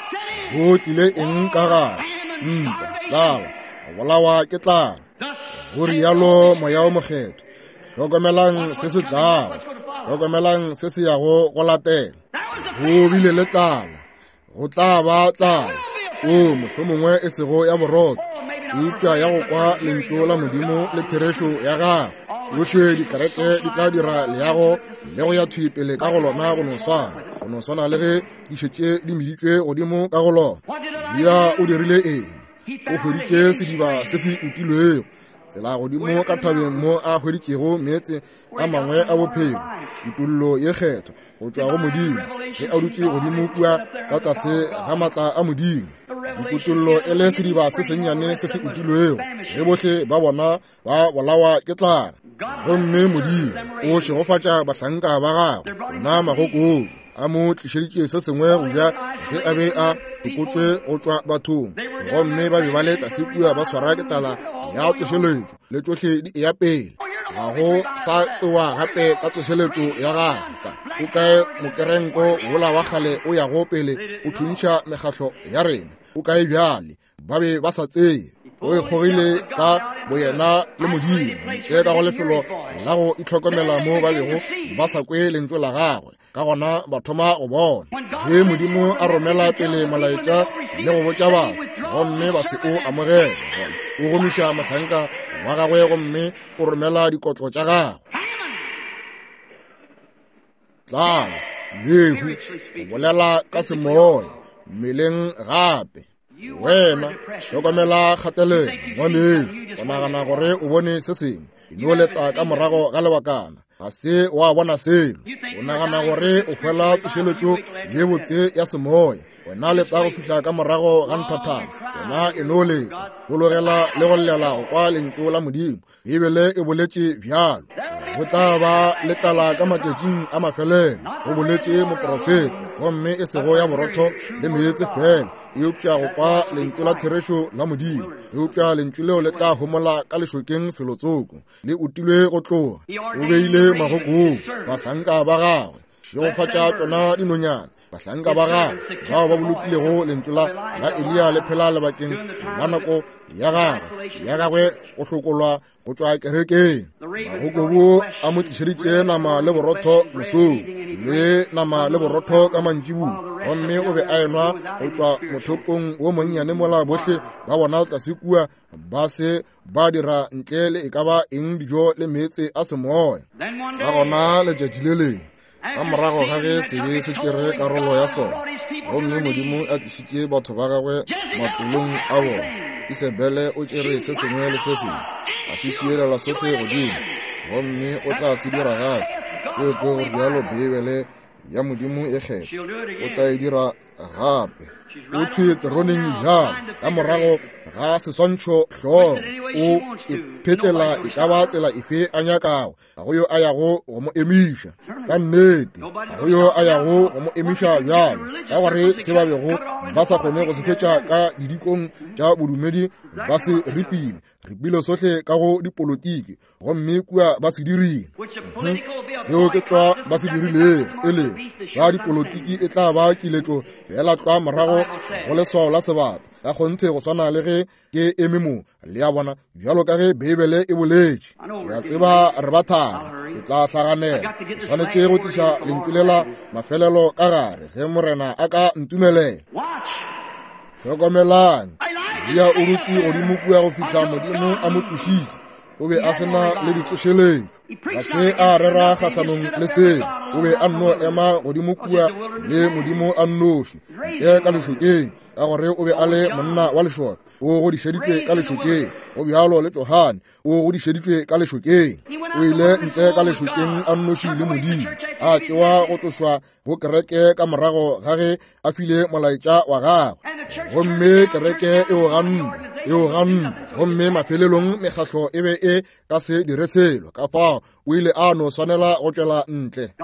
Speaker 1: Go tlile eng ka gare? Ntwa, tlala, go bolawa ke tlala. Go rialo moya wo mokgethwa. Hlokomelang se se tlago, hlokomelang se se yago go latela. Go bile le tlala, go tla ba tlala, o mohlomongwe e sego ya borotho, eupša ya go kwa lentšu la Modimo le therešo ya gagwe. Tšohle dikereke di tla dira leago le go ya thwi pele ka go lona go no swana, go no swana le ge di šetše di meditšwe godimo ka go lona. Eliya o dirile eng? O hweditše sediba se se utilwego, tsela godimo ka thabeng mo a hweditšego meetse a mangwe a bophelo, kutollo ye kgethwa go tšwa go Modimo, ge a dutše godimo kua ka tlase ga matla a Modimo. Dikutollo e le sediba se sennyane se se utilwego, ge bohle ba bona ba bolawa ke tlala. Gomme Modimo o šegofatša bahlanka ba gagwe, ona magokobu a mo tlišeditše se sengwe go ja ge a be a lokotšwe go tšwa bathong, gomme ba be ba le tlase kua ba swara ke tlala ya tsošeletšo le tšohle di eya pele. Ga go sa kwewa gape ka tsošeletšo ya gagwe. O kae mokerenko wola wa kgale o yago pele o thuntšha mekgatlo ya rena? O kae bjale? Ba be ba sa tseye. O ikgogile ka boyena le Modimo ntle ka go lefelo la go itlhokomela mo ba bego ba sa kwe lentšu la gagwe. Ka gona ba thoma go bona ge Modimo a romela pele molaetša le go botša batho, gomme ba se o amogele. O gomiša mohlanka wa gagwe gomme o romela dikotlo tša gagwe. Tlala, lehu, go bolela ka semoya mmeleng gape. Wena hlokomela kgatelelo, ngwanešu. O nagana gore o bone se sengwe, e no leta ka morago ga lebakana, ga se wa bona selo. O nagana gore o hwela tsošeletšo ye botse ya semoya, wena leta go fihla ka morago ga nthathana. Wena e no leta, bologela le go llela go kwa lentšu la Modimo. Bibele e boletše bjalo. Go tla ba le tlala ka matšatšing a mafelelo, go boletše moprofeta, gomme e sego ya borotho le meetse fela, eupša go kwa lentšu la therešo la Modimo. Eupša lentšu leo le tla homola ka lešokeng felotsoko, le utilwe go tloga. O beile magokong bahlanka ba gagwe, šegofatša tšona dinonyana. Bahlanka ba gagwe bao ba bolokilego lentšu la la Eliya le phela lebakeng la nako ya gagwe ya gagwe go hlokolwa go tšwa kerekeng. Magokobu a mo tlišeditše nama le borotho mosong le nama le borotho ka mantšiboa, gomme o be a enwa go tšwa mothopong wo monnyane mola bohle ba bona tlase kua ba se ba dira ntle le e ka ba eng dijo le meetse a semoya. Ka gona letšatši le lengwe ka morago ga ge sebe se tšere karolo ya sona, gomme Modimo a tlišitše batho ba gagwe matolong a bona, Isebele o tšere se sengwe le se sengwe a se swiela sohle godimo, gomme o tla se dira gape. Seo ke go rialo Beibele ya Modimo e kgetha, o tla e dira gape. O thwe teroneng bjalo ka morago ga seswantšho hlogo, o iphetlela e ka ba tsela efe a nyakago. Ga go yo a yago go mo emiša ka nnete, ga go yo a yago go mo emiša bjalo, ka gore se ba bego ba sa kgone go se hwetša ka didikong tša bodumedi ba se ripile ripile sohle ka go dipolotiki, gomme kua ba se dirile. Seo ke tlwa ba se dirilego, e lego sa dipolotiki e tla ba kiletšo fela tlwa morago go leswao la sebata ka kgonthe, go swana le ge ke eme mo le a bona, bjalo ka ge Beibele e boletše. Ke a tseba re ba thari, ke tla hlaganela, ke swanetše go tliša lentšu lela mafelelo ka gare ge Morena a ka ntumelela. Hlokomelang, Eliya o dutše godimo kua go fihla Modimo a mo tlošitše. O be a se na le ditsošeletšo, ga se a rera kgahlanong le seo. O be a nno ema godimo kua le Modimo a nnoši ntle ka lešokeng, ka gore o be a le monna wa lešoka, o godišeditšwe ka lešokeng. Go bjalo le Johane, o godišeditšwe ka lešokeng. O ile ntle ka lešokeng a nnoši le Modimo, a tšewa go tlošwa go kereke ka morago ga ge a file molaetša wa gagwe, gomme kereke e o ganne, e o ganne, gomme mafelelong mekgahlo e be e ka se dire selo. Ka fao o ile a no swanela go tšwela ntle.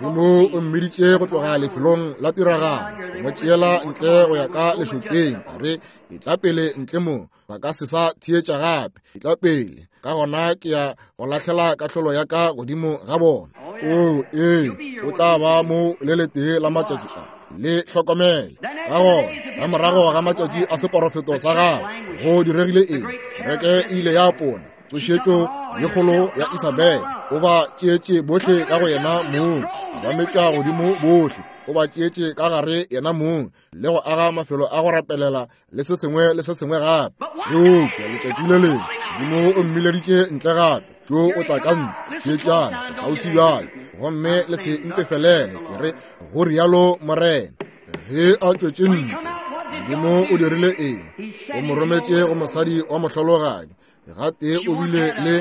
Speaker 1: Modimo o mmiditše go tloga lefelong la tiragalo, go mo tšeela ntle go ya ka lešokeng, a re e tla pele ntle mo, ba ka se sa theetša gape, e tla pele, ka gona ke ya go lahlela kahlolo ya ka godimo ga bona. O ee, o tla ba mo le letee la matšatši a, le hlokomele. Ka gona ka morago ga matšatši a seporofeto sa gagwe go diregile eng? Kereke e ile ya pona tsošetšo ye kgolo ya Isabele. O ba tšeetše bohle ka go yena mong, a ba metša godimo bohle, o ba tšeetše ka gare yena mong, le go aga mafelo a go rapelela le se sengwe le se sengwe gape. Eupša letšatši le lengwe Modimo o mmileditše ntle gape, tšo o tla ka ntle. Theetšang sekgauswi bjale, gomme le se ntefelele, ke re go rialo Morena. Ge a tšwetše ntle, Modimo o dirile eng? O mo rometše go mosadi wa mohlologadi. Gate o bile le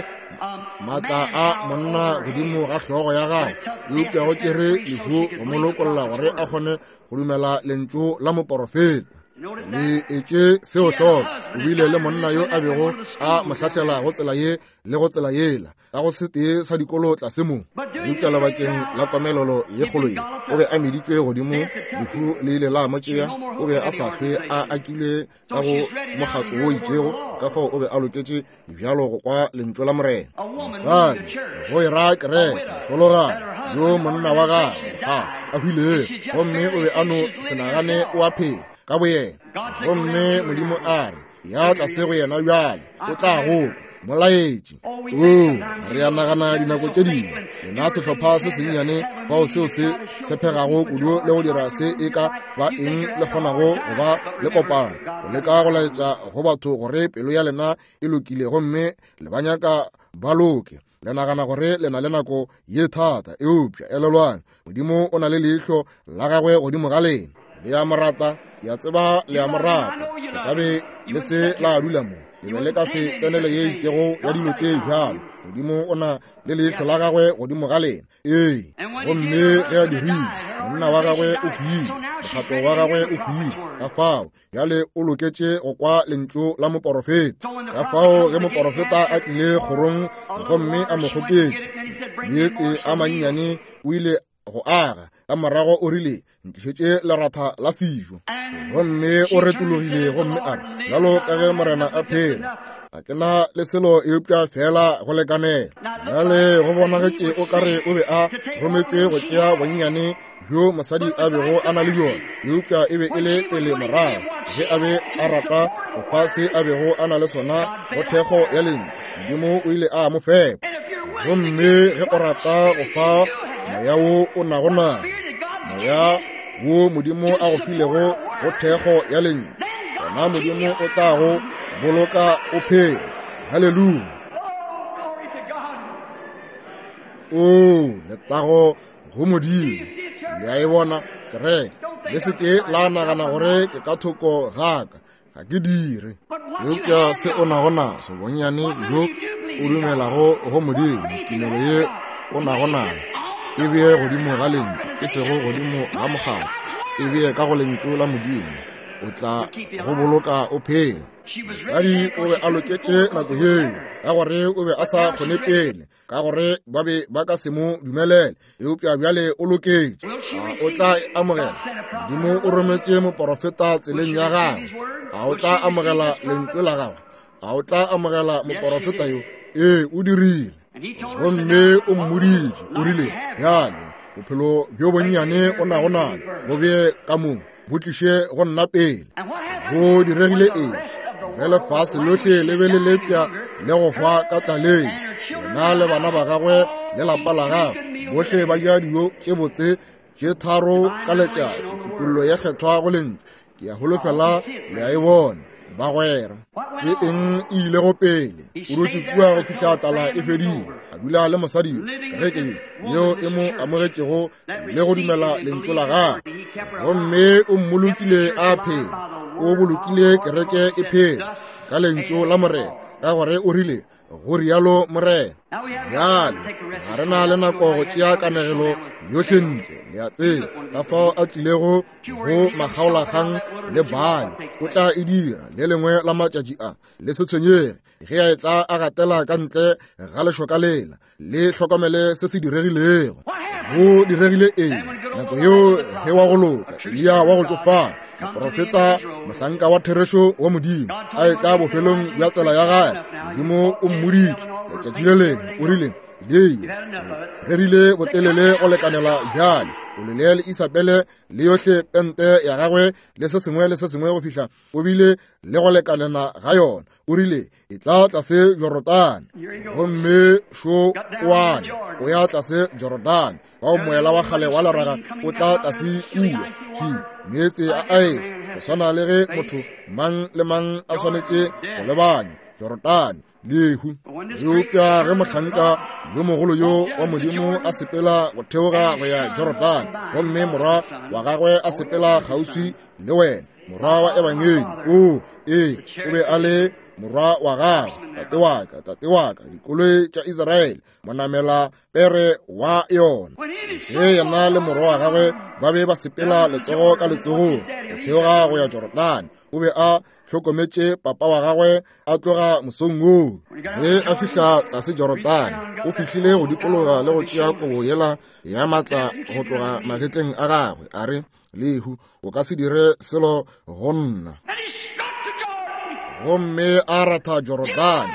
Speaker 1: maatla a monna godimo ga hlogo ya gagwe, eupša go tšere lehu go mo lokolla gore a kgone go dumela lentšu la moporofeta. Le etše seo hloko. O bile le monna yo a bego a mo hlahlela go tsela ye le go tsela yela, ka go setee sa dikolo tlase mo. Eupša lebakeng la komelelo ye kgolo ye, o be a meditšwe godimo, lehu le ile la mo tšea. O be a sa hlwe a akilwe ka go mokgatlo wo itšego, ka fao o be a loketše bjalo go kwa lentšu la Morena. Mosadi go e ra kereke, mohlologadi yo monna wa gagwe ga a hwilego, gomme o be a no se nagane o a phela ka boyena. Gomme Modimo a re, ya tlase go yena bjale, o tla go molaetše. O re a nagana dinako tše dingwe lena sehlopha se sennyane bao seo se tshepegago kudu le go dira se e ka ba eng le kgonago go ba le kopano, go leka go laetša go batho gore pelo ya lena e lokile gomme le ba nyaka ba loke. Le nagana gore le na le nako ye thata, eupša elelwang, Modimo o na le leihlo la gagwe godimo ga lena. Le a mo rata, ke a tseba le a mo rata. Le ka be le se la dula mo, le be le ka se tsenele ye itšego ya dilo tše bjalo. Modimo o na le leihlo la gagwe godimo ga lena. Ee, gomme ge a dirile, monna wa gagwe o hwile, mokgatlo wa gagwe o hwile. Ka fao bjale o loketše go kwa lentšu la moporofeta. Ka fao ge moporofeta a tlile kgorong gomme a mo kgopetše meetse a mannyane, o ile go aga. Ka morago o rile, ntlišetše leratha la sejo. Gomme o retologile gomme a re, bjalo ka ge Morena a phela, ga ke na le selo eupša fela go lekanela. Bjale go bonagetše o kare o be a rometšwe go tšea bonnyane bjo mosadi a bego a na le bjona, eupša e be e le pele morago ge a be a rata go fa se a bego a na le sona go thekgo ya lentšu. Modimo o ile a mo fepa. Gomme ge o rata go fa moya wo o nago nao, moya wo Modimo a go filego go thekgo ya lentšu, gona Modimo o tla go boloka o phela. Haleluya! O letago go Modimo. Le a e bona kereke? Le se ke la nagana gore ke ka thoko gaka, ga ke dire. Eupša se o nago naso, bonnyane bjo o dumelago go Modimo, tumelo ye o nago nayo, e bee godimo ga lentšu, e sego godimo ga mokgatlo, e bee ka go lentšu la Modimo, o tla go boloka o phela. Mosadi o be a loketše nako yeo, ka gore o be a sa kgone pele, ka gore ba be ba ka se mo dumelele, eupša bjale o loketše. A o tla e amogela? Modimo o rometše moporofeta tseleng ya gagwe. A o tla amogela lentšu la gagwe? A o tla amogela moporofeta yo? Ee, o dirile. Gomme o mmoditše, o rile, bjale bophelo bjo bonnyane o nago nabo bo bee ka mo, bo tliše go nna pele. Go diregile eng? Ge lefase lohle le be le lepša le go hwa ka tlaleng, yena le bana ba gagwe le lapa la gagwe bohle ba ja dijo tše botse tše tharo ka letšatši, kutollo ye kgethwa go lentšu. Ke a holofela le a e bona, bagwera. Ke eng e ilego pele? O dutše kua go fihla tlala e fedile, a dula le mosadi yo, kereke ye yeo e mo amogetšego le go dumela lentšu la gagwe. Gomme o mmolokile a phela, o bolokile kereke e phela ka lentšu la Morena, ka gore o rile, go rialo Morena. Bjale ga re na le nako go tšea kanegelo yohle ntle, le a tseba ka fao a tlilego go makgaolakgang le Baale. O tla e dira le lengwe la matšatši a. Le se tshwenyege ge a etla a gatela ka ntle ga lešoka lela, le hlokomele se se diregilego. Go diregile eng nako yeo ge wa go loka Eliya wa go tšofala, moprofeta, mohlanka wa therešo wa Modimo, a etla bofelong bja tsela ya gagwe? Modimo o mmoditše letšatši le lengwe, o rile, Eliya, rerile botelele go lekanela bjale, o lele le Isabele le yohle pente ya gagwe le se sengwe le se sengwe go fihla o bile le go lekanela ga yona. O rile, e tla tlase Jorodane. Gomme šo o a ya, o ya tlase Jorodane. Bao moela wa kgale wa leraga o tla tlase kua, thwi meetse a aese, go swana le ge motho mang le mang a swanetše go lebanya Jorodane, lehu. Eupša ge mohlanka yo mogolo yo wa Modimo a sepela go theoga go ya Jorodane, gomme morwa wa gagwe a sepela kgauswi le wena, morwa wa ebangedi, o ee, o be a le morwa wa gagwe, tate wa ka, tate wa ka, dikoloi tša Israele, monamela pere wa yona. Ge yena le morwa wa gagwe ba be ba sepela letsogo ka letsogong go theoga go ya Jorodane, o be a hlokometše papa wa gagwe a tloga mosong woo. Ge a fihla tlase Jorodane, o fihlile go dikologa le go tšea kobo yela ya matla go tloga magetleng a gagwe, a re, lehu, o ka se dire selo go nna. Gomme a ratha Jorodane,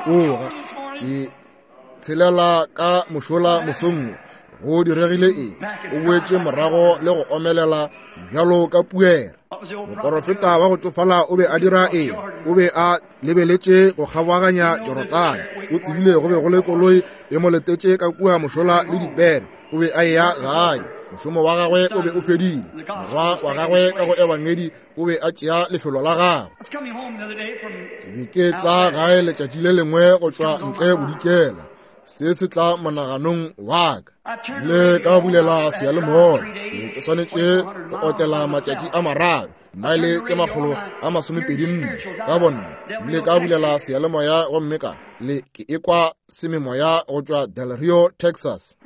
Speaker 1: tloga ke tshelela ka mošola mosong. Go diregile eng? O boetše morago le go omelela bjalo ka puere. Moporofeta wa go tšofala o be a dira eng? O be a lebeletše go kgabaganya Jorodane. O tsebile go be go le koloi e mo letetše ka kua mošola le dipere. O be a eya gae. Mošomo wa gagwe o be o fedile. Morwa wa gagwe ka go ebangedi o be a tšea lefelo la gagwe. Ke be ke tla gae letšatši le lengwe go tšwa ntle bodikela. Se se tla monaganong wa ka. Le ka bulela seyalemoya. Ke ke swanetše go otlela matšatši a mararo, maele tše makgolo a masomepedi nne ka bonna. Ile ka bulela seyalemoya gomme ka le ke ekwa sememoya go tšwa Del Rio, Texas.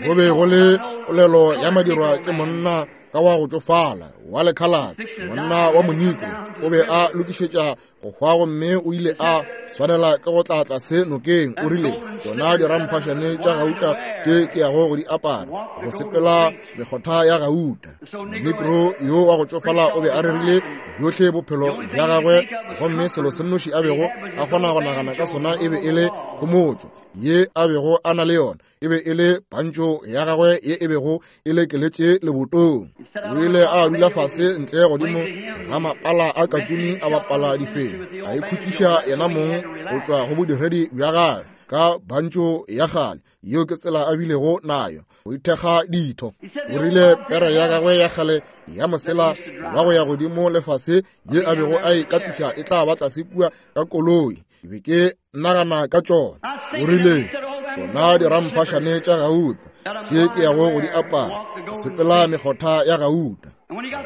Speaker 1: Go be go le polelo ya madirwa ke monna ka wa go tšofala wa lekhalate, monna wa Monikro, o be a lokišetša go hwa gomme o ile a swanela ke go tla tlase nokeng. O rile, tšona diramphašane tša gauta tše ke yago go di apara, go sepela mekgotha ya gauta. Monikro yo wa go tšofala o be a rerile bjohle bophelo bja gagwe, gomme selo se nnoši a bego a kgona go nagana ka sona e be e le khomotšo ye a bego a na le yona, e be e le pantšo ya gagwe ye e bego e lekeletše lebotong. O ile a dula fase ntle godimo ga mapala a katuni a bapala difeng, a ikhutšiša yena mong go tšwa go bodiredi bja gagwe ka pantšo ya kgale. Yeo ke tsela a bilego nayo go ithekga ditho. O rile pere ya gagwe ya kgale ya mosela wa go ya godimo lefase ye a bego a e katiša e tla ba tlase kua ka koloi. Ke be ke nagana ka tšona. O rile, tšona diramphašane tša gauta tše ke yago go di apara, go sepela mekgotha ya gauta.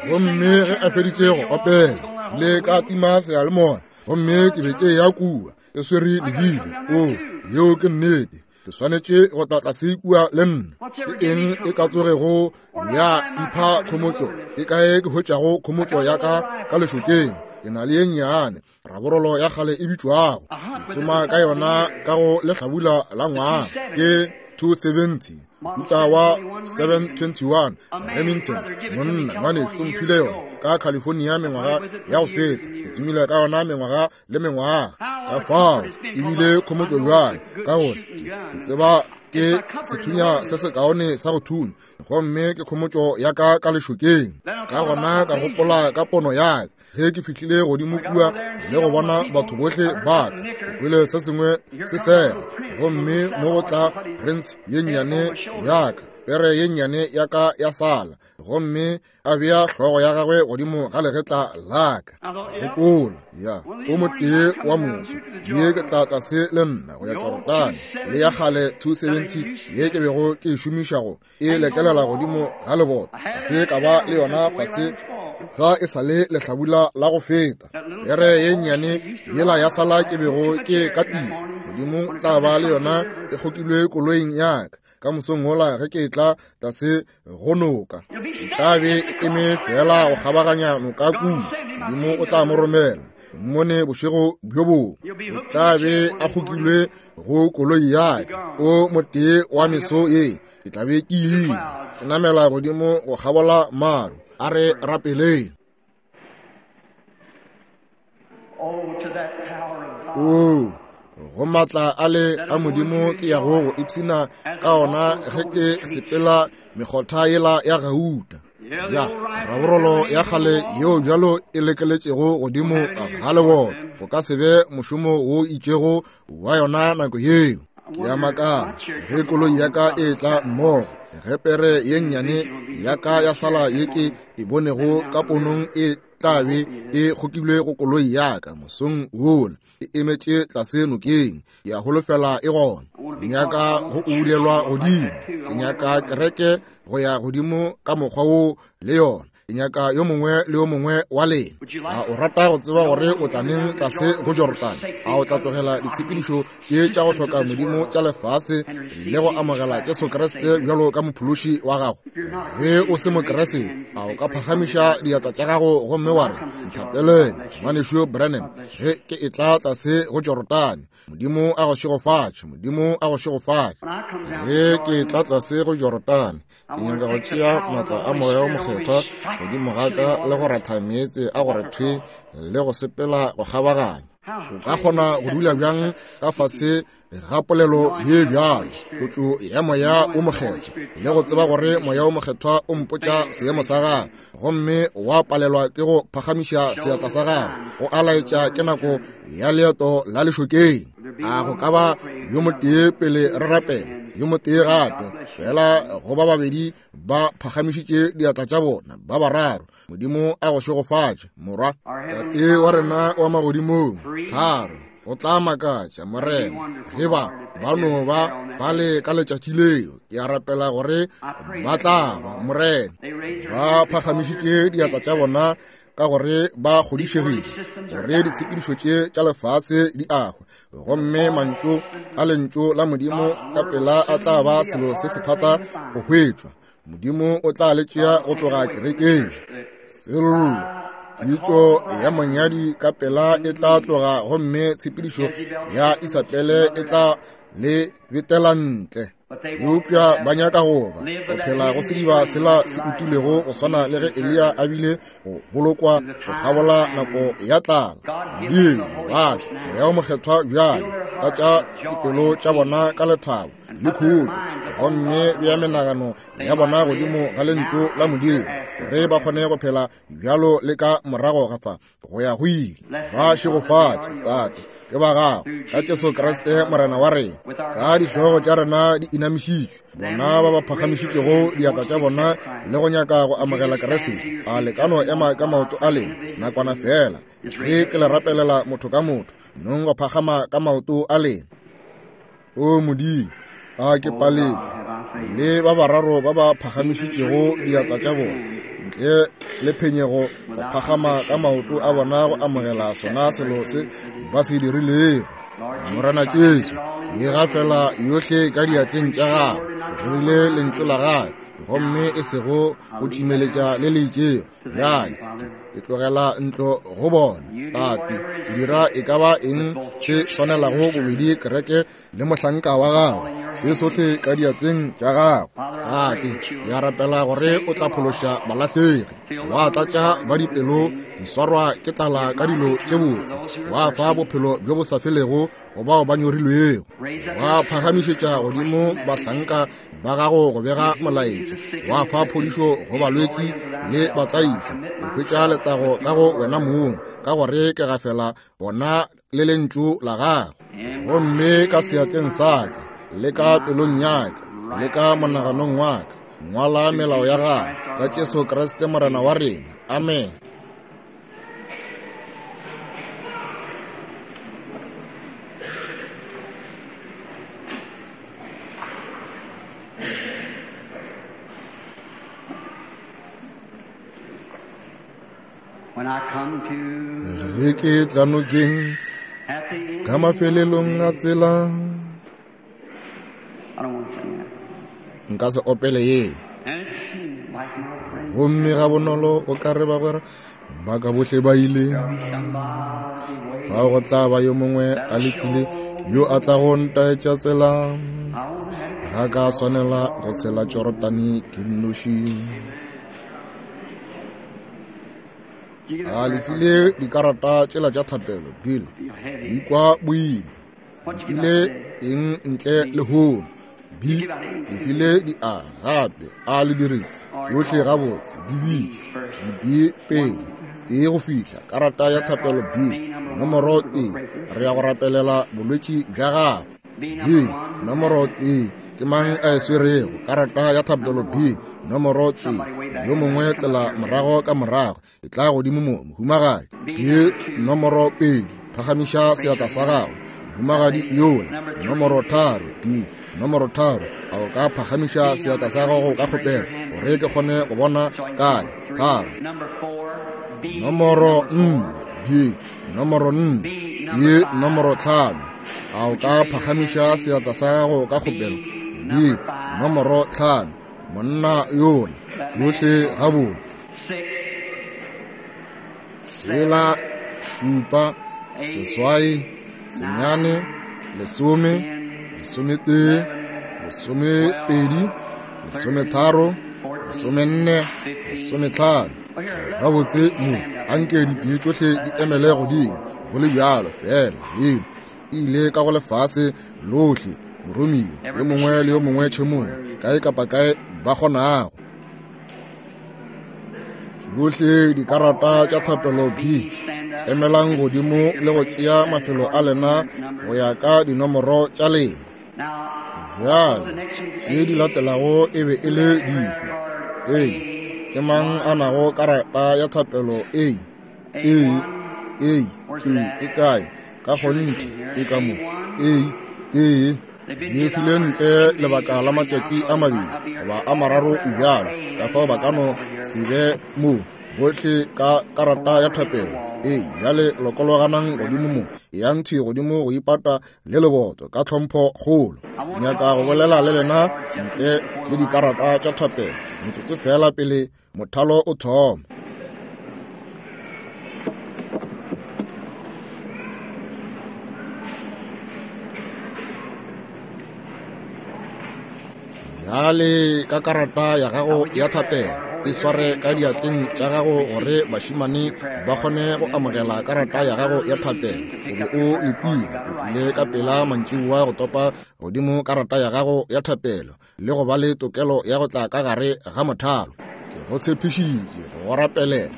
Speaker 1: Gomme ge a feditše go opela, le ka tima seyalemoya, gomme ke be ke ya kua ke swere lebile. O, yeo ke nnete. Ke swanetše go tla tlase kua le nna. Ke eng e ka tsogego ya mpha khomotšo? Ke kae ke hwetšago khomotšo ya ka ka lešokeng? Ke na le ye nnyane raborolo ya kgale e bitšwago, ke tsoma ka yona ka go lehlabula la ngwaga, ke two seventy mohuta wa seven twenty-one Remington. Monna ngwanešu o mphile yona ka California mengwaga ya go feta. Ke tsomile ka yona mengwaga le mengwaga. Ka fao ebile khomotšo bjale, ka gore ke tseba ke sethunya se sekaone sa go thunya, gomme ke khomotšo ya ka ka lešokeng. Ka gona ka gopola ka pono ya ka ge ke fihlile godimo kua le go bona batho bohle ba ka. Ke kwele se sengwe se sega, gomme mo go tla Prince ye nnyane ya ka, pere ye nnyane ya ka ya sala, gomme a bea hlogo ya gagwe godimo ga legetla la ka. Gopola, ya o motee wa moso ye ke tla tlase le nna go ya Jorodane, le ya kgale two seventy ye ke bego ke e šomiša go e lekelela godimo ga lebota. Se ka ba le yona fase ga e sa le lehlabula la go feta. Pere ye nnyane yela ya sala ke bego ke katiša, Modimo tla ba le yona e kgokilwe koloing ya ka ka mosong wola ge ke tla tlase go noka. E tla be e eme fela go kgabaganya noka kua. Modimo o tla mo romela mmone bošego bjo bongwe. O tla be a kgokilwe go koloi ya ka. O motee wa meso ye ke tla be ke ile ke namela godimo go kgabola maru. A re rapeleng. O go matla a le a Modimo ke yago go ipshina ka ona ge ke sepela mekgotha yela ya gauta, ya raborolo ya kgale yeo bjalo e lekeletšego godimo ga lebota. Go ka se be mošomo wo itšego wa yona nako yeo. Ke ya makala ge koloi ya ka e tla mmogo, ge pere ye nnyane ya ka ya sala ye ke e bonego ka ponong e tla be e kgokilwe go koloi ya ka mosong wola, e emetše tlase nokeng. Ke a holofela e gona. Ke nyaka go ulelwa godimo, ke nyaka kereke go ya godimo ka mokgwa wo le yona. Ke nyaka yo mongwe le yo mongwe wa lena. A o rata go tseba gore o tla neng tlase go Jorodane? A o tla tlogela ditshepedišo tše tša go hloka Modimo tša lefase le go amogela Jesu Kriste bjalo ka mophološi wa gago? Ge o se Mokriste, a o ka phagamiša diatla tša gago gomme wa re, nthapelele ngwanešu Branham ge ke etla tlase go Jorodane. Modimo a go šegofatše, Modimo a go šegofatše. Ge ke tla tlase go Jorodane, ke nyaka go tšea matla a Moya o Mokgethwa godimo ga ka le go ratha meetse a go re thwe le go sepela go kgabaganya. O ka kgona go dula bjang ka fase ga polelo ye bjalo, tlotšo ya Moya o Mokgethwa, le go tseba gore Moya o Mokgethwa o mpotša seemo sa gago, gomme wa palelwa ke go phagamiša seatla sa gago go a laetša ke nako ya leeto la lešokeng? A go ka ba yo motee pele re rapela, yo motee gape fela go ba babedi ba phagamišitše diatla tša bona, ba bararo. Modimo a go šegofatše, morwa. Tate wa rena wa magodimong, tharo o tla makatša Morena ge ba ba no ba ba le ka letšatši leo. Ke a rapela gore ba tla ba, Morena, ba phagamišitše diatla tša bona ka gore ba kgodišegile gore ditshepedišo tše tša lefase di ahwa, gomme mantšu a lentšu la Modimo ka pela a tla ba selo se se thata go hwetšwa. Modimo o tla le tšea go tloga kerekeng. Sello, pitšo ya monyadi ka pela e tla tloga, gomme tshepedišo ya Isabele e tla le betela ntle. Eupša ba nyaka go ba go phela go sediba sela se utilwego go swana le ge Eliya a bile go bolokwa go kgabola nako ya tlala. Modimo ba fe Moya wo Mokgethwa bjale, tlatša dipelo tša bona ka lethabo le khutšo, gomme bea menagano ya bona godimo ga lentšu la Modimo, gore ba kgone go phela bjalo le ka morago ga fa go ya go ile. Ba šegofatše, Tate, ke ba gago, ka Jesu Kriste Morena wa rena. Ka dihlogo tša rena di inamišitšwe, bona ba ba phagamišitšego diatla tša bona le go nyaka go amogela Kriste, a le ka no ema ka maoto a lena nakwana fela, ge ke le rapelela motho ka motho, nong go phagama ka maoto a lena. O Modimo, a ke paletšwe le ba bararo ba ba phagamišitšego diatla tša bona ntle le phenyego go phagama ka maoto a bona go amogela sona selo se ba se dirilego. Morena Jesu, ye gafela yohle ka diatleng tša gago, re rile lentšu la gagwe, gomme e sego go tšimeletša le le itšego. Bjale ke tlogela ntlo go bona, Tate, dira e ka ba eng se swanelago bobedi kereke le mohlanka wa gago, se sohle ka diatleng tša gago. Tate, ke a rapela gore o tla phološa balahlegi, wa tlatša ba dipelo di swarwa ke tlala ka dilo tše botse, wa fa bophelo bjo bo sa felego go bao ba nyorilwego, wa phagamišetša godimo bahlanka ba gago go bega molaetša, wa fa phodišo go balwetši le batlaišwa, go hwetša letago ka go wena mong, ka gore ke gafela bona le lentšu la gago. Gomme ka seatleng sa ka, le ka pelong ya ka, le ka monaganong wa ka, ngwala melao ya gago, ka Jesu Kriste Morena wa rena. Amen. Ge ke tla nokeng ka mafelelong a tsela, nka se opele yeo. Gomme ga bonolo o ka re bagwera ba ka bohle ba ile, fao go tla ba yo mongwe a letile yo a tla go ntaetša tsela. Ga ka swanela go tshela Jorodane ke nnoši. A le file dikarata tšela tša thapelo, Bill? Ke ikwa boima. Le file eng ntle le hono? B, le file di A gape. A le dirile tšohle gabotse. Di bitše di B pele, tee go fihla karata ya thapelo B, nomoro tee. Re ya go rapelela bolwetši bja gago. B, nomoro tee. Ke mang a e swerego? Karata ya thapelo B, nomoro tee. Yo mongwe tsela morago ka morago, e tla godimo mo, mohumagadi. B, nomoro pedi. Phagamiša seatla sa gago, mohumagadi yola. Nomoro tharo. B, nomoro tharo. A o ka phagamiša seatla sa gago ka kgopelo, gore ke kgone go bona kae? Tharo. Nomoro nne. B, nomoro nne. B, nomoro tlhano. A o ka phagamiša seatla sa gago ka kgopelo? B, nomoro tlhano. Monna yola. Tšohle gabotse. Tshela, šupa, seswai, senyane, lesome, lesometee, lesomepedi, lesometharo, lesomenne, lesometlhano. Gabotse mo, anke dipee tšohle di emele godimo, go le bjalo fela. Leno e ile ka go lefase lohle, moromiwa yo mongwe le yo mongwe tšhemong, kae kapa kae ba kgonago. Tšohle dikarata tša thapelo B, emelang godimo le go tšea mafelo a lena go ya ka dinomoro tša lena. Bjale tše di latelago e be e le dife? A, ke mang a nago karata ya thapelo A? A, A, A e kae? Ka kgonthe e ka mo. A, tee. Di file ntle lebaka la matšatši a mabedi goba a mararo bjalo, ka fao ba ka no se be mo bohle ka karata ya thapelo. Ee, bjale lokologanang godimo mo, yang thwi godimo go ipata le leboto ka tlhompho kgolo. Nyaka go bolela le lena ntle le dikarata tša thapelo motsotso fela pele mothalo o thoma. Bjale ka karata ya gago ya thapelo e sware ka diatleng tša gago gore bašemane ba kgone go amogela karata ya gago ya thapelo. O be o letile, o tlile ka pela mantšiboa go topa godimo karata ya gago ya thapelo le go ba le tokelo ya go tla ka gare ga mothalo. Ke go tshepišitše go rapelela.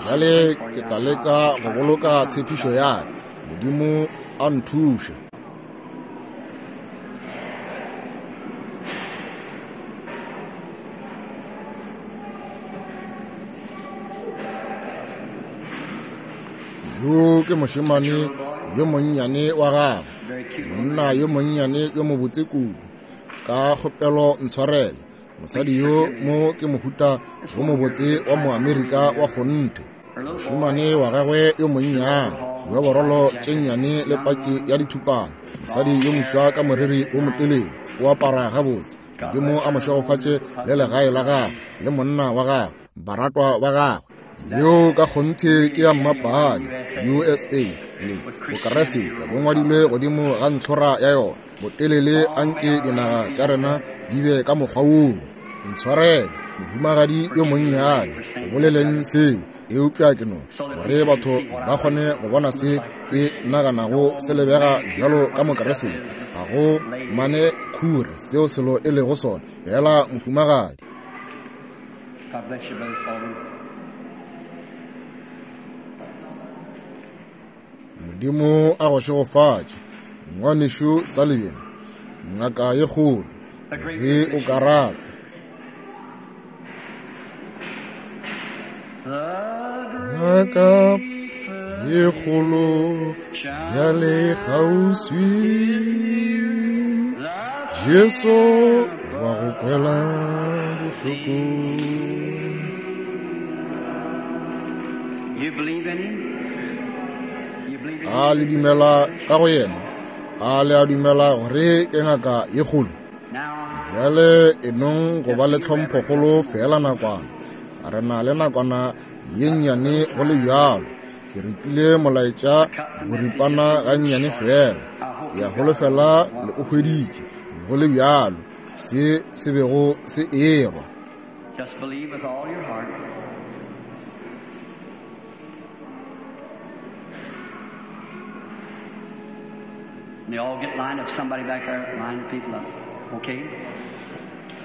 Speaker 1: Bjale ke tla leka go boloka tshepišo ya ka. Modimo a nthuše. Yo ke mošemane yo monnyane wa gagwe, monna yo monnyane yo mobotse kudu. Ka kgopelo ntshwarele, mosadi yo mo ke mohuta wo mobotse wa Moamerika wa kgonthe. Mošemane wa gagwe yo monnyane, yo borolo tše nnyane le paki ya dithupana. Mosadi yo moswa ka moriri wo motelele, o apara gabotse. Modimo a mo šegofatše le legae la gagwe le monna wa gagwe, baratwa ba gagwe. Yo ka kgonthe ke ya mmapale U S A le Bokeresete bo ngwadilwe godimo ga ntlhora ya yona. Botelele anke dinaga tša rena di be ka mokgwa woo. Ntshwarele, mohumagadi yo monnyane, go boleleng seo, eupša ke no gore batho ba kgone go bona se ke naganago se lebega bjalo ka Mokeresete. Ga go mane khure seo selo e lego sona, fela mohumagadi.
Speaker 2: God bless you, Brother Sullivan.
Speaker 1: Modimo a go šegofatše, ngwanešu Sullivan, ngaka ye kgolo, ge o ka rata. Ngaka ye kgolo bjale kgauswi, Jesu wa go kwela bohloko.
Speaker 2: You believe in him?
Speaker 1: A le dumela ka go yena? A le a dumela gore ke ngaka ye kgolo? Bjale e nong go ba le tlhomphokgolo fela nakwana. Re na le nakwana ye nnyane go le bjalo. Ke ripile molaetša boripana ga nnyane fela. Ke a holofela le o hweditše go le bjalo se se bego se erwa.
Speaker 2: Just believe with all your heart. And they all get lined up. Somebody back there, line the people up. Okay?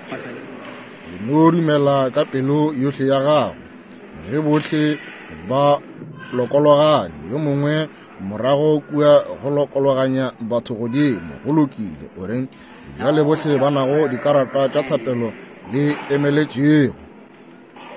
Speaker 2: What's that?
Speaker 1: Le no dumela ka pelo yohle ya gago. Ge bohle ba lokologane, yo mongwe morago kua go lokologanya batho godimo. Go lokile, o reng? Bjale bohle ba nago dikarata tša thapelo le emeletšego.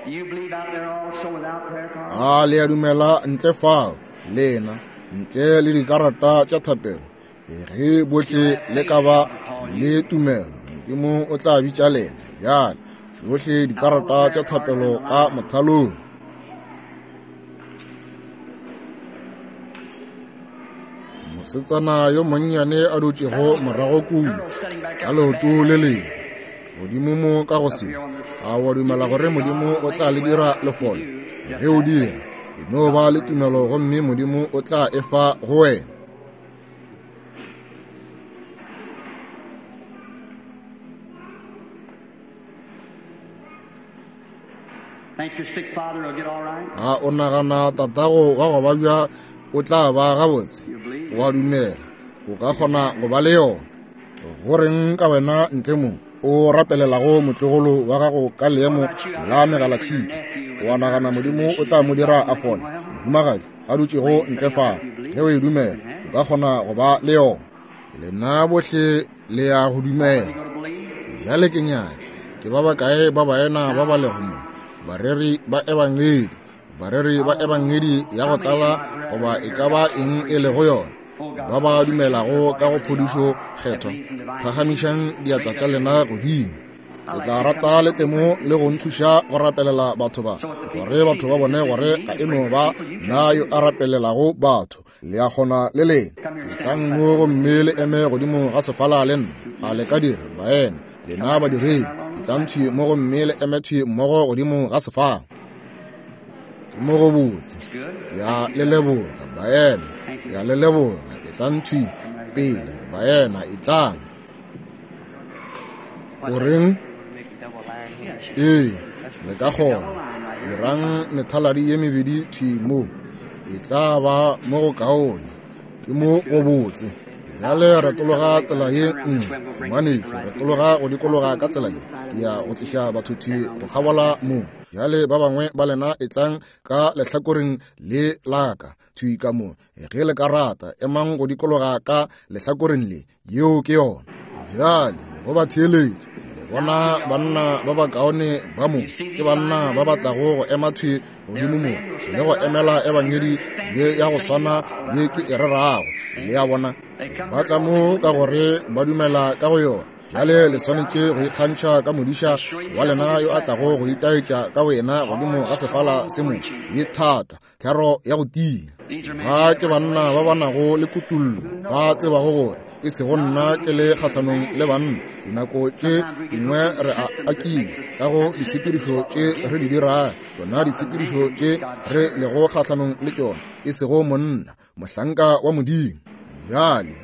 Speaker 2: You believe out there also without prayer cards?
Speaker 1: A le a dumela ntle fao, lena ntle le dikarata tša thapelo. Ge bohle le ka ba le tumelo, Modimo o tla bitša lena. Bjale tšohle dikarata tša thapelo ka mothalong. Mosetsana yo monnyane a dutšego morago kua ka leoto le lengwe godimo mo ka go se, a wa dumela gore Modimo o tla le dira lefole? Ge o dira, e no ba le tumelo gomme Modimo o tla e fa go wena.
Speaker 2: Think your sick father will get all right?
Speaker 1: A o nagana tatago wa go babja o tla ba gabotse? Wa dumela o ka kgona go ba le yona? Goreng ka wena ntle mo o rapelelago motlogolo wa gago ka leemo la megalatšhika, wa nagana Modimo o tla mo dira a fole? Mohumagadi a dutšego ntle fa, ge o e dumela o ka kgona go ba le yona. Lena bohle le ya go dumela. Bjale ke nyaka ke ba bakae ba baena ba ba lego mo, bareri ba ebangedi, bareri ba ebangedi ya go tlala goba e ka ba eng e lego yona, ba ba dumelago ka go phodišo kgethwa, phagamišang diatla tša lena godimo. Ke tla rata le tle mo le go nthuša go rapelela batho ba, gore batho ba bone gore ga e no ba nna yo a rapelelago batho. Le a kgona le lena. Etlang mo gomme le eme godimo ga sefala le nna. A le ka dira, baena, lena badiredi, etlang thwi mo gomme le eme thwi mmogo godimo ga sefala. Ke mo go botse. Ya le leboga, baena, ya le leboga. Etlang thwi pele, baena, etlang. O reng? Ee, le ka kgona. Dirang methaladi ye mebedi thwi mo. E tla ba mo go kaone. Ke mo go botse. Bjale retologa tsela ye nngwe, ngwanešu, retologa go dikologa ka tsela ye. Ke ya go tliša batho thwi go kgabola mo. Bjale ba bangwe ba lena etlang ka lehlakoreng le la ka thwi ka mo. Ge le ka rata, emang go dikologa ka lehlakoreng le. Yeo ke yona. Bjale go ba theeletše. Le bona banna ba bakaone ba mo, ke banna ba ba tlago go ema thwi godimo mo le go emela ebangedi ye ya go swana ye ke e rerago. Le a bona, ba tla mo ka gore ba dumela ka go yona. Bjale le swanetše go ikgantšha ka modiša wa lena yo a tlago go itaetša ka wena godimo ga sefala se mo ye thata, thero ya go tia. Ba ke banna ba ba nago le kutullo, ba tsebago gore e sego nna ke le kgahlanong le banna. Dinako tše dingwe re a akiwa ka go ditshepedišo tše re di dirago, tsona ditshepedišo tše re lego kgahlanong le tšona, e sego monna, mohlanka wa Modimo. Bjale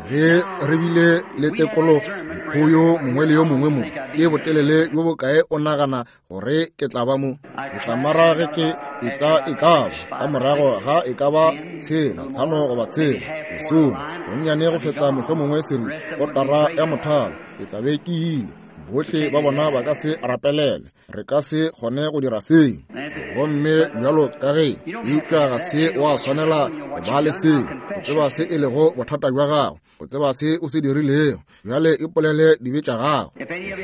Speaker 1: ge re bile le tekolo go yo mongwe le yo mongwe mo, ke botelele bjo bokae o nagana gore ke tla ba mo? Ke tla mara ge ke e tla e ka ba ka morago ga e ka ba tshela, tlhano goba tshela, lesome, bonnyane go feta mohlomongwe seri, kotara ya mothalo, ke tla be ke ile. Bohle ba bona ba ka se rapelele, re ka se kgone go dira seo. Gomme bjalo ka ge, eupša ga se wa swanela go ba le seo. O tseba se e lego bothata bja gago, o tseba se o se dirilego. Bjale ipolele dibe tša gago.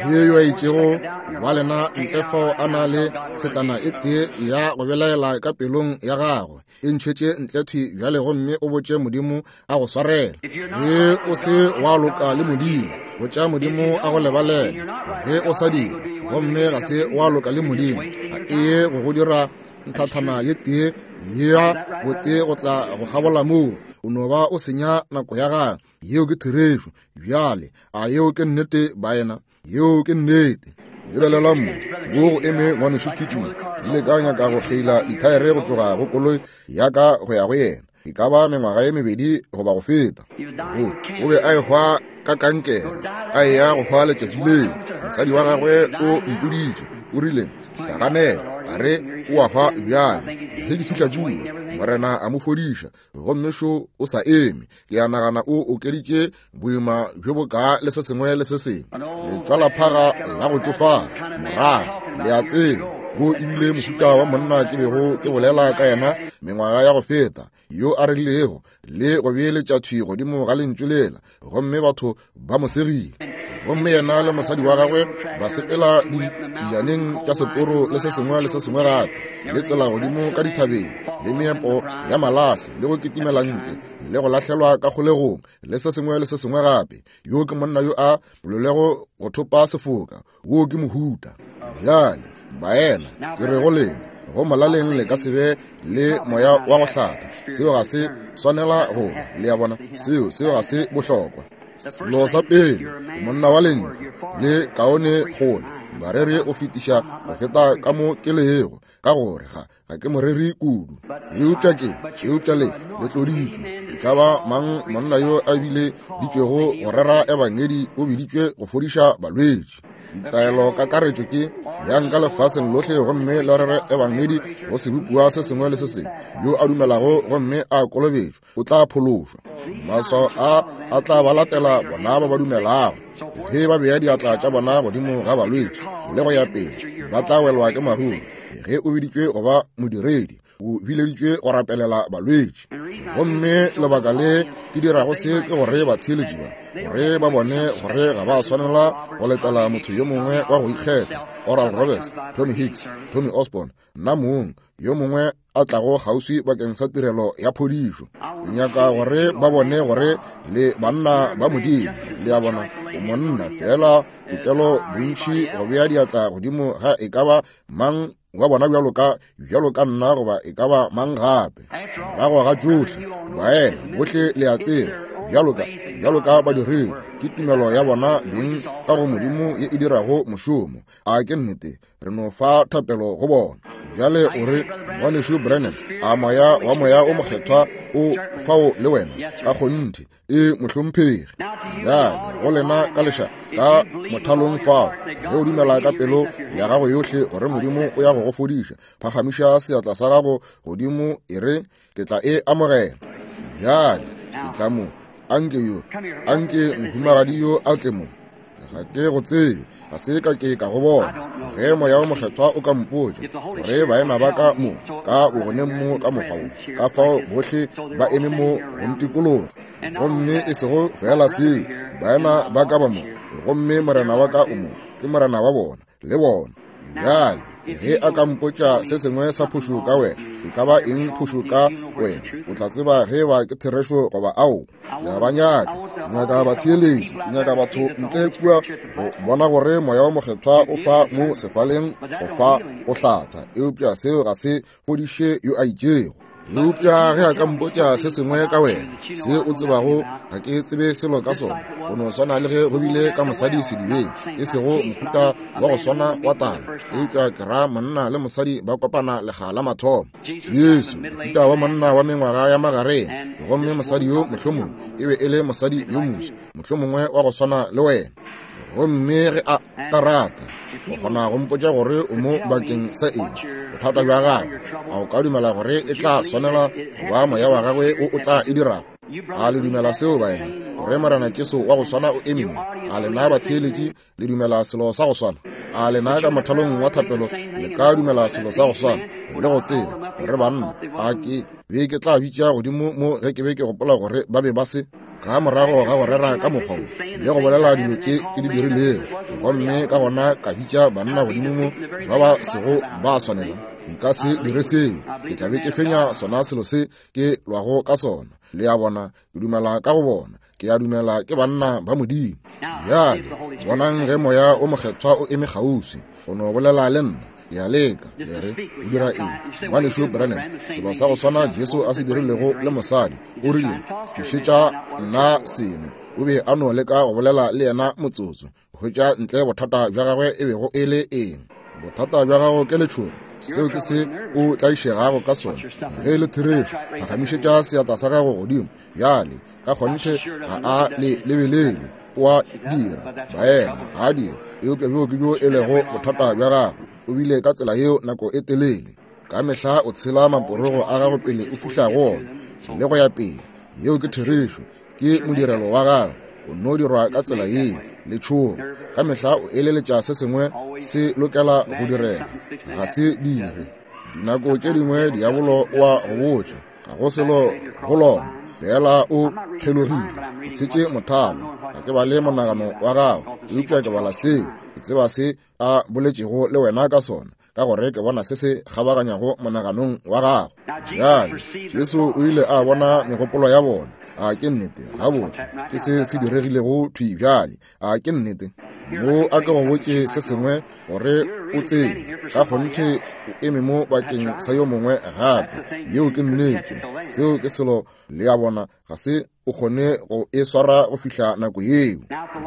Speaker 1: Ge yo a itšego wa lena ntle fao a na le tshetlana e tee ya go belaela ka pelong ya gagwe, e ntšhetše ntle thwi bjale gomme o botše Modimo a go swarela. Ge o se wa loka le Modimo, botša Modimo a go lebalele. Ge o sa dira, gomme ga se wa loka le Modimo, ga e ye go go dira nthathana ye tee ya botse go tla go kgabola moo. O no ba o senya nako ya gago. Yeo ke therešo. Bjale a yeo ke nnete, baena? Yeo ke nnete. Lebelela mo, wo go eme ngwanešu Kidman. Ke ile ka nyaka go kgeila dithaere go tloga go koloi ya ka go ya go yena, e ka ba mengwaga ye mebedi goba go feta. O, o be a ehwa ka kankere, a eya go hwa letšatši leo. Mosadi wa gagwe o mpoditše, o rile, hlaganela, a re o a hwa bjale. Ge ke fihla kua, Morena a mo fodiša, gomme šo o sa eme. Ke a nagana o okeditše boima bjo bokaa le se sengwe le se sengwe. Letšwalaphaga la go tšofala morago, le a tseba, wo ebile mohuta wa monna ke bego ke bolela ka yena mengwaga ya go feta, yo a rerilego le go beeletša thwi godimo ga lentšu lela, gomme batho ba mo segile. Gomme yena le mosadi wa gagwe ba sepela dijaneng tša seporo le se sengwe le se sengwe gape, le tsela godimo ka dithabeng, le meepo ya malahle, le go kitimela ntle, le go lahlelwa ka kgolegong, le se sengwe le se sengwe gape. Yo ke monna yo a bolelego go thopa sefoka. Wo ke mohuta. Bjale baena, ke re go lena, go molaleng le ka se be le moya wa go hlatha. Seo ga se swanela go, le a bona, seo seo ga se bohlokwa. Selo sa pele, monna wa lentšu le kaone kgole bareri go fetiša go feta ka mo ke lego, ka gore ga ga ke moreri kudu. Eupša ke, eupša le le tloditšwe. E ka ba mang monna yo a bile ditšwego go rera ebangedi o biditšwe go fodiša balwetši. Ditaelo kakaretšo ke yang ka lefaseng lohle gomme le rere ebangedi go sebopiwa se sengwe le se sengwe. Yo a dumelago gomme a kolobetšwa o tla phološwa. Maswao a a tla ba latela bona ba ba dumelago. Ge ba bea diatla tša bona godimo ga balwetši le go ya pele, ba tla welwa ke maruru. Ge o biditšwe go ba modiredi, o bileditšwe go rapelela balwetši. Gomme lebaka le ke dirago se ke gore batheeletši ba, gore ba bone gore ga ba swanela go letela motho yo mongwe wa go ikgetha, Oral Roberts, Tommy Hicks, Tommy Osborne, nna mong, yo mongwe a tlago kgauswi bakeng sa tirelo ya phodišo. Ke nyaka gore ba bone gore le banna ba Modimo. Le a bona, o monna fela tokelo bontši go bea diatla godimo ga e ka ba mang wa bona bjalo ka bjalo ka nna goba e ka ba mang gape. Morago ga tšohle, baena bohle le a tseba, bjalo ka bjalo ka badiredi, ke tumelo ya bona beng ka go Modimo ye e dirago mošomo. A ke nnete, re no fa thapelo go bona. Bjale o re, Ngwanešu Branham, a moya wa moya o mokgethwa o fao le wena? Ka kgonthe, e mohlomphegi. Bjale go lena ka leša ka mothalong fao, ge o dumela ka pelo ya gago yohle gore Modimo o ya go go fodiša, phagamiša seatla sa gago godimo e re, ke tla e amogela. Bjale e tla mo, anke yo, anke mohumagadi yo a tle mo. Ga ke go tsebe, ga se ka ke ka go bona. Ge moya o mokgethwa o ka mpotša gore baena ba ka mo ka bogoneng mo ka mokgwa wo, ka fao bohle ba eme mo go ntikologa, gomme e sego fela seo, baena ba ka ba mo, gomme morena wa ka o mo, ke morena wa bona le bona. Bjale ge a ka mpotša se sengwe sa phošo ka wena, e ka ba eng phošo ka wena, o tla tseba ge ba ke therešo goba ao. Ke a ba nyaka, nyaka batheeletši, ke nyaka batho ntle kua go bona gore moya o mokgethwa o fa mo sefaleng go fa go hlatha, eupša seo ga se fodiše yo a itšego. Eupša ge a ka mpotša se sengwe ka wena, se o tsebago ga ke tsebe selo ka sona, go no swana le ge go bile ka mosadi sedibeng, e sego mohuta wa go swana wa taba, eupša ke ra monna le mosadi ba kopana lekga la mathomo. Jesu, mohuta wa monna wa mengwaga ya magareng, gomme mosadi yo mohlomongwe e be e le mosadi yo moso, mohlomongwe wa go swana le wena. Gomme ge a ka rata, o kgona go mpotša gore o mo bakeng sa eng, bothata bja gagwe, a o ka dumela gore e tla swanela go ba moya wa gagwe o o tla e dirago? A le dumela seo baena, gore Morena Jesu wa go swana o eme mo? A lena batheeletši le dumela selo sa go swana? A lena ka mothalong wa thapelo le ka dumela selo sa go swana, le go tseba gore banna a ke be ke tla bitša godimo mo ge ke be ke gopola gore ba be ba se ka morago ga go rera ka mokgwa wo le go bolela dilo tše ke di dirilego, gomme ka gona ka bitša banna godimo mo ba ba sego ba swanela, nka se dire seo. Ke tla be ke fenya sona selo se ke lwago ka sona. Le a bona, ke dumela ka go bona, ke a dumela ke banna ba Modimo. Bjale bonang ge moya o mokgethwa o eme kgauswi go no bolela le nna. Ke a leka, le re, o dira eng, Ngwanešu Branham? Selo sa go swana Jesu a se dirilego le mosadi, o rile, tlišetša nna seno. O be a no leka go bolela le yena motsotso, hwetša ntle bothata bja gagwe e bego e le eng. Bothata bja gago ke letšhogo, seo ke se o tlaišegago ka sona. Ge e le therešo, phagamišetša seatla sa gago godimo. Bjale ka kgonthe ga a le lebelele, o a dira, baena, ga a dira, eupša bjo ke bjo e lego bothata bja gagwe. O bile ka tsela yeo nako e telele. Ka mehla o tshela maporogo a gago pele o fihla go ona le go ya pele. Yeo ke therešo, ke modirelo wa gagwe, o no dirwa ka tsela yeo. Letšhogo ka mehla o eleletša se sengwe se lokela go direga, ga se dire. Dinako tše dingwe diabolo o a go botša ga go selo go lona, fela o kgelogile, o tshetše mothalo. Ga ke bale monagano wa gago, eupša ke bala seo, ke tseba se a boletšego le wena ka sona, ka gore ke bona se se kgabaganyago monaganong wa gago. Bjale Jesu o ile a bona megopolo ya bona. A ke nnete? Gabotse, ke se se diregilego thwi bjale. A ke nnete? Mo a ke go botše se sengwe gore o tsebe, ka kgonthe o eme mo bakeng sa yo mongwe gape. Yeo ke nnete, seo ke selo. Le a bona, ga se o kgone go e swara go fihla nako yeo.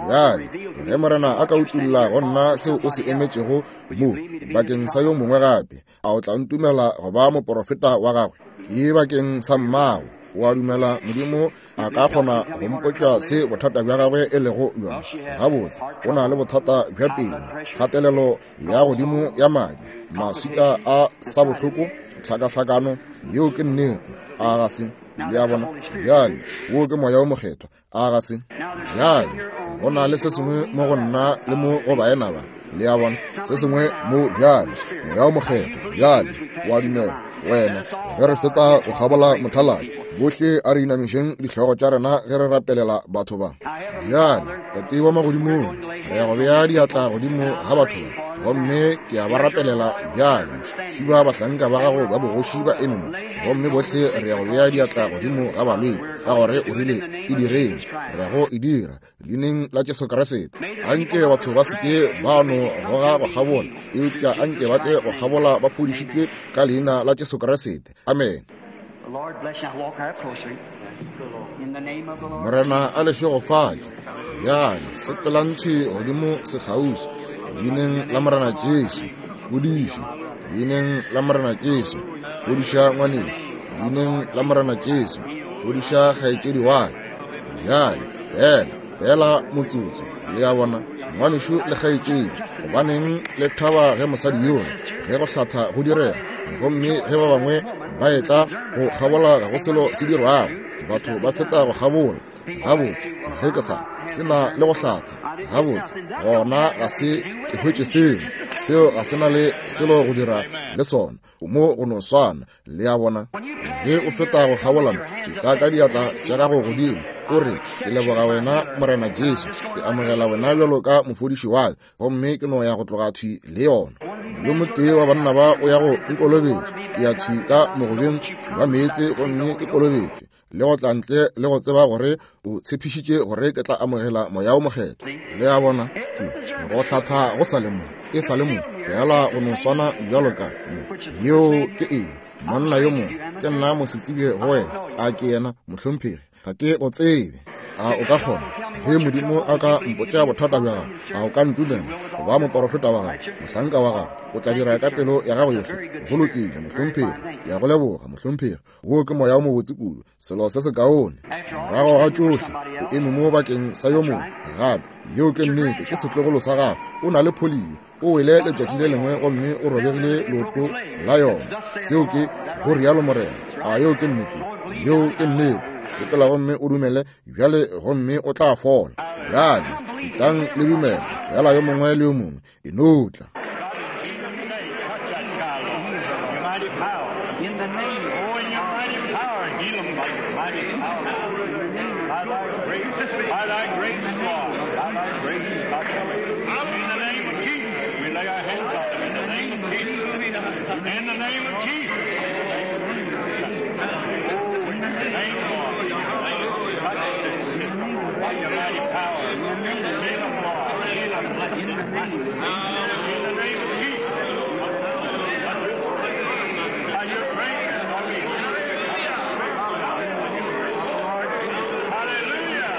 Speaker 1: Bjale ge Morena a ka utulla go nna seo o se emetšego mo bakeng sa yo mongwe gape, a o tla ntumela go ba moporofeta wa gagwe? Ke bakeng sa mmago. O a dumela Modimo a ka kgona go mpotša se bothata bja gagwe e lego bjona? Gabotse, o na le bothata bja pelo, kgatelelo ya godimo ya madi, maswika a sa bohloko, tlhakahlakano. Yeo ke nnete, a ga se? Le a bona? Bjale wo ke moya o mokgethwa, a ga se? Bjale go na le se sengwe mo go nna le mo go baena ba. Le a bona, se sengwe mo bjale, moya o mokgethwa. Bjale wa dumela wena ge re feta go kgabola mothaladi, bohle a re inamišeng dihlogo tša rena ge re rapelela batho ba. Bjale Tate wa magodimong, re ya go bea diatla godimo ga batho ba, gomme ke a ba rapelela bjale. Šiba bahlanka ba gago ba bogoši ba eme mo, gomme bohle re ya go bea diatla godimo ga balwetši, ka gore o rile e direng, re ya go e dira leineng la Jesu Kriste. Anke batho ba se ke ba no goga go kgabola, eupša anke ba tle go kgabola ba fodišitšwe ka leina la Jesu Kriste. Amen. Morena a le šegofatše. Bjale sepelang thwi godimo sekgauswi leineng la Morena Jesu. Fodiša leineng la Morena Jesu. Fodiša ngwanešu leineng la Morena Jesu. Fodiša kgaetšedi wa ka. Bjale fela fela motsotso, le a bona, ngwanešu le kgaetšedi, gobaneng le thaba ge mosadi yola ge go hlatha go direga, gomme ge ba bangwe ba etla go kgabola ga go selo se dirwago, batho ba feta go kgabola. Gabotse, ge ke sa se na le go hlatha, gabotse, gona ga se ke hwetše selo seo, ga se na le selo go dira le sona, mo go no swana. Le a bona, ge o feta go kgabola mo, etla ka diatla tša gago godimo, o re, ke leboga wena Morena Jesu, ke amogela wena bjalo ka mofodiši wa ka, gomme ke no ya go tloga thwi le yona. Yo motee wa banna ba o ya go nkolobetša, ke ya thwi ka mogobeng wa meetse gomme ke kolobetšwe, le go tla ntle le go tseba gore o tshepišitše gore ke tla amogela moya o mokgethwa. Le a bona, ke go hlatha go sa le mo, e sa le mo, fela go no swana bjalo ka mo. Yeo ke eng? Monna yo mongwe, ke nna mosetsebje go wena. A ke yena, mohlomphegi? Ga ke go tsebe. A o ka kgona, ge Modimo a ka mpotša bothata bja gago, a o ka ntumela go ba moporofeta wa gago, mohlanka wa gago? O tla dira ka pelo ya gago yohle. Go lokile, mohlomphegi. Ke a go leboga, mohlomphegi. Wo ke moya o mobotse kudu, selo se sekaone. Morago ga tšohle, o eme mo bakeng sa yo mongwe gape. Yeo ke nnete, ke setlogolo sa gago. O na le polio, o wele letšatši le lengwe gomme o robegile leoto la yona. Seo ke go rialo Morena. A yeo ke nnete? Yeo ke nnete. Sepela gomme o dumele bjale, gomme o tla fola. Bjale etlang le dumele fela, yo mongwe le yo mongwe, e no tla.
Speaker 3: In the name of Jesus. Oh, in the name of Lord. By your mighty power. Heal them, Lord. Heal them. In the name of Jesus. By your grace, Lord. Hallelujah.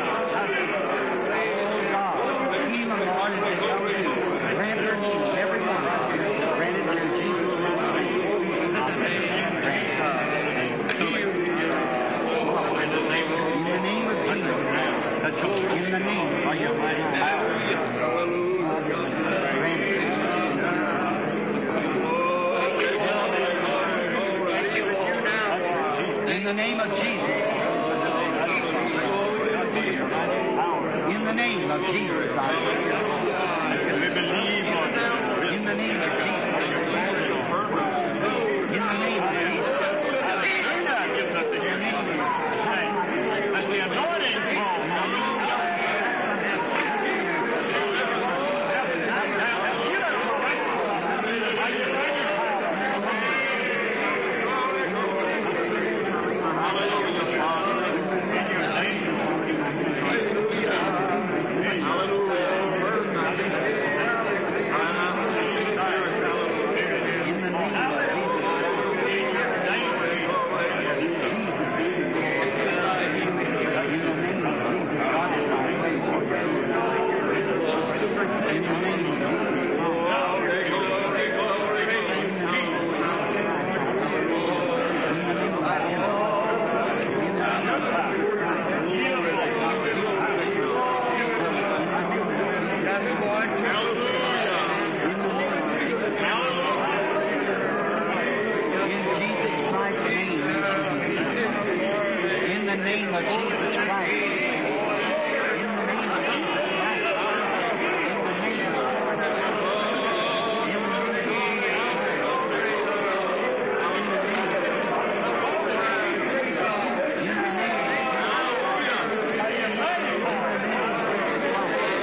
Speaker 2: Heal them, Lord, as they come to you. Grant their needs, every one. Grant it in Jesus' name. In the name of Jesus. In the name of your mighty power. Grant it. In the name of Jesus. In the name of Jesus, I pray.
Speaker 3: We believe, Lord.
Speaker 2: In the name of Jesus. In the name of Jesus.
Speaker 3: Let the anointing fall.
Speaker 2: In the name of In Jesus Christ's name, may she be healed. In the name of Jesus Christ. In the name of Jesus Christ. In the name of In the name In the name. In the name.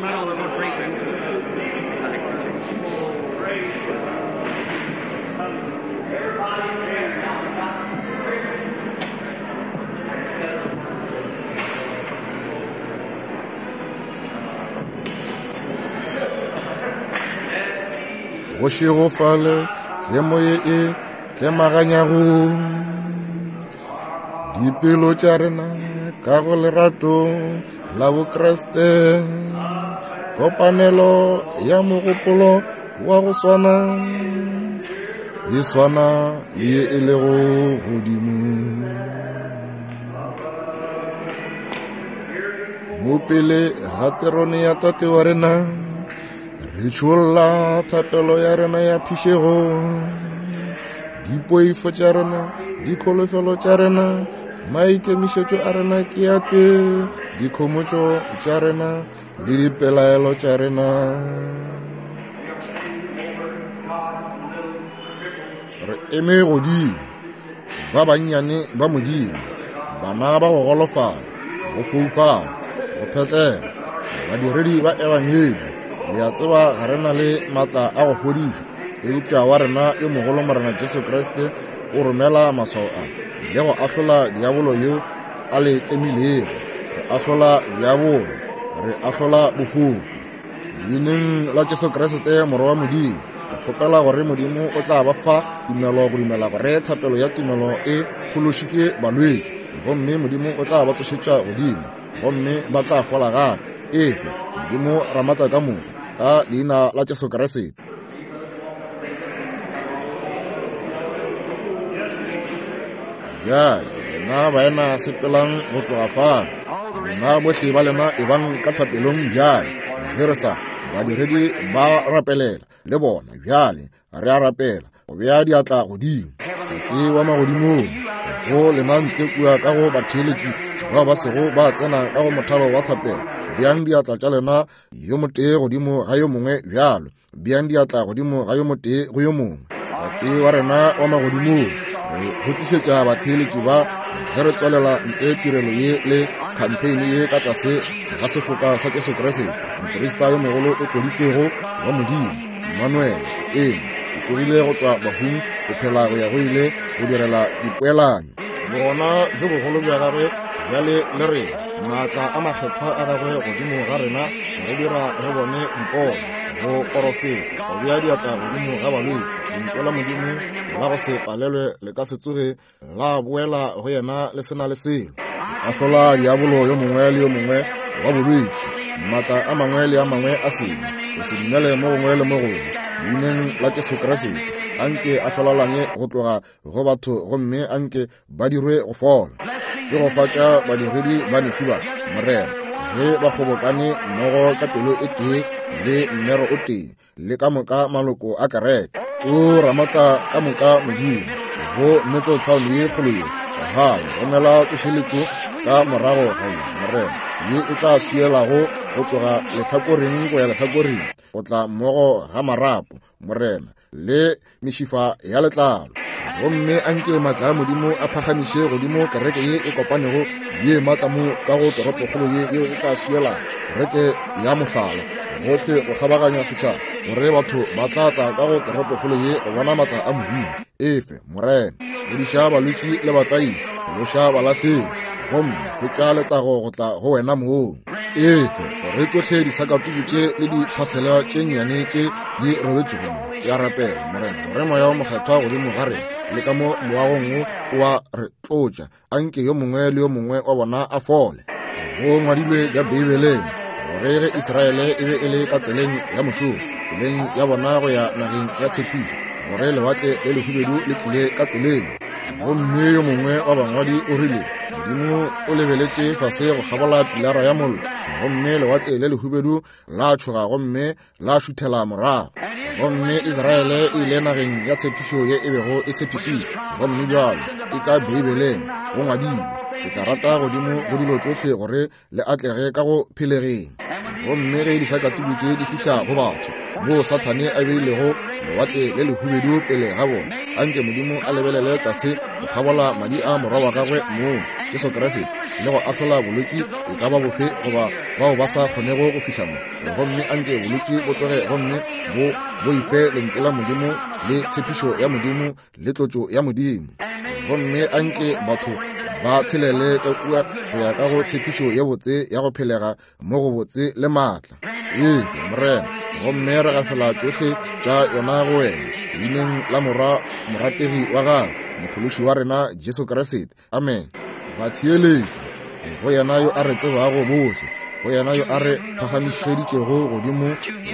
Speaker 2: Come right on, we're going to pray for you.
Speaker 1: Go šegofale tlemo ye e tlemaganyago dipelo tša rena ka go lerato la Bokriste, kopanelo ya mogopolo wa go swana e swana le ye e lego godimo. Mo pele ga terone ya Tate wa rena re tšholla thapelo ya rena ya phišego, dipoifo tša rena, dikholofelo tša rena, maikemišetšo a rena ke a tee, dikhomotšo tša rena le dipelaelo tša rena. Re eme godimo, ba bannyane ba Modimo, bana ba go golofala, go foufala, go phetlela, badiredi ba ebangedi. Le a tseba ga re na le maatla a go fodiša, eupša wa rena yo mogolo Morena Jesu Kriste o romela maswao a le go ahlola diabolo yo a le tlemilego. Re ahlola diabolo, re ahlola bofofu. Leineng la Jesu Kriste Morwa wa Modimo, re kgopela gore Modimo o tla ba fa tumelo go dumela gore thapelo ya tumelo e phološitše balwetši, gomme Modimo o tla ba tsošetša godimo, gomme ba tla fola gape. Efe Modimo Ramatla ka moka, ka leina la Jesu Kriste. Bjale lena baena sepelang go tloga fao, lena bohle ba lena e bang ka thapelong bjale. Ge re sa badiredi ba rapelela le bona bjale, re a rapela go bea diatla godimo. Tate wa magodimong, go lena ntle kua ka go batheeletši bao ba sego ba tsena ka go mothalo wa thapelo, beang diatla tša lena yo motee godimo ga yo mongwe bjalo, beang diatla godimo ga yo motee go yo mongwe. Tate wa rena wa magodimong, re go tlišetša batheeletši ba ge re tswalela ntle tirelo ye le campaign ye ka tlase ga sefoka sa Jesu Kriste, moprista yo mogolo o tloditšwego wa Modimo, Emmanuel, eme o tsogile go tšwa bahung go phela go ya go ile go direla dipoelanyo. Bogona bjo bogolo bja gagwe bjale le rena, maatla a makgethwa a gagwe godimo ga rena re dira re bone dipono, go porofeta, go bea diatla godimo ga balwetši. Lentšu la Modimo la go se palelwe le ka se tsoge la boela go yena le se na le selo. Ahlola diabolo yo mongwe le yo mongwe wa bolwetši, maatla a mangwe le a mangwe a sebe, go se dumele mo gongwe le mo gongwe. Leineng la Jesu Kriste, anke a hlolalanye go tloga go batho gomme anke ba dirwe go fola. Ke go fatša badiredi ba nešu ba, Morena, ge ba kgobokane mmogo ka pelo e tee le mmero o tee le ka moka maloko a kereke. O Ramatla ka moka Modimo, go Middletown ye kgolo ye, gae romela tsošeletšo ka morago ga ye, Morena, ye e tla swielago go tloga lehlakoreng go ya lehlakoreng, go tla mmogo ga marapo, Morena, le mešifa ya letlalo. Gomme anke maatla a Modimo a phagamiše godimo kereke ye e kopanego ye maatla mo ka go toropokgolo ye yeo e tla swiela kereke ya mohlala gohle go kgabaganya setšhaba, gore batho ba tla tla ka go toropokgolo ye go bona maatla a Modimo. Efe Morena, fodiša balwetši le batlaiši, phološa balahlegi, gomme hwetša letago go tla go wena mong. Efe gore tšohle disakatuku tše le diphasela tše nnyane tše di robetšego mo. Ke a rapela Morena gore moya wa mokgethwa godimo ga rena le ka mo moagong wo o a re tlotša, anke yo mongwe le yo mongwe wa bona a fole. Go ngwadilwe ka Beibeleng gore ge Israele e be e le ka tseleng ya mošomo, tseleng ya bona go ya nageng ya tshepišo, gore lewatle le lehubedu le tlile ka tseleng. Gomme yo mongwe wa bangwadi o rile, Modimo o lebeletše fase go kgabola pilara ya mollo, gomme lewatle le lehubedu la tšhoga gomme la šuthela morago. Gomme Israele e ile nageng ya tshepišo ye e bego e tshepišitšwe. Gomme bjalo e ka Beibeleng go ngwadilwe, ke tla rata godimo go dilo tšohle gore le atlege ka go phelegeng. Gomme ge disakatuku tše di fihla go batho moo Sathane a beilego lewatle le lehubedu pele ga bona, anke Modimo a lebelele tlase go kgabola madi a morwa wa gagwe mong Jesu Kriste le go ahlola bolwetši e ka ba bofe goba bao ba sa kgonego go fihla mo. Gomme anke bolwetši bo tloge gomme bo boife lentšu la Modimo le tshepišo ya Modimo le tlotšo ya Modimo. Gomme anke batho ba tshelele ka kua go ya ka go tshepišo ye botse ya go phelega mo go botse le maatla. Ee, Morena, gomme re gafela tšohle tša yona go wena leineng la morwa morategi wa gago mophološi wa rena Jesu Kriste. Amen. Batheeletši go yena yo a re tsebago bohle, go yena yo a re phagamišeditšego godimo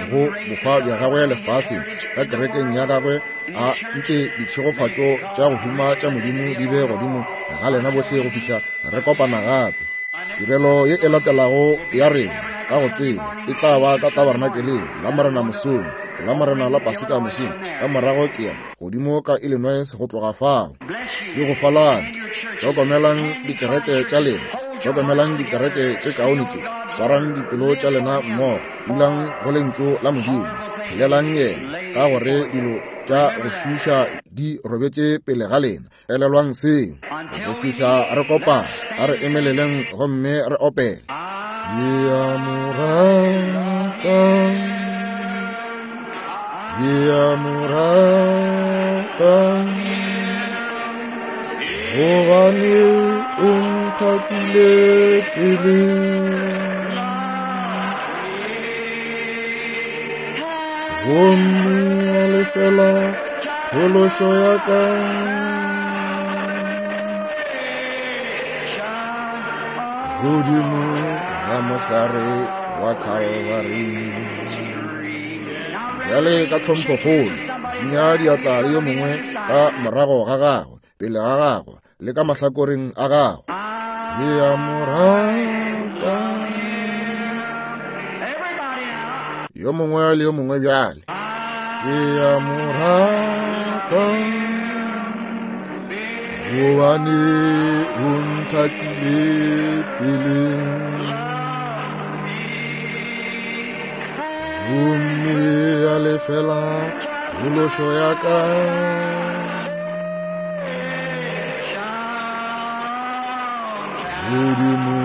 Speaker 1: go bohwa bja gagwe lefaseng ka kerekeng ya gagwe, a nke ditšhegofatšo tša go huma tša Modimo di be godimo ga lena bohle go fihla re kopana gape. Tirelo ye e latelago ya rena ka go tseba e tla ba ka tabernakeleng la Morena mosong, la Morena la Paseka mosong, ka morago ke ya godimo ka Illinois go tloga fao. Šegofalang, hlokomelang dikereke tša lena, hlokomelang dikereke tše kaone tše, swarang dipelo tša lena mmogo, dulang go lentšu la Modimo, phelelang yena, ka gore dilo tša go šiiša di robetše pele ga lena. Elelwang seo go fihla re kopana. A re emeleleng gomme re opele. Ke a mo rata, ke a mo rata, gobane o nthatile pele. Gomme a lefela phološo ya ka. Godimo ga mohlare wa Calvary. Bjale ka tlhomphokgolo šinya diatla le yo mongwe ka morago ga gagwe, pele ga gagwe le ka mahlakoreng a gagwe. Ke a mo rata. Yo mongwe le yo mongwe bjale. Ke a mo rata, gobane o nthatile pele. Gomme a lefela phološo ya ka. Godimo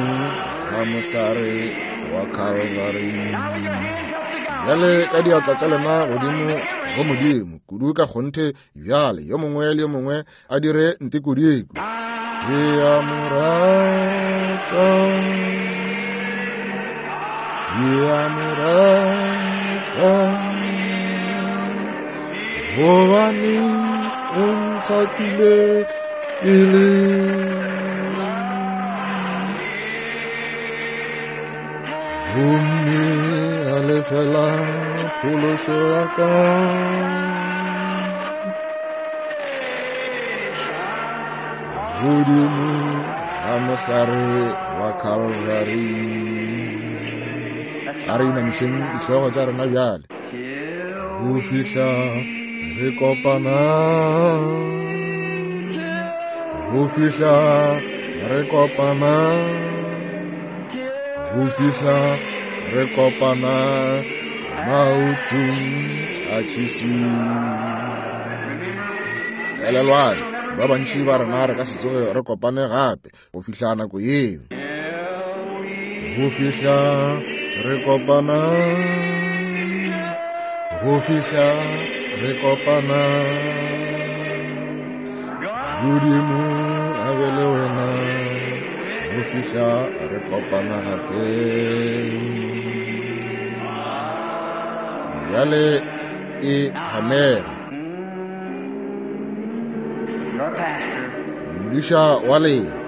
Speaker 1: ga mohlare wa Calvary. Bjale ka diatla tša lena godimo go Modimo kudu ka kgonthe bjale, yo mongwe le yo mongwe a dire ntekodiko. Ke a mo rata, ke a mo rata, gobane o nthatile pele. Gomme a lefela phološo ya ka. Godimo ga mohlare wa Calvary. A re inamišeng dihlogo tša rena bjale go fihla re kopana, go fihla re kopana, go fihla re kopana maotong a Jesu. Elelwang, ba bantši ba rena re ka se tsoge re kopane gape go fihla nako yeo. Go fihla re kopana, go fihla re kopana, Modimo a be le wena go fihla re kopana gape. Bjale e hamela. Modiša wa lena.